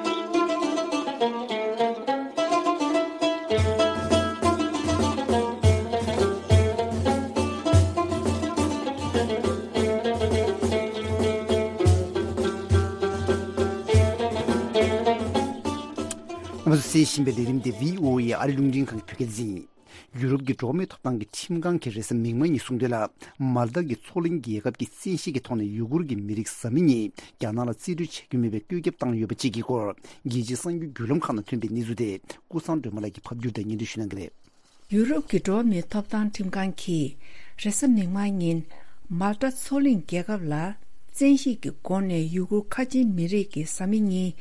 ང་ཚོ་གསན་བཞིན་པའི་ལས་རིམ་དེ་བྷི་ཨོ་ཨེ་ཨ་རི་རླུང་འཕྲིན་ཁང་གི་བོད་སྐད་སྡེ་ཚན་ཡིན། ཡུ་རོབ་ཀྱི་འགྲོ་བ་མིའི་ཐོབ་ཐང་གི་ཁྲིམས་ཁང་གིས་རེས་གཟའ་མིག་དམར་ཉིན་གསུངས་དོན་ལ། མཱལ་ཏཱ་གི་མཚོ་གླིང་རྒྱལ་ཁབ་ཀྱིས་བཙན་ཤེད་ཀྱི་ཐོག་ནས་ཡུ་གུར་གྱི་མི་རིགས་བཟའ་མི་གཉིས་རྒྱ་ནག་ལ་རྩིས་སྤྲོད་བྱ་རྒྱུ་མེད་པའི་བཀོད་ཁྱབ་བཏང་ཡོད་པ་བཅས་ཀྱི་སྐོར། རྒྱལ་སྤྱིའི་གསར་འགྱུར་བརྒྱུད་ལམ་ཁག་ནང་ཐོན་པའི་གནས་ཚུལ་དེ་ཀུན་བཟང་སྒྲོལ་མ་ལགས་ཀྱིས་ཕབ་སྒྱུར་དང་སྙན་སྒྲོན་ཞུ་གནང་གི་རེད། ཡུ་རོབ་ཀྱི་འགྲོ་བ་མིའི་ཐོབ་ཐང་ཁྲིམས་ཁང་གིས་རེས་གཟའ་མིག་དམར་ཉིན་མཱལ་ཏཱ་མཚོ་གླིང་རྒྱལ་ཁབ་ལ་བཙན་ཤེད་ཀྱི་སྒོ་ནས་ཡུ་གུར་ཁ་ཆེའི་མི་རིགས་ཀྱི་བཟའ་མི་གཉིས་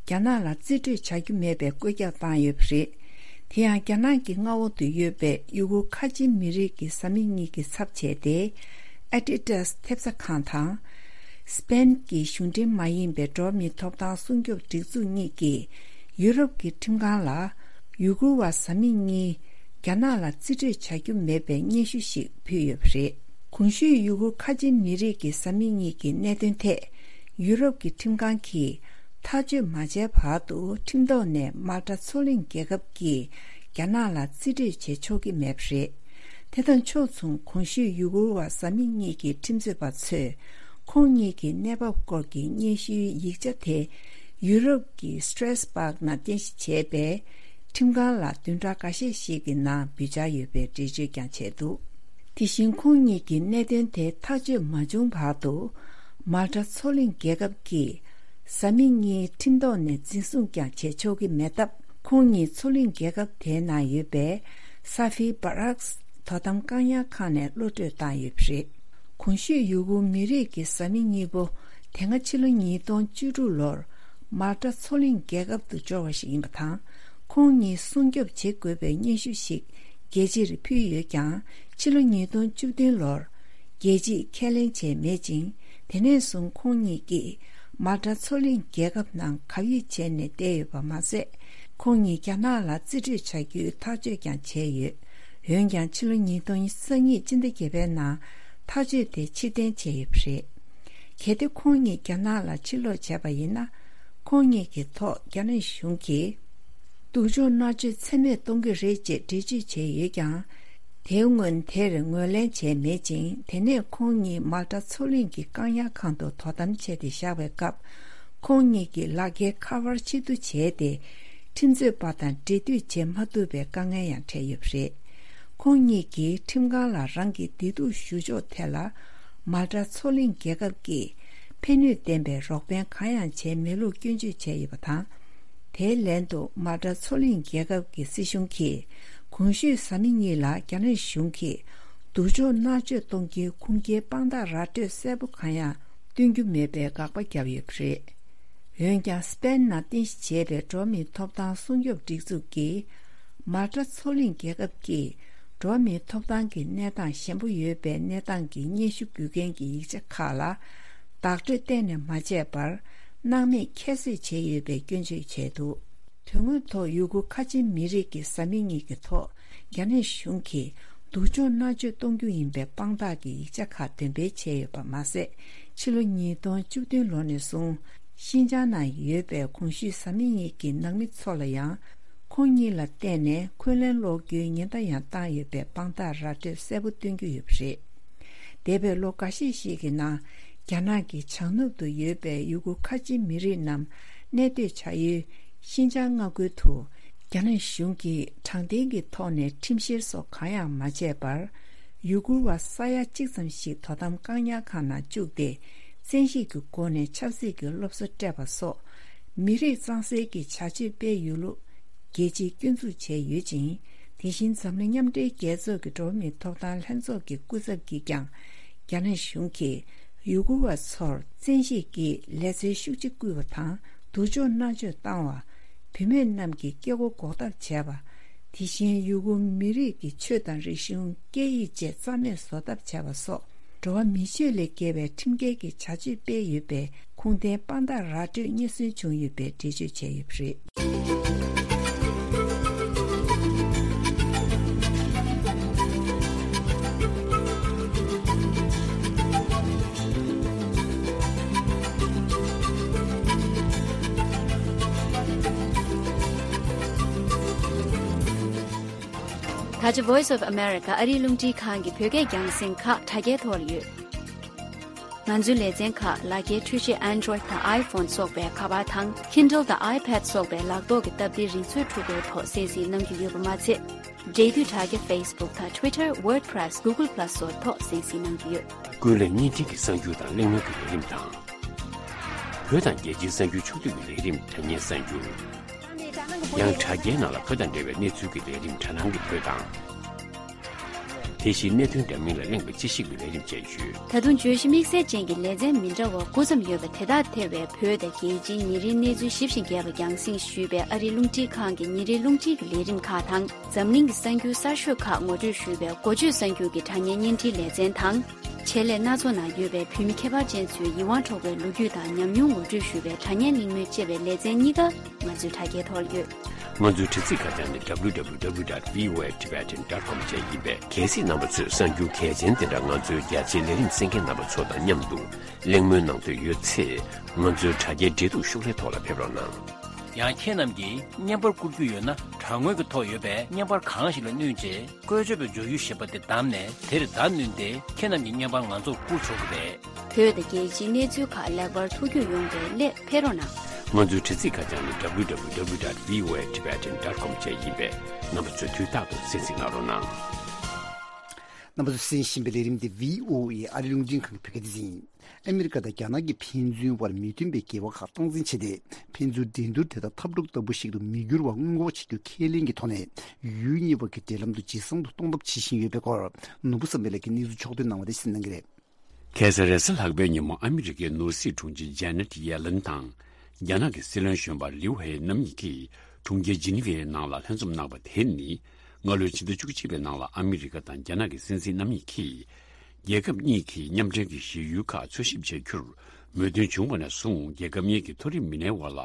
རྒྱ་ནག་ལ་རྩིས་སྤྲོད་བྱ་རྒྱུ་མེད་པའི་བཀོད་ཁྱབ་བཏང་ཡོད་པ་རེད། དེ་ཡང་རྒྱ་ནག་གི་མངའ་འོག་ཏུ་ཡོད་པའི་ཡུ་གུར་ཁ་ཆེའི་མི་རིགས་ཀྱི་བཟའ་མི་གཉིས་ཀྱི་ཚབ་བྱས་ཏེ། ཨེ་ཏི་ཏཱས་ཐེབས་རྩ་ཁང་དང་། སི་པེན་གྱི་གཞུང་འབྲེལ་མ་ཡིན་པའི་འགྲོ་བ་མིའི་ཐོབ་ཐང་སྲུང་སྐྱོབ་སྒྲིག་འཛུགས་གཉིས་ཀྱིས་ཡུ་རོབ་ཀྱི་ཁྲིམས་ཁང་ལ་ཡུ་གུར་བ་བཟའ་མི་གཉིས་རྒྱ་ནག་ལ་རྩིས་སྤྲོད་བྱ་རྒྱུ་མེད་པའི་སྙན་ཞུ་ཞིག་ཕུལ་ཡོད་པ་རེད། གོང་ཞུས་ཡུ་གུར་ཁ་ཆེ་མི་རིགས་ཀྱི་བཟའ་མི་གཉིས་ཀྱི་གནད་དོན་ཐད། ཡུ་རོབ་ཀྱི་ཁྲིམས་ཁང་གིས་ཐག་གཅོད་མ་བྱས་བར་དུ་ཁྲིམས་ཐོག་ནས་མཱལ་ཏཱ་མཚོ་གླིང་རྒྱལ་ཁབ་ཀྱིས་རྒྱ་ནག་ལ་རྩིས་སྤྲོད་བྱེད་ཆོག་གི་མེད་པ་རེད། དེ་དང་ཕྱོགས་མཚུངས་གོང་ཞུས་ཡུ་གུར་བ་བཟའ་མི་གཉིས་ཀྱི་ཁྲིམས་རྩོད་པ་ཚོས་ཁོང་གཉིས་ཀྱི་གནས་བབ་སྐོར་གྱི་སྙན་ཞུའི་ཡིག་ཆ་དེ་ཡུ་རོབ་ཀྱི་སི་ཏྲེ་སི་སྦག་ནང་རྟེན་གཞི་བྱས་པའི་ཁྲིམས་ཁང་ལ་བདུན་ཕྲག་འགའ་ཤས་ཤིག་གི་ནང་འབུལ་འཆར་ཡོད་པའི་འགྲེལ་བརྗོད་ཀྱང་བྱས་འདུག་དེ་བཞིན་ཁོང་གཉིས་ཀྱི་གནད་དོན་དེ་ཐག་གཅོད་མ་བྱུང་བར་དུ། མཱལ་ཏཱ་མཚོ་གླིང་རྒྱལ་ཁབ་ཀྱིས་བཟའ་མི་གཉིས་ཁྲིམས་ཐོག་ནས་འཛིན་བཟུང་ཀྱང་བྱེད་ཆོག་གི་མེད་སྟབས། ཁོང་གཉིས་མཚོ་གླིང་རྒྱལ་ཁབ་དེའི་ནང་ཡོད་པའི་ས་ཧྥི་བྷ་རག་དོ་དམ་བཀག་ཉར་ཁང་ནས་གློད་གྲོལ་བཏང་ཡོད་པ་རེད། གོང་ཞུས་ཡུ་གུར་མི་རིགས་ཀྱི་བཟའ་མི་གཉིས་པོ་དེ་སྔ་ཕྱི་ལོ་ཉིས་སྟོང་བཅུ་དྲུག་ལོར་མཱལ་ཏཱ་མཚོ་གླིང་རྒྱལ་ཁབ་ཏུ་འབྱོར་བ་ཞིག་ཡིན་པ་དང་། ཁོང་གཉིས་སྲུང་སྐྱོབ་བྱེད་དགོས་པའི་སྙན་ཞུ་ཞིག་རྒྱལ་སྤྱིར་ཕུལ་ཡོད་ཀྱང་། ཕྱི་ལོ་ཉིས་སྟོང་བཅུ་བདུན་ལོར་རྒྱལ་སྤྱིས་ཁས་ལེན་བྱས་མེད་ཅིང་། དེ་ནས་བཟུང་ཁོང་གཉིས་ཀྱིས་མཱལ་ཏཱ་མཚོ་གླིང་རྒྱལ་ཁབ་ནང་བག་ཡོད་བྱས་ནས་བསྡད་ཡོད་པ་མ་ཟད། ཁོང་གཉིས་རྒྱ་ནག་ལ་རྩིས་སྤྲོད་བྱ་རྒྱུའི་ཐག་གཅོད་ཀྱང་བྱས་ཡོད། འོན་ཀྱང་ཕྱི་ལོ་ཉིས་སྟོང་ཉི་ཤུ་རྩ་གཉིས་སྤྱི་ཟླ་བརྒྱད་པའི་ནང་ཐག་གཅོད་དེ་ཕྱིར་འཐེན་བྱས་ཡོད་པ་རེད། གལ་ཏེ་ཁོང་གཉིས་རྒྱ་ནག་ལ་ཕྱིར་ལོག་བྱས་པ་ཡིན་ན། ཁོང་གཉིས་ཀྱི་ཐོག་རྒྱ་ནག་གཞུང་གིས་སྡུག་སྦྱོང་མནར་གཅོད་ཚད་མེད་གཏོང་གི་རེད་ཅེས་འགྲེལ་བརྗོད་བྱས་ཡོད་ཀྱང་། དེའི་སྔོན་དེར་ངོས་ལེན་བྱས་མེད་ཅིང་། དེ་ནས་ཁོང་གཉིས་མཱལ་ཏཱ་མཚོ་གླིང་གི་བཀག་ཉར་ཁང་དུ་དོ་དམ་བྱས་ཏེ་བཞག་པའི་སྐབས། ཁོང་གཉིས་ཀྱི་ལག་འཁྱེར་ཁ་པར་ཕྱིར་བསྡུ་བྱས་ཏེ། ཁྲིམས་རྩོད་པ་དང་འབྲེལ་མཐུད་བྱེད་མ་ཐུབ་པའི་དཀའ་ངལ་ཡང་འཕྲད་ཡོད་པ་རེད། ཁོང་གཉིས་ཀྱིས་ཁྲིམས་ཁང་ལ་རང་གི་བདེ་སྡུག་ཞུ་ཕྱོགས་ཐད་ལ། མཱལ་ཏཱ་མཚོ་གླིང་རྒྱལ་ཁབ་ཀྱིས་ཕན་ནུས་ལྡན་པའི་རོགས་ཕན་གང་ཡང་བྱས་མེད་ལུགས་སྐྱོན་བརྗོད་བྱས་ཡོད་པ་དང་། དེའི་ལན་དུ་མཱལ་ཏཱ་མཚོ་གླིང་རྒྱལ་ཁབ་ཀྱི་སྲིད་གཞུང་གིས་གོང་ཞུས་བཟའ་མི་གཉིས་ལ་རྒྱ་ནག་གཞུང་གིས་སྡུག་སྦྱོང་མནར་གཅོད་གཏོང་རྒྱུའི་ཁུངས་སྐྱེལ་དཔང་རྟགས་ར་སྤྲོད་གསལ་པོ་གང་ཡང་སྟོན་རྒྱུ་མེད་པའི་དགག་པ་བརྒྱབ་ཡོད་པ་རེད། འོན་ཀྱང་སི་པེན་ནང་རྟེན་གཞི་བྱས་པའི་འགྲོ་བ་མིའི་ཐོབ་ཐང་སྲུང་སྐྱོབ་སྒྲིག་འཛུགས་ཀྱིས། མཱལ་ཏཱ་མཚོ་གླིང་རྒྱལ་ཁབ་ཀྱིས་འགྲོ་བ་མིའི་ཐོབ་ཐང་གི་གནས་སྟངས་ཞན་པོ་ཡོད་པའི་གནས་སྟངས་ཀྱི་སྙན་ཞུ་འབུལ་མཁན་གྱི་ཡིག་ཆ་ཁག་ལ་བདག་སྤྲོད་གཏན་ནས་མ་བྱས་པར་སྣང་མེད་ཁྱད་གསོད་བྱས་ཡོད་པའི་སྐྱོན་བརྗོད་བྱས་འདུག་དོན་དངོས་ཐོག་ཡུ་གུར་ཁ་ཆེ་མི་རིགས་ཀྱི་བཟའ་མི་གཉིས་ཀྱི་ཐོག་རྒྱ་ནག་གཞུང་གིས་སྡུག་སྦྱོང་མནར་གཅོད་གཏོང་རྒྱུ་ཡིན་པའི་དཔང་རྟགས་ཀྱི་ཡིག་ཆ་ཁག་འདོན་སྤེལ་བྱས་ཡོད་པ་མ་ཟད། ཕྱི་ལོ་ཉིས་སྟོང་བཅུ་བདུན་ལོ་ནས་བཟུང་ཤིན་ཅང་ནང་ཡོད་པའི་གོང་ཞུས་བཟའ་མི་གཉིས་ཀྱི་ནང་མི་ཚོ་ལ་ཡང་། ཁོང་གཉིས་ལ་བརྟེན་ནས་འཁོན་ལན་སློག་རྒྱུའི་ཉེན་བརྡ་ཡང་བཏང་ཡོད་པའི་དཔང་རྟགས་ར་སྤྲོད་གསལ་པོ་སྟོན་རྒྱུ་ཡོད་པ་རེད། འདས་པའི་ལོ་འགའ་ཤས་ཤིག་གི་ནང་། རྒྱ་ནག་གི་བྱང་ནུབ་ཏུ་ཡོད་པའི་ཡུ་གུར་ཁ་ཆེ་མི་རིགས་རྣམས་གནས་སྡོད་བྱ་ཡུལ་ཤིན་ཅང་མངའ་ཁུལ་དུ། རྒྱ་ནག་གཞུང་གིས་དྲང་བདེན་གྱི་ཐོག་ནས་ཁྲིམས་བཤེར་སོགས་གང་ཡང་མ་བྱས་པར། ཡུ་གུར་བ་ས་ཡ་གཅིག་ཙམ་ཞིག་དོ་དམ་བཀག་ཉར་ཁང་ནང་བཅུག་སྟེ། བཙན་ཤེད་ཀྱི་སྒོ་ནས་ཆབ་སྲིད་ཀྱི་སློབ་གསོ་སྤྲད་པ་སོགས། མི་རིགས་གཙང་སེལ་གྱི་བྱ་སྤྱོད་སྤེལ་ཡོད་ལུགས། རྒྱལ་སྤྱིས་སྐྱོན་འཛུགས་བྱས་ཡོད་ཅིང་། དེ་བཞིན་འཛམ་གླིང་མཉམ་འབྲེལ་རྒྱལ་ཚོགས་ཀྱི་འགྲོ་བ་མིའི་ཐོབ་ཐང་ལྷན་ཚོགས་ཀྱི་སྐུ་ཚབ་ཀྱིས་ཀྱང་། རྒྱ་ནག་གཞུང་གིས་ཡུ་གུར་བ་ཚོར་བཙན་ཤེད་ཀྱིས་ལས་འཛིན་ཤུགས་ཆེ་བསྐུལ་བ་དང་། སྡུག་སྦྱོང་མནར་གཅོད་བཏང་བ། བུད་མེད་རྣམས་ཀྱི་སྐྱེ་སྒོ་འགོག་ཐབས་བྱས་པ། དེ་བཞིན་ཡུ་གུར་མི་རིགས་ཀྱི་ཆོས་དང་རིག་གཞུང་། སྐད་ཡིག་བཅས་རྩ་མེད་བཟོ་ཐབས་བྱས་པ་སོགས། འགྲོ་བ་མི་ཆོས་ལས་བརྒལ་བའི་ཁྲིམས་འགལ་གྱི་བྱ་སྤྱོད་སྤེལ་ཡོད་པའི་ཁུངས་ལྡན་དཔང་རྟགས་ར་སྤྲོད་རྙེད་སོན་བྱུང་ཡོད་པའི་འགྲེལ་བརྗོད་བྱས་ཡོད་པ་རེད། ད་ཆ་Voice of America ཨ་རིའི་རླུང་འཕྲིན་ཁང་གི་བོད་སྐད་རྒྱང་སྲིང་ཁག་དྲ་རྒྱའི་ཐོག་ལ་ཡོད། ང་ཚོའི་ལེ་ཚན་ཁག་ལག་འཁྱེར་འཕྲུལ་ཆས་Android དང་iPhone སོགས་པའི་ཁ་པར་དང་Kindle དང་iPad སོགས་པའི་ལག་ཐོག་གི་སྟབས་བདེའི་རིག་མཛོད་ཕྲུ་གུའི་ཐོག་གསན་གཟིགས་གནང་རྒྱུ་ཡོད་པ་མ་ཚད། འབྲེལ་མཐུད་དྲ་རྒྱ་Facebook དང་Twitter, WordPress, Google Plus སོགས་ཐོག་གསན་གཟིགས་གནང་རྒྱུ་ཡོད། ཀུན་གླེང་བརྙན་འཕྲིན་གྱི་གསར་འགྱུར་དང་གླེང་མོལ་གྱི་ལས་རིམ་དང་། བོད་དང་རྒྱལ་སྤྱིའི་གསར་འགྱུར་ཕྱོགས་བསྡུས་ཀྱི་ལས་རིམ་དྲ་བརྙན་གསར་འགྱུར། ཡང་དྲ་རྒྱའི་ནང་ལ་བོད་དང་འབྲེལ་བའི་གནས་ཚུལ་གྱི་ལས་རིམ་དྲ་སྣང་གི་བོད་དང་། དེ་བཞིན་གནད་དོན་འདྲ་མིན་ལ་གླེང་བའི་དཔྱད་ཞིབ་ཀྱི་ལས་རིམ་བཅས་ཡོད། ད་དུང་བརྗོད་གཞི་དམིགས་བསལ་ཅན་གྱི་ལེ་ཚན་མི་འདྲ་བ་དགུ་ཙམ་ཡོད་པ་དེ་དག་ཐེ་བའི་བོད་དང་རྒྱལ་སྤྱིའི་ཉིན་རེའི་གནས་ཚུལ་ཞིབ་ཅིང་རྒྱས་པ་རྒྱང་སྲིང་ཞུས་པའི་ཨ་རིའི་རླུང་འཕྲིན་ཁང་གི་ཉིན་རེའི་རླུང་འཕྲིན་གྱི་ལས་རིམ་ཁག་དང་། འཛམ་གླིང་གི་གསར་འགྱུར་གསར་ཤོས་ཁག་ངོ་སྤྲོད་ཞུས་པའི་འགོ་བརྗོད་གསར་འགྱུར་གྱི་དྲ་བརྙན་བརྙན་འཕྲིན་ལེ་ཚན་དང་། ཆེད་ལས་སྣ་ཚོགས་ནང་ཡོད་པའི་བོད་མི་ཁྱད་པར་ཅན་ཚོའི་ཡིད་དབང་འཕྲོག་པའི་ལོ་རྒྱུས་དང་ཉམས་མྱོང་ངོ་སྤྲོད་ཞུ་བའི་དྲ་བརྙན་གླེང་མོལ་བཅས་པའི་ལེ་ཚན་གཉིས་ཀ་ང་ཚོའི་དྲ་རྒྱའི་ཐོག་ལ་ཡོད། ང་ཚོའི་དྲ་ཚིགས་ཁ་བྱང་ནི་www.voatibetan.com བཅས་ཡིན་པས། གལ་སྲིད་རྣམ་པ་ཚོས་གསར་འགྱུར་གལ་ཆེན་དེ་འདྲ་ང་ཚོའི་རྒྱ་ཆེའི་ལས་རིམ་གསན་མཁན་རྣམ་པ་ཚོ་དང་མཉམ་དུ་གླེང་མོལ་གནང་འདོད་ཡོད་ཚེ། ང་ཚོའི་དྲ་རྒྱའི་འབྲེལ་གཏུག་ཤོག་ལྷེ་ཐོག་ལ་ཕེབས་རོགས་གནང་། ཡང་ཁྱེད་རྣམས་ཀྱིས་བརྙན་པར་བསྐུར་རྒྱུ་ཡོད་ན། དྲ་ངོས་ཀྱི་ཐོག་ཡོད་པའི་བརྙན་པར་གང་ཞིག་ལ་བསྣུན་རྗེས། བཀོལ་སྤྱོད་པའི་བརྗོད་གཞི་ཞེས་པ་དེ་བདམས་ནས། དེར་བརྡ་བསྣུན་ཏེ་ཁྱེད་རྣམས་ཀྱི་བརྙན་པར་ང་ཚོར་བསྐུར་ཆོག་གི་རེད། བོད་དང་རྒྱལ་སྤྱིའི་གནས་ཚུལ་ཁག་ལེགས་པར་ཐུགས་རྒྱུས་ཡོང་བའི་སླད་ཕེབས་རོགས་གནང་། ང་ཚོའི་དྲ་ཚིགས་ཁ་བྱང་ནི་www.voatibetan.com བཅས་ཡིན་པས། རྣམ་པ་ཚོས་དུས་རྟག་ཏུ་གསན་གཟིགས་གནང་རོགས་གནང་། རྣམ་པ་ཚོས་གསན་བཞིན་པའི་ལས་རིམ་དེ་བྷི་ཨོ་ཨེ་ཨ་རིའི་རླུང་འཕྲིན་ཁང་གི་བོད་སྐད་སྡེ་ཚན་ཡིན། ཨ་མི་རི་ཀ་དང་རྒྱ་ནག་གི་ཕན་ཚུན་དབར་མི་མཐུན་པའི་འགལ་བ་ཁག་སྟངས་འཛིན་བྱས་ཏེ། ཕན་ཚུན་འགྲན་བསྡུར་དེ་དག་འཐབ་འཁྲུག་ལྟ་བུ་ཞིག་ཏུ་མི་འགྱུར་བར་སྔོན་འགོག་བྱེད་རྒྱུ་ཁས་ལེན་གྱི་ཐོག་ནས། ཡུལ་གཉིས་བར་གྱི་འབྲེལ་ལམ་དུ་ཇེ་བཟང་དུ་གཏོང་ཐབས་བྱེད་བཞིན་ཡོད་པའི་སྐོར། ནོར་བུ་བསམ་འཕེལ་ལགས་ཀྱིས་གནས་ཚུལ་ཕྱོགས་བསྡུས་གནང་བ་དེ་གསན་གནང་གི་རེད། ཁ་སང་རེས་གཟའ་ལྷག་པའི་ཉིན་མོ་ཨ་མི་རི་ཀའི་ནོར་སྲིད་དྲུང་ཆེ་ཇེ་ནེ་ཊི་ཡེ་ལེན་དང་། རྒྱ་ནག་གི་སྲིད་བློན་གཞོན་པ་ལིའུ་ཧེ་རྣམ་གཉིས་ཀྱིས་གྲོང་ཁྱེར་ཇི་ནི་ཝའི་ནང་ལ་ལྷན་འཛོམས་གནང་བ་དེ་ནི། སྔ་ལོའི་ཕྱི་ཟླ་བཅུ་གཅིག་པའི་ནང་ལ་ཨ་མི་རི་ཀ་དང་རྒྱ་ནག་གི་སྲིད་འཛིན་རྣམ་གཉིས་ཀྱིས། རྒྱལ་ཁབ་གཉིས་ཀྱིས་མཉམ་འབྲེལ་གྱི་གཞི་ཡུལ་ཁག་འཚོལ་ཞིབ་བྱ་རྒྱུར་མོས་མཐུན་བྱུང་བ་ནས་བཟུང་། རྒྱལ་ཁབ་གཉིས་ཀྱི་མཐོ་རིམ་མི་སྣའི་དབར་ལ་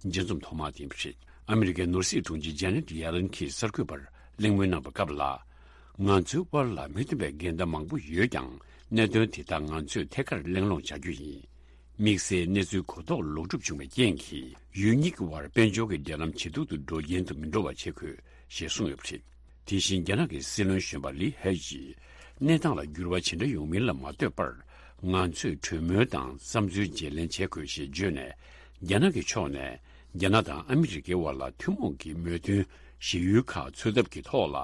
མཇལ་འཛོམས་ཐོག་མ་དེ་ཡིན་པ་རེད། ཨ་མི་རི་ཀའི་ནོར་སྲིད་དྲུང་ཆེ་ཇེ་ནེ་ཊི་ཡེ་ལེན་གྱིས་གསར་འགོད་པར་གླེང་མོལ་གནང་བའི་སྐབས་ལ། ང་ཚོའི་དབར་ལ་མི་མཐུན་པའི་འགལ་ཟླ་མང་པོ་ཡོད་ཀྱང་། གནད་དོན་དེ་དག་ང་ཚོས་ཐད་ཀར་གླེང་སློང་བྱ་རྒྱུ་ཡིན། དམིགས་བསལ་གནས་ཚུལ་གོ་རྟོགས་ལོག་སྒྲུབ་བྱུང་བའི་རྐྱེན་གྱིས། ཡུལ་གཉིས་ཀྱི་དབར་དཔལ་འབྱོར་གྱི་འབྲེལ་ལམ་ཇེ་སྡུག་ཏུ་འགྲོ་རྐྱེན་དུ་མི་འགྲོ་བ་བྱེད་དགོས། ཞེས་གསུངས་ཡོད་པ་རེད། དེ་བཞིན་རྒྱ་ནག་གི་སྲིད་བློན་གཞོན་པ་ལི་ཧེ་ཡིས། གནས་སྟངས་ལ་འགྱུར་བ་ཇི་འདྲ་ཡོང་མིན་ལ་མ་ལྟོས་པར། ང་ཚོས་གྲོས་མོལ་དང་བསམ་ཚུལ་བརྗེ་ལེན་བྱེད་དགོས་ཞེས་བརྗོད་ནས། རྒྱ་ནག་གི་ཕྱོགས་ནས། རྒྱ་ནག་དང་ཨ་མི་རི་ཀའི་དབར་ལ་ཐུན་མོང་གི་མོས་མཐུན་གཞི་ཡུལ་ཁག་འཚོལ་ཐབས་ཀྱི་ཐོག་ལ།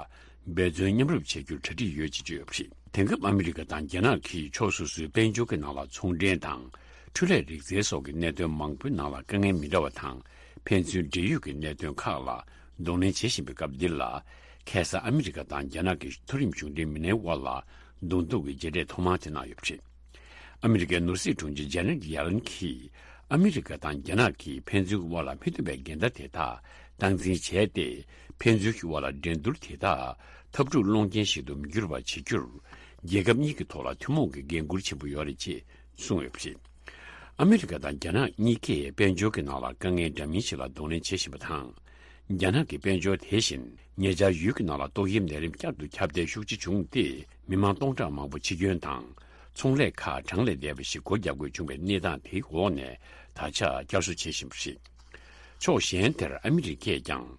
འབད་བརྩོན་མཉམ་རུབ་བྱེད་རྒྱུར་གྲ་སྒྲིག་ཡོད་ཅེས་བརྗོད་ཡོད་པ་རེད། དེང་སྐབས་ཨ་མི་རི་ཀ་དང་རྒྱ་ནག་གིས་ཕྱོགས་སོ་སོའི་དཔལ་འབྱོར་གྱི་ནང་ལ་ཚོང་འབྲེལ་དང་། འཕྲུལ་ལས་རིག་རྩལ་སོགས་ཀྱི་གནད་དོན་མང་པོའི་ནང་ལ་དཀའ་ངལ་མི་འདྲ་བ་དང་། ཕན་ཚུན་འབྲེལ་ཡོད་ཀྱི་གནད་དོན་ཁག་ལ་གདོང་ལེན་བྱེད་བཞིན་པའི་སྐབས་འདི་ལ། ཁ་སང་ཨ་མི་རི་ཀ་དང་རྒྱ་ནག་གི་མཐོ་རིམ་གཞུང་འབྲེལ་མི་སྣའི་དབར་ལ་གདོང་ཐུག་གི་མཇལ་འཕྲད་ཐོག་མ་དེ་གནང་ཡོད་པ་རེད། ཨ་མི་རི་ཀའི་ནོར་སྲིད་དྲུང་ཆེ་ཇེ་ནེ་ཊི་ཡེ་ལེན་གྱིས། ཨ་མི་རི་ཀ་དང་རྒྱ་ནག་གིས་ཕན་ཚུན་དབར་ལ་མི་མཐུན་པའི་འགལ་ཟླ་དེ་དག་སྟངས་འཛིན་བྱས་ཏེ། ཕན་ཚུན་གྱི་དབར་ལ་འགྲན་བསྡུར་དེ་དག་འཐབ་འཁྲུག་སློང་རྐྱེན་ཞིག་ཏུ་མི་འགྱུར་བ་བྱེད་རྒྱུར། རྒྱལ་ཁབ་གཉིས་ཀྱི་ཐོག་ལ་ཐུན་མོང་གི་འགན་འཁུར་ཆེན་པོ་ཡོད་རེད་ཅེས་གསུངས་ཡོད་པ་རེད། ཨ་མི་རི་ཀ་དང་རྒྱ་ནག་གཉིས་ཀས་དཔལ་འབྱོར་གྱི་ནང་ལ་དཀའ་ངལ་འདྲ་མིན་ཞིག་ལ་གདོང་ལེན་བྱེད་བཞིན་པ་དང་། རྒྱ་ནག་གི་དཔལ་འབྱོར་དེ་བཞིན་ཉེ་ཆར་ཡུལ་གྱི་ནང་ལ་ཏོག་དབྱིབས་ནད་རིམས་བསྐྱར་དུ་ཁྱབ་གདལ་ཤུགས་ཆེ་བྱུང་སྟེ། མི་མང་སྟོང་ཕྲག་མང་པོ་འཆི་སྐྱོན་དང་། ཚོང་ལས་ཁག་གྲང་ལས་འདས་པ་ཞིག་སྒོ་རྒྱག་དགོས་བྱུང་བའི་གནས་སྟངས་དེའི་འོག་ནས་ད་ཆ་བསྐྱར་གསོ་བྱེད་བཞིན་པ་རེད། ཕྱོགས་གཞན་དེར་ཨ་མི་རི་ཀས་ཀྱང་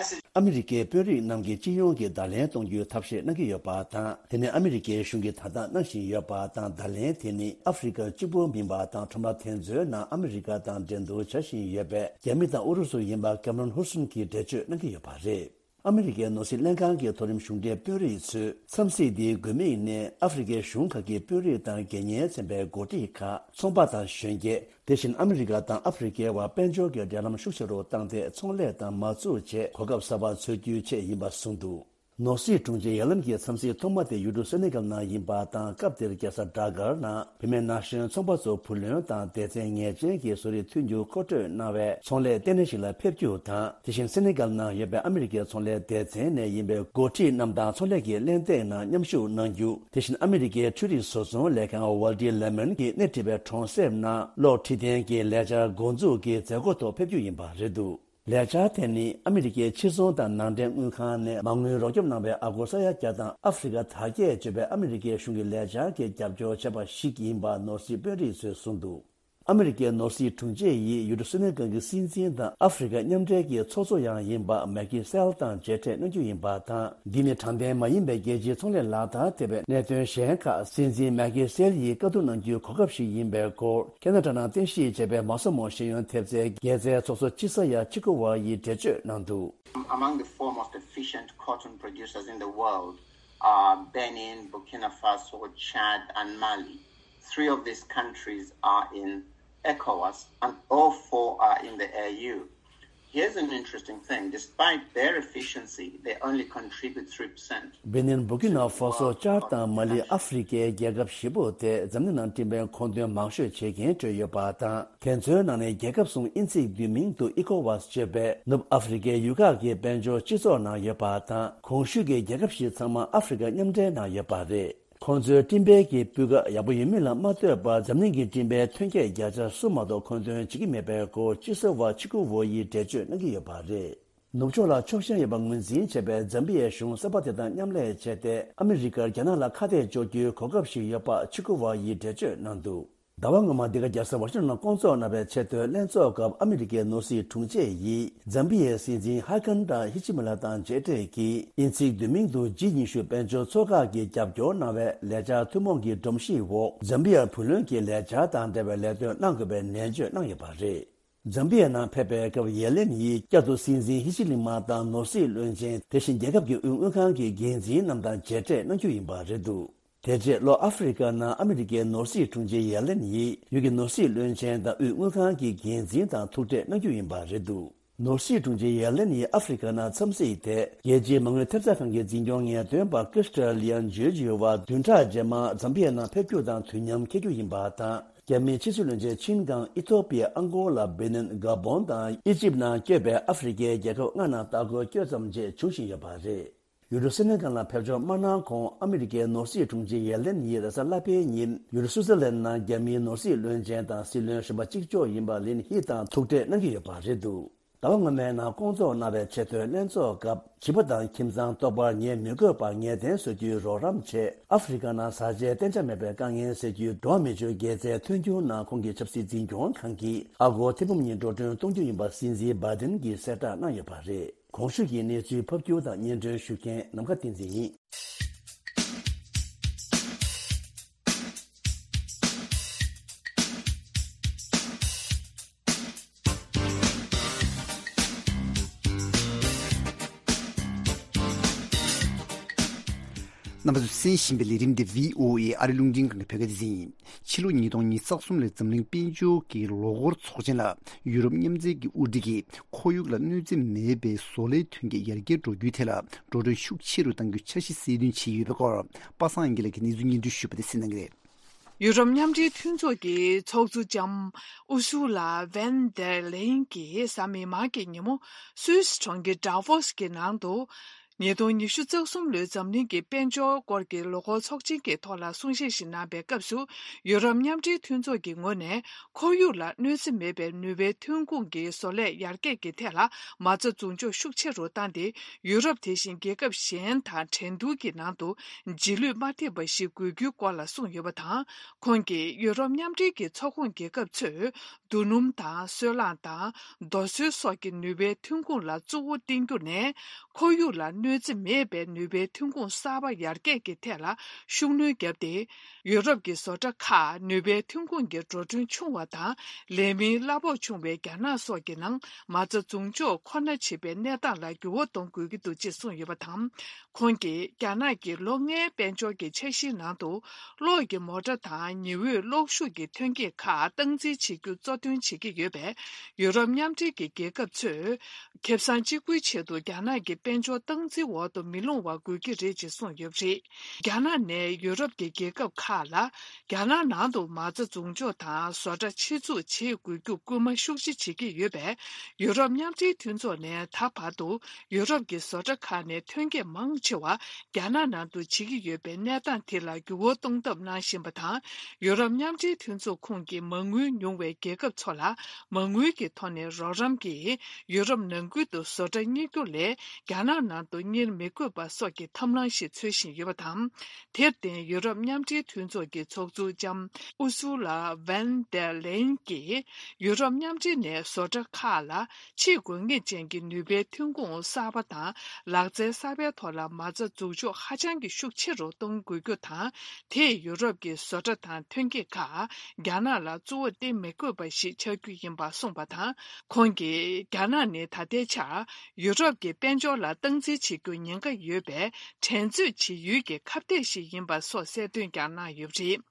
message. ཨ་མི་རི་ཀའི་དཔོན་རིགས་རྣམས་ཀྱིས་སྤྱི་ཡོངས་ཀྱི་བརྡ་ལན་གཏོང་རྒྱུའི་ཐབས་ཤེས་གནང་གི་ཡོད་པ་དང་། དེ་ནི་ཨ་མི་རི་ཀའི་གཞུང་གིས་ད་ལྟ་གནང་བཞིན་ཡོད་པ་དང་། བརྡ་ལན་དེ་ནི་ཨ་ཧྥེ་རི་ཁ་གཅིག་པུ་མིན་པ་དང་། ཁྲོམ་ར་དེ་ཚོའི་ནང་ཨ་མི་རི་ཀ་དང་འགྲན་བསྡུར་བྱ་བཞིན་ཡོད་པའི་རྒྱ་མི་དང་ཨུ་རུ་སུ་ཡིན་པ་ཀེམ་རོན་ཧུར་སོན་གྱིས་འགྲེལ་བརྗོད་གནང་གི་ཡོད་པ་རེད། ཨ་མི་རི་ཀའི་ནོར་སྲིད་ལྷན་ཁང་གི་མཐོ་རིམ་གཞུང་འབྲེལ་དཔོན་རིགས་ཚོས་འཚམས་གཟིགས་འདིའི་དགོས་དམིགས་ནི། ཨ་ཧྥེ་རི་ཁའི་གཞུང་ཁག་གི་དཔོན་རིགས་དང་དགེ་མཉེན་ཚན་པའི་འགོ་ཁྲིད་ཁག་ཚོང་པ་དང་གཞོན་སྐྱེས། དེ་བཞིན་ཨ་མི་རི་ཀ་དང་ཨ་ཧྥེ་རི་ཁའི་བར་དཔལ་འབྱོར་གྱི་འབྲེལ་ལམ་ཤུགས་ཆེ་རུ་བཏང་སྟེ། ཚོང་ལས་དང་མ་འཛུགས་བྱས་གོ་སྐབས་གསར་པ་འཚོལ་རྒྱུའི་ཆེད་ཡིན་པ་གསུངས་འདུག་ནོར་སྲིད་དྲུང་ཆེའི་ཡ་ལམ་གྱི་འཚམས་གཟིགས་ཐོག་མ་དེ་ཡུལ་གྲུ་སེ་ནེ་གལ་ནང་ཡིན་པ་དང་། སྐབས་དེར་རྒྱལ་ས་ཌ་གར་ནང་བུད་མེད་ན་གཞོན་ཚོང་པ་ཚོ་བུ་ལོན་དང་སྡེ་ཚན་ངེས་ཅན་གྱི་བཟོ་རིག་མཐུན་འགྱུར་མཁོ་སྤྲོད་གནང་བའི་ཚོང་ལས་ལྟེ་གནས་ཤིག་ལ་ཕེབས་རྒྱུ་དང་། དེ་བཞིན་སེ་ནེ་གལ་ནང་ཡོད་པའི་ཨ་མི་རི་ཀའི་ཚོང་ལས་སྡེ་ཚན་ནས་ཡིན་པའི་འགོ་ཁྲིད་རྣམས་དང་ཚོང་ལས་ཀྱི་གླེང་སྟེགས་ནང་མཉམ་ཞུགས་གནང་རྒྱུ། དེ་བཞིན་ཨ་མི་རི་ཀའི་འཕྲུལ་རིག་བཟོ་ཚོང་ལས་ཁང་ཝལ་ཏི་ལེ་མན་གྱིས་སྣེ་ཁྲིད་པའི་གྲོང་གསེབ་ནང་གློག་འཕྲུལ་ལྡན་གྱི་ལས་འཆར་འགོ་འཛུགས་ཀྱི་མཛད་སྒོ་ཐོག་ཕེབས་རྒྱུ་ཡིན་པ་རེད་འདུག་ལས་འཆར་དེ་ནི་ཨ་མི་རི་ཀའི་ཕྱི་ཚོང་དང་ནང་འདྲེན་དངུལ་ཁང་ནས་མ་དངུལ་རོགས་སྐྱོབ་གནང་བའི་ཨ་སྒོར་ས་ཡ་བརྒྱ་དང་ཨ་ཧྥེ་རི་ཁ་དར་རྒྱས་གཅོད་པའི་ཨ་མི་རི་ཀའི་གཞུང་གི་ལས་འཆར་གྱི་རྒྱབ་སྐྱོར་བྱས་པ་ཞིག་ཡིན་པ་ནོར་སྲིད་དཔོན་རིགས་ཚོས་གསུངས་འདུག་ཨ་མི་རི་ཀའི་ནོར་སྲིད་དྲུང་ཆེ་ཡིས་ཡུལ་གྲུ་སེ་ནེ་གལ་གྱི་སྲིད་འཛིན་དང་ཨ་ཧྥེ་རི་ཁ་མཉམ་འབྲེལ་གྱི་ཚོགས་གཙོ་ཡང་ཡིན་པ་མེ་ཁི་སེལ་དང་མཇལ་འཕྲད་གནང་རྒྱུ་ཡིན་པ་དང་། འདི་ནི་དྲང་བདེན་མ་ཡིན་པའི་རྒྱལ་སྤྱིའི་ཚོང་ལས་ལག་བསྟར་ཐེབས་པའི་གནད་དོན་གཞན་ཁག་སྲིད་འཛིན་མེ་ཁི་སེལ་ཡིས་བཀའ་བསྡུར་གནང་རྒྱུའི་གོ་སྐབས་ཤིག་ཡིན་པའི་སྐོར། ཁེ་ན་ཌ་ནང་རྟེན་གཞི་བྱས་པའི་མ་སོ་མོ་ཤེས་ཡོན་ཐེབས་རྩའི་རྒྱལ་རྩའི་ཚོགས་གཙོ་ཅི་ས་ཡ་ཆི་ཀུ་ཝ་ཡིས་འགྲེལ་བརྗོད་གནང་འདུག Among the four most efficient cotton producers in the world are Benin, Burkina Faso, Chad, and Mali. Three of these countries are in ECOWAS, and all four are in the A U. Here's an interesting thing. Despite their efficiency, they only contribute three percent. Benin, Burkina Faso, Chad དང་མ་ལི། ཨ་ཧྥེ་རི་ཁའི་རྒྱལ་ཁབ་བཞི་པོ་དེ་འཛམ་གླིང་ནང་སྤྲིན་པའི་མཁོ་འདོན་མང་ཤོས་བྱེད་མཁན་ཁྲོད་ཡོད་པ་དང་། དེ་ཚོའི་ནང་ནས་རྒྱལ་ཁབ་གསུམ་དབྱིན་ཚིག་བསྡུས་མིང་དུ་ཨི་ཀོ་ཝཱས་བརྗོད་པའི་ནུབ་ཨ་ཧྥེ་རི་ཁའི་ཡུལ་ཁག་གི་དཔལ་འབྱོར་སྤྱི་ཚོགས་ནང་ཡོད་པ་དང་། གོང་ཞུས་ཀྱི་རྒྱལ་ཁབ་བཞི་ཚང་མ་ཨ་ཧྥེ་རི་ཁ་མཉམ་འབྲེལ་ནང་ཡོད་པ་རེད། ཁོང་ཚོའི་སྤྲིན་པའི་གི་སྤུས་ཀ་ཡག་པོ་ཡོད་མིན་ལ་མ་ལྟོས་པར། འཛམ་གླིང་གི་སྤྲིན་པའི་ཐོན་སྐྱེད་བརྒྱ་ཆ་གསུམ་མ་གཏོགས་མཁོ་འདོན་བྱེད་ཀྱི་མེད་པའི་སྐོར་སྤྱི་ཟུར་བ་ཆི་ཀུ་ཝོ་ཡིས་འགྲེལ་བརྗོད་གནང་གི་ཡོད་པ་རེད། ནུབ་ཕྱོགས་ལ་ཕྱོགས་ཞེན་ཡོད་པ་ངོས་འཛིན་བྱས་པའི་ཛམ་བི་ཡའི་གཞུང་གསར་པ་དེ་དང་མཉམ་ལས་བྱས་ཏེ། ཨ་མི་རི་ཀར་རྒྱ་ནག་ལ་ཁ་གཏད་གཅོག་རྒྱུའི་གོ་སྐབས་ཤིག་ཡོད་པ་ཆི་ཀུ་ཝོ་ཡིས་འགྲེལ་བརྗོད་གནང་འདུག་ཟླ་བ་སྔོན་མ་འདི་ག་རྒྱལ་ས་ཝ་ཤིང་ཊོན་ནང་བསྐོང་ཚོགས་གནང་བའི་ཆེས་མཐོའི་ལྷན་ཚོགས་སྐབས། ཨ་མི་རི་ཀའི་ནོར་སྲིད་དྲུང་ཆེ་ཡིས་ཛམ་བི་ཡའི་སྲིད་འཛིན་ཧ་ཀན་ཌ་ཧི་ཅི་མ་ལ་དང་མཇལ་འཕྲད་ཀྱིས། དབྱིན་ཚིག་བསྡུས་མིང་དུ་ཇི་ཉི་ཤུ་དཔལ་འབྱོར་ཚོགས་ཁག་གིས་རྒྱབ་སྐྱོར་གནང་བའི་ལས་འཆར་ཐུན་མོང་གི་སྒྲོམ་གཞིའི་འོག་ཛམ་བི་ཡར་བུ་ལོན་གྱི་ལས་འཆར་དང་འབྲེལ་བའི་ལས་དོན་གནང་དགོས་པའི་ནན་བརྗོད་གནང་ཡོད་པ་རེད། ཛམ་བི་ཡ་ནང་ཕེབས་པའི་སྐབས། ཡེ་ལེན་ཡིས་བསྐྱར་དུ་སྲིད་འཛིན་ཧི་ཅི་ལི་མ་དང་ནོར་སྲིད་བློན་ཆེན། དེ་བཞིན་རྒྱལ་ཁབ་ཀྱི་དབུས་དངུལ་ཁང་གི་འགན་འཛིན་རྣམས་དང་མཇལ་འཕྲད་གནང་རྒྱུ་ཡིན་པ་རེད་འདུག་དེ་རྗེས་ལྷོ་ཨ་ཧྥེ་རི་ཁ་ནང་ཨ་མི་རི་ཀའི་ནོར་སྲིད་དྲུང་ཆེ་ཡེ་ལེན་ཡིས་ཡུལ་གྱི་ནོར་སྲིད་བློན་ཆེན་དང་དབུས་དངུལ་ཁང་གི་འགན་འཛིན་དང་ཐུག་འཕྲད་གནང་རྒྱུ་ཡིན་པ་རེད་འདུག་ནོར་སྲིད་དྲུང་ཆེ་ཡེ་ལེན་ཡིས་ཨ་ཧྥེ་རི་ཁ་ནང་འཚམས་གཟིགས་དེ། རྒྱལ་སྤྱིའི་མ་དངུལ་ཐེབས་རྩ་ཁང་གི་འཛིན་སྐྱོང་ངེས་སྟོན་པ་ཀི་རི་སྟ་ལི་ཡན་ཇོར་ཇི་ཡོ་ཝ་བདུན་ཕྲག་རྗེས་མ་ཛམ་བི་ཡ་ནང་ཕེབས་རྒྱུ་དང་དུས་མཉམ་འཁེལ་རྒྱུ་ཡིན་པ་དང་། རྒྱ་མིའི་ཕྱི་སྲིད་བློན་ཆེན་ཆིན་ཀང་ཨི་ཐོ་པི་ཡ། ཨང་གོ་ལ། བེ་ནིན། ག་བོན་དང་ཨི་ཇིབ་ནང་བསྐྱོད་པའི་ཨ་ཧྥེ་རི་ཁའི་རྒྱལ་ཁབ་ལྔ་ནང་ལྟ་སྐོར་བསྐྱོད་ཙམ་རྗེས་འབྱུང་བཞིན་ཡོད་པ་རེད། ཡུལ་གྲུ་སེ་ནེ་གལ་ལ་ཕེབས་འབྱོར་མ་གནང་གོང་ཨ་མི་རི་ཀའི་ནོར་སྲིད་དྲུང་ཆེ་ཡེ་ལེན་ཡིས་རེས་གཟའ་ལྷག་པའི་ཉིན་ཡུལ་གྲུ་སུའུ་ཙེར་ལན་ནང་རྒྱ་མིའི་ནོར་སྲིད་བློན་ཆེན་དང་སྲིད་བློན་གཞོན་པ་གཅིག་ལྕོགས་ཡིན་པ་ལིན་ཧི་དང་ཐུག་འཕྲད་གནང་གི་ཡོད་པ་རེད་འདུག་ཟླ་བ་སྔོན་མའི་ནང་བསྐོང་ཚོགས་གནང་བའི་ཆེས་མཐོའི་ལྷན་ཚོགས་སྐབས། བྱིས་པ་དང་ཁྱིམ་ཚང་ལྟོགས་པར་ཉལ་མི་དགོས་པར་ངལ་རྟེན་བཟོ་རྒྱུའི་རོགས་རམ་ཆེད། ཨ་ཧྥེ་རི་ཁ་ནང་བཟའ་བཅའི་གཏན་འཇགས་མེད་པའི་དཀའ་ངལ་སེལ་རྒྱུའི་འགྲོ་བ་མི་ཆོས་དགེ་རྩའི་མཐུན་འགྱུར་ནང་ཁོང་གིས་ཆབ་སྲིད་འཛིན་སྐྱོང་ཁང་གིས་ཨ་སྒོར་ཐེར་འབུམ་གཉིས་འགྲོ་གྲོན་གཏོང་རྒྱུ་ཡིན་པ་སྲིད་འཛིན་བྷའི་ཌེན་གྱིས་གསལ་བསྒྲགས་གནང་ཡོད་པ་རེད། གོང་ཞུས་ཀྱི་གནས་ཚུལ་ཕབ་སྒྱུར་དང་སྙན་སྒྲོན་ཞུ་མཁན་ནམ་མཁའ་བསྟན་འཛིན་ཡིན། རྣམ་པ་ཚོས་གསན་བཞིན་པའི་ལས་རིམ་འདི་བྷི་ཨོ་ཨེ་ཨ་རི་རླུང་འཕྲིན་ཁང་གི་བོད་སྐད་སྡེ་ཚན་ཡིན། ཕྱི་ལོ་ཉིས་སྟོང་ཉི་ཤུ་རྩ་གསུམ་ལོའི་འཛམ་གླིང་དཔལ་འབྱོར་གྱི་ལོ་འཁོར་ཚོགས་ཆེན་ལ་ཡུ་རོབ་མཉམ་འབྲེལ་གྱི་དབུ་ཁྲིད་ཀྱིས་ཁོར་ཡུག་ལ་གནོད་འཚེ་མེད་པའི་བཟོ་ལས་ཐོན་སྐྱེད་ཡར་རྒྱས་འགྲོ་རྒྱུའི་ཐད་ལ་འགྲོ་གྲོན་ཤུགས་ཆེ་རུ་གཏང་རྒྱུའི་འཆར་གཞི་གསལ་སྟོན་བྱས་ཡོད་པའི་སྐོར། པ་སངས་དབྱངས་སྐྱིད་ལགས་ཀྱིས་གནས་ཚུལ་སྙན་སྒྲོན་ཞུས་པ་དེ་གསན་གནང་གི་རེད། ཡུ་རོབ་མཉམ་འབྲེལ་མཐུན་ཚོགས་ཀྱི་ཚོགས་གཙོ་ལྕམ་ཨུ་སུ་ལ་ཝན་དེར་ལེན་གྱིས་གཟའ་མིག་དམར་གྱི་ཉིན་མོ་སུད་སི་གྲོང་ཁྱེར་ཌ་ཝོ་སི་གི་ནང་དུ། ཉིས་སྟོང་ཉི་ཤུ་རྩ་གསུམ་ལོའི་འཛམ་གླིང་གི་དཔལ་འབྱོར་སྐོར་གྱི་ལོ་འཁོར་ཚོགས་ཆེན་གྱི་ཐོག་ལ་གསུང་བཤད་ཞིག་གནང་པའི་སྐབས་སུ། ཡུ་རོབ་མཉམ་འབྲེལ་མཐུན་ཚོགས་ཀྱི་ངོས་ནས་ཁོར་ཡུག་ལ་གནོད་འཚེ་མེད་པའི་ནུས་པའི་ཐོན་ཁུངས་ཀྱི་བཟོ་ལས་ཡར་རྒྱས་ཀྱི་ཐད་ལ་མ་རྩ་འཛུགས་འཇོག་ཤུགས་ཆེ་རུ་བཏང་སྟེ། ཡུ་རོབ་དེ་བཞིན་རྒྱལ་ཁབ་གཞན་དང་འགྲན་བསྡུར་གྱི་ནང་དུ་རྗེས་ལུས་མ་ཐེབས་པ་ཞིག་དགོས་རྒྱུའི་སྐོར་ལ་གསུངས་ཡོད་པ་དང་། ཁོང་གིས་ཡུ་རོབ་མཉམ་འབྲེལ་གྱི་ཚོགས་ཁོངས་རྒྱལ་ཁབ་ཚོས། རྡོ་སྣུམ་དང་སོལ་རླངས་དང་རྡོ་སོལ་སོགས་ཀྱི་ནུས་པའི་ཐོན་ཁུངས་ལ་གཙོ་བོ་བརྟེན་རྒྱུ་ནས། ཁོར་ཡུག་ལ་གནོད་འཚེ་མེད་པའི་ནུས་པའི་ཐོན་ཁུངས་གསར་པ་ཡར་རྒྱས་ཀྱི་ཐད་ལ་ཤུགས་སྣོན་བརྒྱབ་སྟེ། ཡུ་རོབ་ཀྱི་བཟོ་གྲྭ་ཁག་ནུས་པའི་ཐོན་ཁུངས་ཀྱི་འགྲོ་གྲོན་ཆུང་བ་དང་ལས་མིའི་གླ་ཕོགས་ཆུང་བའི་རྒྱ་ནག་སོགས་ཀྱི་ནང་མ་རྩ་འཛུགས་འཇོག་ཁོ་ན་བྱེད་པའི་གནས་སྟངས་ལ་འགྱུར་བ་གཏོང་དགོས་ཀྱི་འདུག་ཅེས་གསུངས་ཡོད་པ་དང་། ཁོང་གིས་རྒྱ་ནག་གི་ལོ་ལྔའི་དཔལ་འབྱོར་གྱི་འཆར་གཞིའི་ནང་དུ། གློག་གི་མོ་ཊ་དང་ཉི་འོད་གློག་ཤུགས་ཀྱི་ཐོན་སྐྱེད་ཁག་སྟངས་འཛིན་བྱེད་རྒྱུ་གཙོ་འདོན་བྱེད་ཀྱི་ཡོད་པས། ཡུ་རོབ་མཉམ་འབྲེལ་གྱི་རྒྱལ་ཁབ་ཚོས་ཁེ་བཟང་གཅིག་པུའི་ཆེད་དུ་རྒྱ་ནག་གི་དཔལ་འབྱོར་སྟངས་འཛིན་འོག་ཏུ་མི་ལྷུང་བ་དགོས་ཀྱི་རེད་ཅེས་གསུངས་ཡོད་པ་རེད། རྒྱ་ནག་ནས་ཡུ་རོབ་ཀྱི་རྒྱལ་ཁབ་ཁག་ལ་རྒྱ་ནག་ནང་དུ་མ་རྩ་འཛུགས་འཇོག་དང་བཟོ་གྲྭ་ཆེད་འཛུགས་བྱེད་དགོས་རྒྱུ་སྐུལ་མ་ཤུགས་ཆེ་བྱེད་ཀྱི་ཡོད་པས། ཡུ་རོབ་མཉམ་འབྲེལ་མཐུན་ཚོགས་ནས་ད་བར་དུ་ཡུ་རོབ་ཀྱི་བཟོ་གྲྭ་ཁག་ནས་ཐོན་སྐྱེད་མང་ཆེ་བ་རྒྱ་ནག་ནང་དུ་བྱེད་ཀྱི་ཡོད་པའི་གནས་སྟངས་དེ་ལ་འགྱུར་བ་གཏོང་ཐབས་གནང་བཞིན་པ་དང་། ཡུ་རོབ་མཉམ་འབྲེལ་མཐུན་ཚོགས་ཁོངས་ཀྱི་མ་དངུལ་ཉུང་བའི་རྒྱལ་ཁབ་ཚོ་ལ་མ་དངུལ་གྱི་ཐོག་ནས་རོགས་རམ་གྱིས་ཡུ་རོབ་ནང་ཁུལ་དུ་བཟོ་གྲྭ་གཉེར་རྒྱུ་ལས་རྒྱ་ནག་ནང་དུ་གཉེར་མི་དགོས་པ་སོགས་ཀྱི་ཐབས་ལམ་ཞིག་འཚོལ་བཞིན་ཡོད་པ་དང་། དེར་བརྟེན་ཡུ་རོབ་མཉམ་འབྲེལ་མཐུན་ཚོགས་ཀྱི་ཚོགས་གཙོ་ལྕམ་ཨུ་སུ་ལ་ཝན་དེར་ལེན་གྱིས་ཡུ་རོབ་མཉམ་འབྲེལ་ནས་བཟོ་གྲྭ་ཁག་ལ་ཆེས་དགོས་ངེས་ཅན་གྱི་ནུས་པའི་ཐོན་ཁུངས་གསར་པ་དང་ལག་རྩལ་གསར་པའི་ཐོག་ལ་མ་རྩ་འཛུགས་འཇོག་ཧ་ཅང་གི་ཤུགས་ཆེ་རུ་གཏོང་དགོས་རྒྱུ་དང་། དེས་ཡུ་རོབ་ཀྱི་བཟོ་གྲྭ་དང་ཐོན་སྐྱེད་ཁག་རྒྱ་ནག་ལ་གཙོ་བོ་བརྟེན་མི་དགོས་པ་ཞིག་ཆགས་རྒྱུ་ཡིན་པ་གསུངས་པ་དང་། ཁོང་གིས་རྒྱ་ནག་ནི་ད་ལྟའི་ཆར་ཡུ་རོབ་ཀྱི་དཔལ་འབྱོར་ལ་སྟངས་འཛིན་བྱེད་རྒྱུ་ཉེན་ཁ་ཡོད་པའི་འགྲན་རྩོད་བྱེད་ཡུལ་གྱི་ཁ་གཏད་ཞིག་ཡིན་པ་སོགས་གསལ་སྟོན་ཀྱང་གནང་ཡོད་པ་རེད།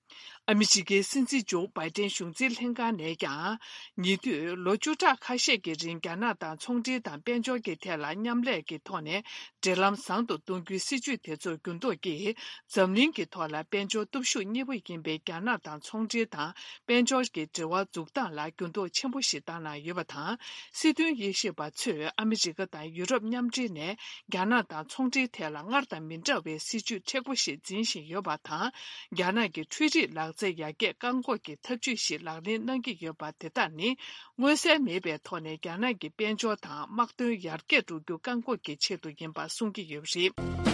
ཨ་མི་རི་ཀའི་སྲིད་འཛིན་ཇོ་བྷའི་ཏན་གཞུང་འཛིན་ལྷན་ཁང་ནས་ཀྱང་། ཉེ་དུས་ལོ་བཅུ་ཕྲག་ཁ་ཤས་ཀྱི་རིང་རྒྱ་ནག་དང་ཚོང་འབྲེལ་དང་དཔལ་འབྱོར་གྱི་ཐད་ལ་མཉམ་ལས་ཀྱི་ཐོག་ནས་འབྲེལ་ལམ་བཟང་དུ་གཏོང་རྒྱུའི་སྲིད་ཇུས་དེ་ཚོར་འགྱུར་ལྡོག་གིས། འཛམ་གླིང་གི་ཐོག་ལ་དཔལ་འབྱོར་སྟོབས་ཤུགས་གཉིས་པ་ཡིན་པའི་རྒྱ་ནག་དང་ཚོང་འབྲེལ་དང་དཔལ་འབྱོར་གྱི་འབྲེལ་བ་འཛུགས་སྟངས་ལ་འགྱུར་ལྡོག་ཆེན་པོ་ཞིག་བཏང་གནང་ཡོད་པ་དང་། སྲིད་དོན་དབྱེ་ཞིབ་པ་ཚོས་ཨ་མི་རི་ཀ་དང་ཡུ་རོབ་མཉམ་འབྲེལ་ནས་རྒྱ་ནག་དང་ཚོང་འབྲེལ་ཐད་ལ་སྔར་དང་མི་འདྲ་བའི་སྲིད་ཇུས་མཁྲེགས་པོ་ཞིག་འཛིན་བཞིན་ཡོད་པ་དང་། རྒྱ་ནག་གི་འཕྲུལ་རིག་ལག་རྩལ་ཡར་རྒྱས་བཀག་འགོག་གི་ཐབས་ཇུས་ཤིག་ལག་ལེན་གནང་གི་ཡོད་པ་དེ་དག་ནི། མངོན་གསལ་མེད་པའི་ཐོག་ནས་རྒྱ་ནག་གི་དཔལ་འབྱོར་དང་དམག་དོན་ཡར་རྒྱས་འགྲོ་རྒྱུ་བཀག་འགོག་གི་ཆེད་དུ་ཡིན་པ་གསུང་གི་ཡོད་པ་རེད།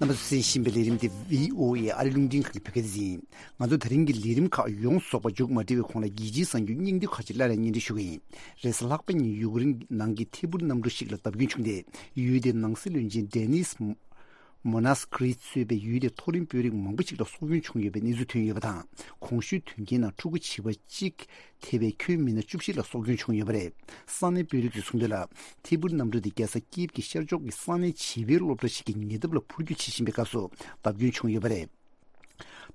རྣམ་པ་ཚོས་གསན་བཞིན་པའི་ལས་རིམ་དེ་བྷི་ཨོ་ཨེ་ཨ་རི་རླུང་འཕྲིན་ཁང་གི་བོད་སྐད་སྡེ་ཚན་ཡིན། ང་ཚོ་དེ་རིང་གི་ལས་རིམ་ཁག་ཡོངས་རྫོགས་པ་མཇུག་མ་སྒྲིལ་བའི་གོང་ལ་རྒྱལ་སྤྱིའི་གསར་འགྱུར་སྙིང་བསྡུས་ཁག་ཅིག་སླར་ཡང་སྙན་སྒྲོན་ཞུ་གི་ཡིན། རེས་གཟའ་ལྷག་པ་ཉིན་ཡུཀ་རེན་ནང་གི་ཐད་འཕུར་གནམ་གྲུ་ཞིག་ལ་བརྡབ་སྐྱོན་བྱུང་སྟེ། ཡུལ་དེའི་ནང་སྲིད་བློན་ཆེན་ཌེ་ནིས་མོ་ནཱས་ཀི་རིས་གཙོས་པའི་ཡུལ་དེའི་མཐོ་རིམ་དཔོན་རིགས་མང་པོ་ཞིག་ལ་སྲོག་སྐྱོན་བྱུང་ཡོད་པའི་གནས་ཚུལ་ཐོན་ཡོད་པ་དང་། གོང་ཞུས་དོན་རྐྱེན་ནང་ཕྲུ་གུ་བྱིས་པ་གཅིག་ཐེ་བའི་ཁྱོན་མི་སྣ་བཅུ་བཞི་ལ་སྲོག་སྐྱོན་བྱུང་ཡོད་པ་རེད། ས་གནས་དཔོན་རིགས་ཚོས་གསུངས་དོན་ལ། ཐད་འཕུར་གནམ་གྲུ་དེ་རྒྱལ་ས་ཀིབ་ཀྱི་ཤར་ཕྱོགས་ཀྱི་ས་གནས་བྱིས་པའི་སློབ་གྲྭ་ཞིག་གི་ཉེ་འདབས་ལ་འཕུར་སྐྱོད་བྱེད་བཞིན་པའི་སྐབས་སུ་བརྡབ་སྐྱོན་བྱུང་ཡོད་པ་རེད།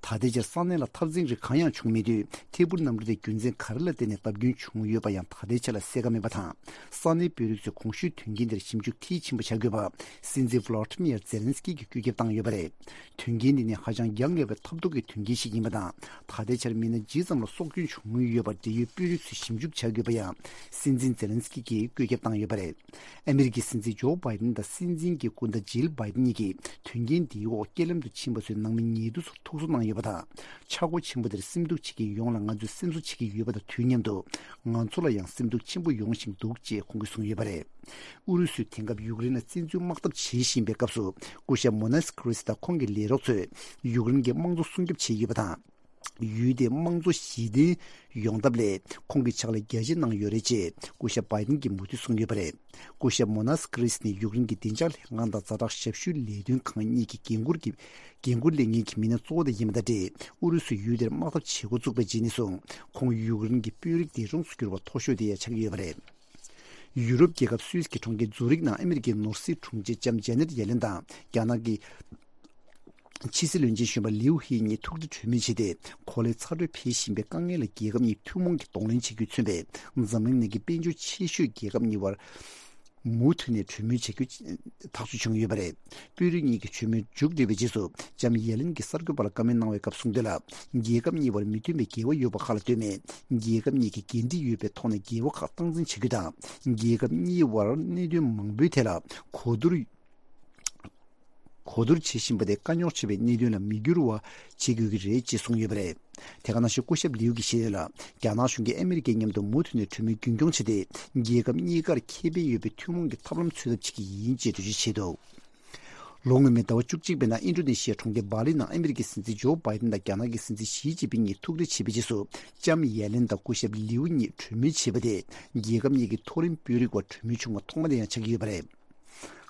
ད་ལྟའི་ཆར་ས་གནས་ལ་འཐབ་འཛིང་རིགས་གང་ཡང་བྱུང་མེད་དུས། ཐད་འཕུར་གནམ་གྲུ་དེ་རྒྱུ་མཚན་ག་རེ་ལ་བརྟེན་ནས་བརྡབ་སྐྱོན་བྱུང་ཡོད་པ་ཡང་ད་ལྟའི་ཆ་ལ་གསལ་ཁ་མེད་པ་དང་། ས་གནས་དཔོན་རིགས་ཚོས་གོང་ཞུས་དོན་རྐྱེན་དེར་ཞིབ་འཇུག་མཐིལ་ཕྱིན་པ་བྱ་དགོས་པ། སྲིད་འཛིན་ཝ་ལ་ཏི་མིར་ཛེ་ལན་སི་ཀི་གིས་བཀོད་ཁྱབ་བཏང་ཡོད་པ་རེད། དོན་རྐྱེན་འདི་ནི་ཧ་ཅང་འགྱངས་ངེས་པའི་ཐབས་སྡུག་གི་དོན་རྐྱེན་ཞིག་ཡིན་པ་དང་། ད་ལྟའི་ཆར་མི་སྣ་ཇི་ཙམ་ལ་སྲོག་སྐྱོན་བྱུང་ཡོད་པ་འབྲེལ་ཡོད་དཔོན་རིགས་ཚོས་ཞིབ་འཇུག་བྱ་དགོས་པ་ཡང་སྲིད་འཛིན་ཛེ་ལན་སི་ཀི་གིས་བཀོད་ཁྱབ་བཏང་ཡོད་པ་རེད། ཨ་མི་རི་ཀའི་སྲིད་འཛིན་ཇོ་བྷའི་ཏན་དང་སྲིད་འཛིན་གྱི་སྐུ་ཟླ་ཇིལ་བྷའི་ཏན་གཉིས་ཀྱིས་དོན་རྐྱེན་འདིའི་འོག་རྐྱེན་ལམ་དུ་ཕྱིན་པ་ཚོའི་ནང་མི་ཉེ་དུ་ཚོར་ཐུགས་གསོ་གནང་ཡོད་པ་དང་། ཆག་སྒོ་ཆེན་པོ་དེར་སེམས་སྡུག་བྱེད་ཀྱི་ཡོངས་ལ་ང་ཚོས་སེམས་གསོ་བྱེད་ཀྱི་ཡོད་པ་དང་དུས་མཉམ་དུ། ང་ཚོ་ལ་ཡང་སེམས་སྡུག་ཆེན་པོ་ཡོང་བཞིན་འདུག་ཅེས་ཁོང་གིས་གསུངས་ཡོད་པ་རེད། ཨུ་རུ་སུས་དེང་སྐབས་ཡུཀ་རེན་ལ་བཙན་འཛུལ་དམག་འཐབ་བྱེད་བཞིན་པའི་སྐབས་སུ། སྐུ་ཞབས་མོ་ནེས་ཀི་རིས་དང་ཁོང་གི་ལས་རོགས་ཚོས་ཡུཀ་རེན་གྱི་དམངས་གཙོ་སྲུང་སྐྱོབ་བྱས་ཡོད་པ་དང་། ཡུལ་དེའི་དམངས་གཙོ་གཞི་རྟེན་ཡོང་ཐབས་ལ་ཁོང་གིས་ཕྱག་ལས་རྒྱ་ཆེ་གནང་ཡོད་རེད་ཅེས་སྐུ་ཞབས་བྷའི་ཏན་གྱིས་མུ་མཐུད་གསུངས་ཡོད་པ་རེད། སྐུ་ཞབས་མོ་ནེས་ཀི་རིས་ནི་ཡུཀ་རེན་གྱི་བདེ་འཇགས་ལྷན་ཁང་དང་ཛ་དྲག་ཞབས་ཞུའི་ལས་དོན་ཁང་གཉིས་ཀྱི་འགན་འཁུར་གྱི་འགན་འཁུར་ལེན་མཁན་གྱི་མི་སྣ་གཙོ་བོ་དེ་ཡིན་པ་དང་འབྲེལ། ཨུ་རུ་སུས་ཡུལ་དེར་དམག་འཐབ་བྱེད་འགོ་བཙུགས་པའི་རྗེས་ནས་བཟུང་ཁོང་ཡུཀ་རེན་གྱི་དཔོན་རིགས་དེ་གྲོངས་སུ་གྱུར་བ་མཐོ་ཤོས་དེ་ཡང་ཆགས་ཀྱི་ཡོད་པ་རེད། ཡུ་རོབ་རྒྱལ་ཁབ་སུད་སི་གི་གྲོང་ཁྱེར་ཛུ་རིག་ནང་ཨ་མི་རི་ཀའི་ནོར་སྲིད་དྲུང་ཆེ་ལྕམ་ཇེ་ནེད་ཡེ་ལེན་དང་རྒྱ་ནག་གི་ཕྱི་སྲིད་བློན་ཆེན་གཞོན་པ་ལིའུ་ཧེ་གཉིས་ཐུག་འཕྲད་གྲོས་མོལ་བྱས་ཏེ། གོ་ལའི་ཚ་དྲོད་འཕེལ་བཞིན་པའི་དཀའ་ངལ་ལ་རྒྱལ་ཁབ་གཉིས་ཐུན་མོང་གི་གདོང་ལེན་བྱེད་རྒྱུས་མཚོན་པའི་འཛམ་གླིང་ནང་གི་དཔལ་འབྱོར་ཆེ་ཤོས་རྒྱལ་ཁབ་གཉིས་བར་མུ་མཐུད་ནས་གྲོས་མོལ་བྱ་རྒྱུ་ཐག་གཅོད་བྱུང་ཡོད་པ་རེད། དཔོན་རིགས་གཉིས་ཀྱི་གྲོས་མོལ་མཇུག་བསྒྲིལ་བའི་རྗེས་སུ་ལྕམ་ཡེ་ལེན་གྱིས་གསར་འགོད་པ་ལ་བཀའ་མོལ་གནང་བའི་སྐབས་གསུངས་དོན་ལ། རྒྱལ་ཁབ་གཉིས་བར་མི་མཐུན་པའི་འགལ་བ་ཡོད་པ་ཁག་ལ་ལྟོས་མེད། རྒྱལ་ཁབ་གཉིས་ཀྱིས་འགན་འཁྲི་ཡོད་པའི་ཐོག་ནས་འགལ་བ་ཁག་སྟངས་འཛིན་བྱ་རྒྱུ་དང་། རྒྱལ་ཁབ་གཉིས་བར་གནད་དོན་མང་པོའི་ཐད་ལ་གོ་བསྡུར་གོ་བསྡུར་བྱེད་བཞིན་པ་དེ་དཀའ་རྙོག་ཆེ་བའི་གནད་དོན་ལ་མི་འགྱུར་བ་བྱེད་དགོས་ཀྱི་རེད་ཅེས་གསུངས་ཡོད་པ་རེད། དེ་ག་ནང་བཞིན་སྐུ་ཞབས་ལིའུ་གིས་བཤད་ཡོད་ལ། རྒྱ་ནག་གཞུང་གིས་ཨ་མི་རི་ཀའི་མཉམ་དུ་མུ་མཐུད་ནས་གྲོས་མོལ་རྒྱུན་འཁྱོངས་བྱས་ཏེ། རྒྱལ་ཁབ་གཉིས་ཀར་ཁེ་ཕན་ཡོད་པའི་ཐུན་མོང་གི་ཐབས་ལམ་འཚོལ་ཐབས་བྱེད་ཀྱི་ཡིན་ཅེས་འགྲེལ་བརྗོད་བྱས་འདུག་ལོ་སྔོན་མའི་ཟླ་བ་བཅུ་གཅིག་པའི་ནང་ཨིན་ཌོ་ནེ་ཤི་ཡའི་གྲོང་ཁྱེར་སྦ་ལི་ནང་ཨ་མི་རི་ཀའི་སྲིད་འཛིན་ཇོ་བྷའི་ཏན་དང་རྒྱ་ནག་གི་སྲིད་འཛིན་ཞི་ཅིན་ཕིང་གཉིས་ཐུག་འཕྲད་བྱས་པའི་རྗེས་སུ། ལྕམ་ཡེ་ལེན་དང་སྐུ་ཞབས་ལིའུ་གཉིས་གྲོས་མོལ་བྱས་པ་དེ། རྒྱལ་ཁབ་གཉིས་ཀྱི་མཐོ་རིམ་དཔོན་རིགས་བར་གྲོས་མོལ་བྱུང་བ་ཐོག་མ་དེ་ཡང་ཆགས་ཀྱི་ཡོད་པ་རེད།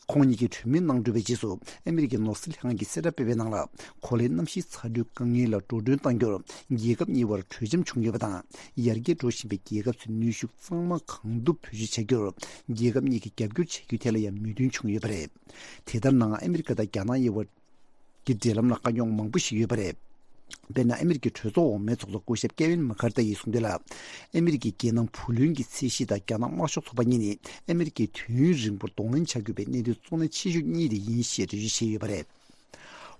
ཁོང་གཉིས་ཀྱིས་གྲོས་མོལ་གནང་གྲུབ་པའི་རྗེས་སུ། ཨ་མི་རི་ཀའི་ནོར་སྲིད་ལྷན་ཁང་གིས་གསལ་བསྒྲགས་སྤེལ་བའི་ནང་ལ། གོ་ལའི་གནམ་གཤིས་ཚ་དྲོད་དཀའ་ངལ་ལ་འགྲོ་གྲོན་གཏང་རྒྱུར་རྒྱལ་ཁབ་གཉིས་བར་གྲོས་འཆམ་བྱུང་ཡོད་པ་དང་། ཡར་རྒྱས་འགྲོ་བཞིན་པའི་རྒྱལ་ཁབ་ཚོའི་གནོན་ཤུགས་གཙང་མ་གང་ཐུབ་བེད་སྤྱོད་བྱ་རྒྱུར་རྒྱལ་ཁབ་གཉིས་ཀྱིས་རྒྱབ་སྐྱོར་བྱ་རྒྱུའི་ཐད་ལ་ཡང་མོས་མཐུན་བྱུང་ཡོད་པ་རེད། དེ་ལྟར་ནའང་ཨ་མི་རི་ཀ་དང་རྒྱ་ནག་གཉིས་བར་གྱི་འབྲེལ་ལམ་ལ་དཀའ་རྙོག་མང་པོ་ཞིག་ཡོད་པ་རེད། དཔེར་ན། ཨ་མི་རི་ཀའི་གྲོས་ཚོགས་འོག་མའི་ཚོགས་གཙོ་སྐུ་ཞབས་ཀེ་ཝིན་མ་ཁར་ཐི་ཡིས་གསུངས་དོན་ལ། ཨ་མི་རི་ཀའི་རྒྱལ་ནང་བུ་ལོན་གྱི་ཚད་གཞི་དང་རྒྱ་ནག་དམར་ཤོག་ཚོགས་པ་གཉིས་ནི་ཨ་མི་རི་ཀའི་དུས་ཡུན་རིང་པོར་གདོང་ལེན་བྱ་དགོས་པའི་གནད་དོན་གཙོ་གནད་ཆེ་ཤོས་གཉིས་དེ་ཡིན་ཞེས་འགྲེལ་བརྗོད་བྱས་ཡོད་པ་རེད།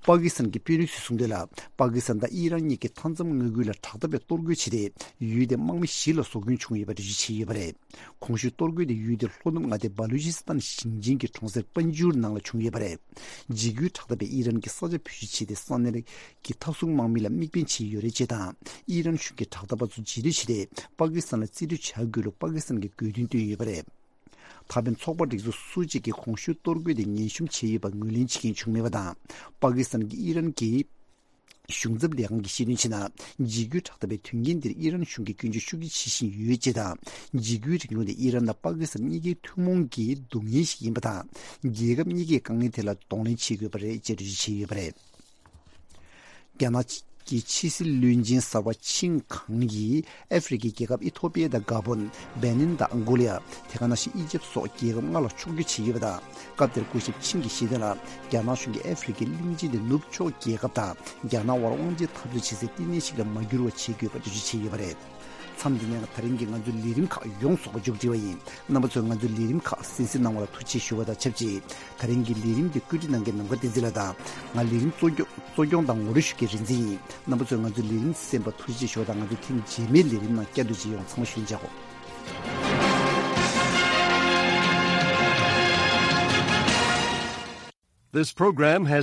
པ་ཀི་སི་ཐན་གྱི་དཔོན་རིགས་ཚོས་གསུངས་དོན་ལ། པ་ཀི་སི་ཐན་དང་ཨི་རན་གཉིས་ཀྱིས་མཐའ་མཚམས་མངའ་ཁུལ་ལ་དྲག་འཐབ་པའི་གཏོར་རྒོལ་བྱས་ཏེ། ཡུལ་དེའི་དམག་མི་བཞི་ལ་སྲོག་སྐྱོན་བྱུང་ཡོད་པ་འགྲེལ་བརྗོད་བྱས་ཡོད་པ་རེད། གོང་ཞུས་གཏོར་རྒོལ་དེ་ཡུལ་དེའི་ལྷོ་ནུབ་མངའ་སྡེ་བ་ལུ་ཅི་སི་ཐན་ཞིང་ཆེན་གྱི་གྲོང་གསེབ་པན་ཇུར་ནང་ལ་བྱུང་ཡོད་པ་རེད། འཇིགས་སྐུལ་དྲག་འཐབ་པས་ཨི་རན་གྱི་ས་ཆ་བེད་སྤྱོད་བྱས་ཏེ། ས་གནས་ཀྱི་མཐའ་སྲུང་དམག་མི་ལ་དམིགས་འབེན་བྱས་ཡོད་རེད་ཅེས་དང་། ཨི་རན་གཞུང་གིས་དྲག་འཐབ་པ་ཚོ་འཇིགས་སྐྲག་བྱས་ཏེ། པ་ཀི་སི་ཐན་ལ་རྩིས་སྤྲོད་བྱ་དགོས་ལུགས་པ་ཀི་སི་ཐན་གྱིས་དགོས་འདུན་བཏོན་ཡོད་པ་རེད། ད་ཕན་ཚོགས་པ་སྒྲིག་འཛུགས་སུ་གཅིག་གིས་གོང་ཞུས་གཏོར་རྒོལ་དེ་ངན་ཤོམ་བྱས་ཡོད་པ་ངོས་ལེན་བྱེད་མཁན་བྱུང་མེད་པ་དང་། པ་ཀི་སི་ཐན་གྱིས་ཨི་རན་གྱི་ གཞུང་ཚབ་ལས་ཁང་གིས་བཤད་དོན་བྱས་ན། འཇིགས་སྐུལ་དྲག་འཐབ་པའི་དོན་རྐྱེན་འདིར་ཨི་རན་གཞུང་གིས་སྐྱོན་བརྗོད་ཤུགས་ཆེ་བྱེད་བཞིན་ཡོད་ཅེས་དང་། འཇིགས་སྐུལ་རིང་ལུགས་ནི་ཨི་རན་དང་པ་ཀི་སི་ཐན་གཉིས་ཀའི་ཐུན་མོང་གི་སྡུག་བསྔལ་ཞིག་ཡིན་པ་དང་། རྒྱལ་ཁབ་གཉིས་ཀས་དཀའ་ངལ་དེ་ལ་གདོང་ལེན་བྱེད་དགོས་པ་རེད་ཅེས་འགྲེལ་བརྗོད་བྱས་ཡོད་པ་རེད། རྒྱ་ནག་གི་ཕྱི་སྲིད་བློན་ཆེན་གསར་པ་ཆིན་ཁང་གིས་ཨ་ཧྥེ་རི་ཁའི་རྒྱལ་ཁབ་ཨི་ཐོ་པི་ཡ་དང་ག་བོན། སྦེ་ནིན་དང་ཨང་གོ་ལི་ཡ། དེ་ག་ནང་བཞིན་ཨི་ཇེབ་སོགས་རྒྱལ་ཁབ་ལྔ་ལ་ཕྱོགས་བསྐྱོད་བྱས་ཡོད་པ་དང་། སྐབས་དེར་སྐུ་ཞབས་ཆིན་གྱིས་བཤད་དོན་ལ། རྒྱ་ནག་གཞུང་གིས་ཨ་ཧྥེ་རི་ཁའི་གླིང་ཆེན་དེ་ནུབ་ཕྱོགས་རྒྱལ་ཁབ་དང་རྒྱ་ནག་དབར་དབང་ཆའི་འཐབ་རྩོད་བྱེད་སའི་བསྟི་གནས་ཤིག་ལ་མ་འགྱུར་བ་བྱེད་དགོས་པ་འགྲེལ་བརྗོད་བྱས་ཡོད་པ་རེད། མཚམས་འདི་ནས་ད་རིང་གི་ང་ཚོའི་ལས་རིམ་ཁག་ཡོངས་རྫོགས་པ་མཇུག་སྒྲིལ་བ་ཡིན། རྣམ་པ་ཚོས་ང་ཚོའི་ལས་རིམ་ཁག་གསན་གཟིགས་གནང་བ་ལ་ཐུགས་རྗེ་ཆེ་ཞུ་བ་དང་ཆབས་ཅིག་ད་རིང་གི་ལས་རིམ་འདི་བཀོད་སྒྲིག་གནང་མཁན་ནམ་མཁའ་བསྟན་འཛིན་ལགས་དང་། ང་ལས་རིམ་གཙོ་སྐྱོང་གཙོ་སྐྱོང་དང་ངོ་སྤྲོད་ཞུ་མཁན་རིག་འཛིན་ཡིན། རྣམ་པ་ཚོས་ང་ཚོའི་ལས་རིམ་གསན་པར་ཐུགས་རྗེ་ཆེ་ཞུ་བ་དང་། ང་ཚོའི་ཐེངས་རྗེས་མའི་ལས་རིམ་ནང་བསྐྱར་དུ་མཇལ་ཡོང་། ཚང་མ་ཞུ་ཡིན་ཅག་གོ། This program has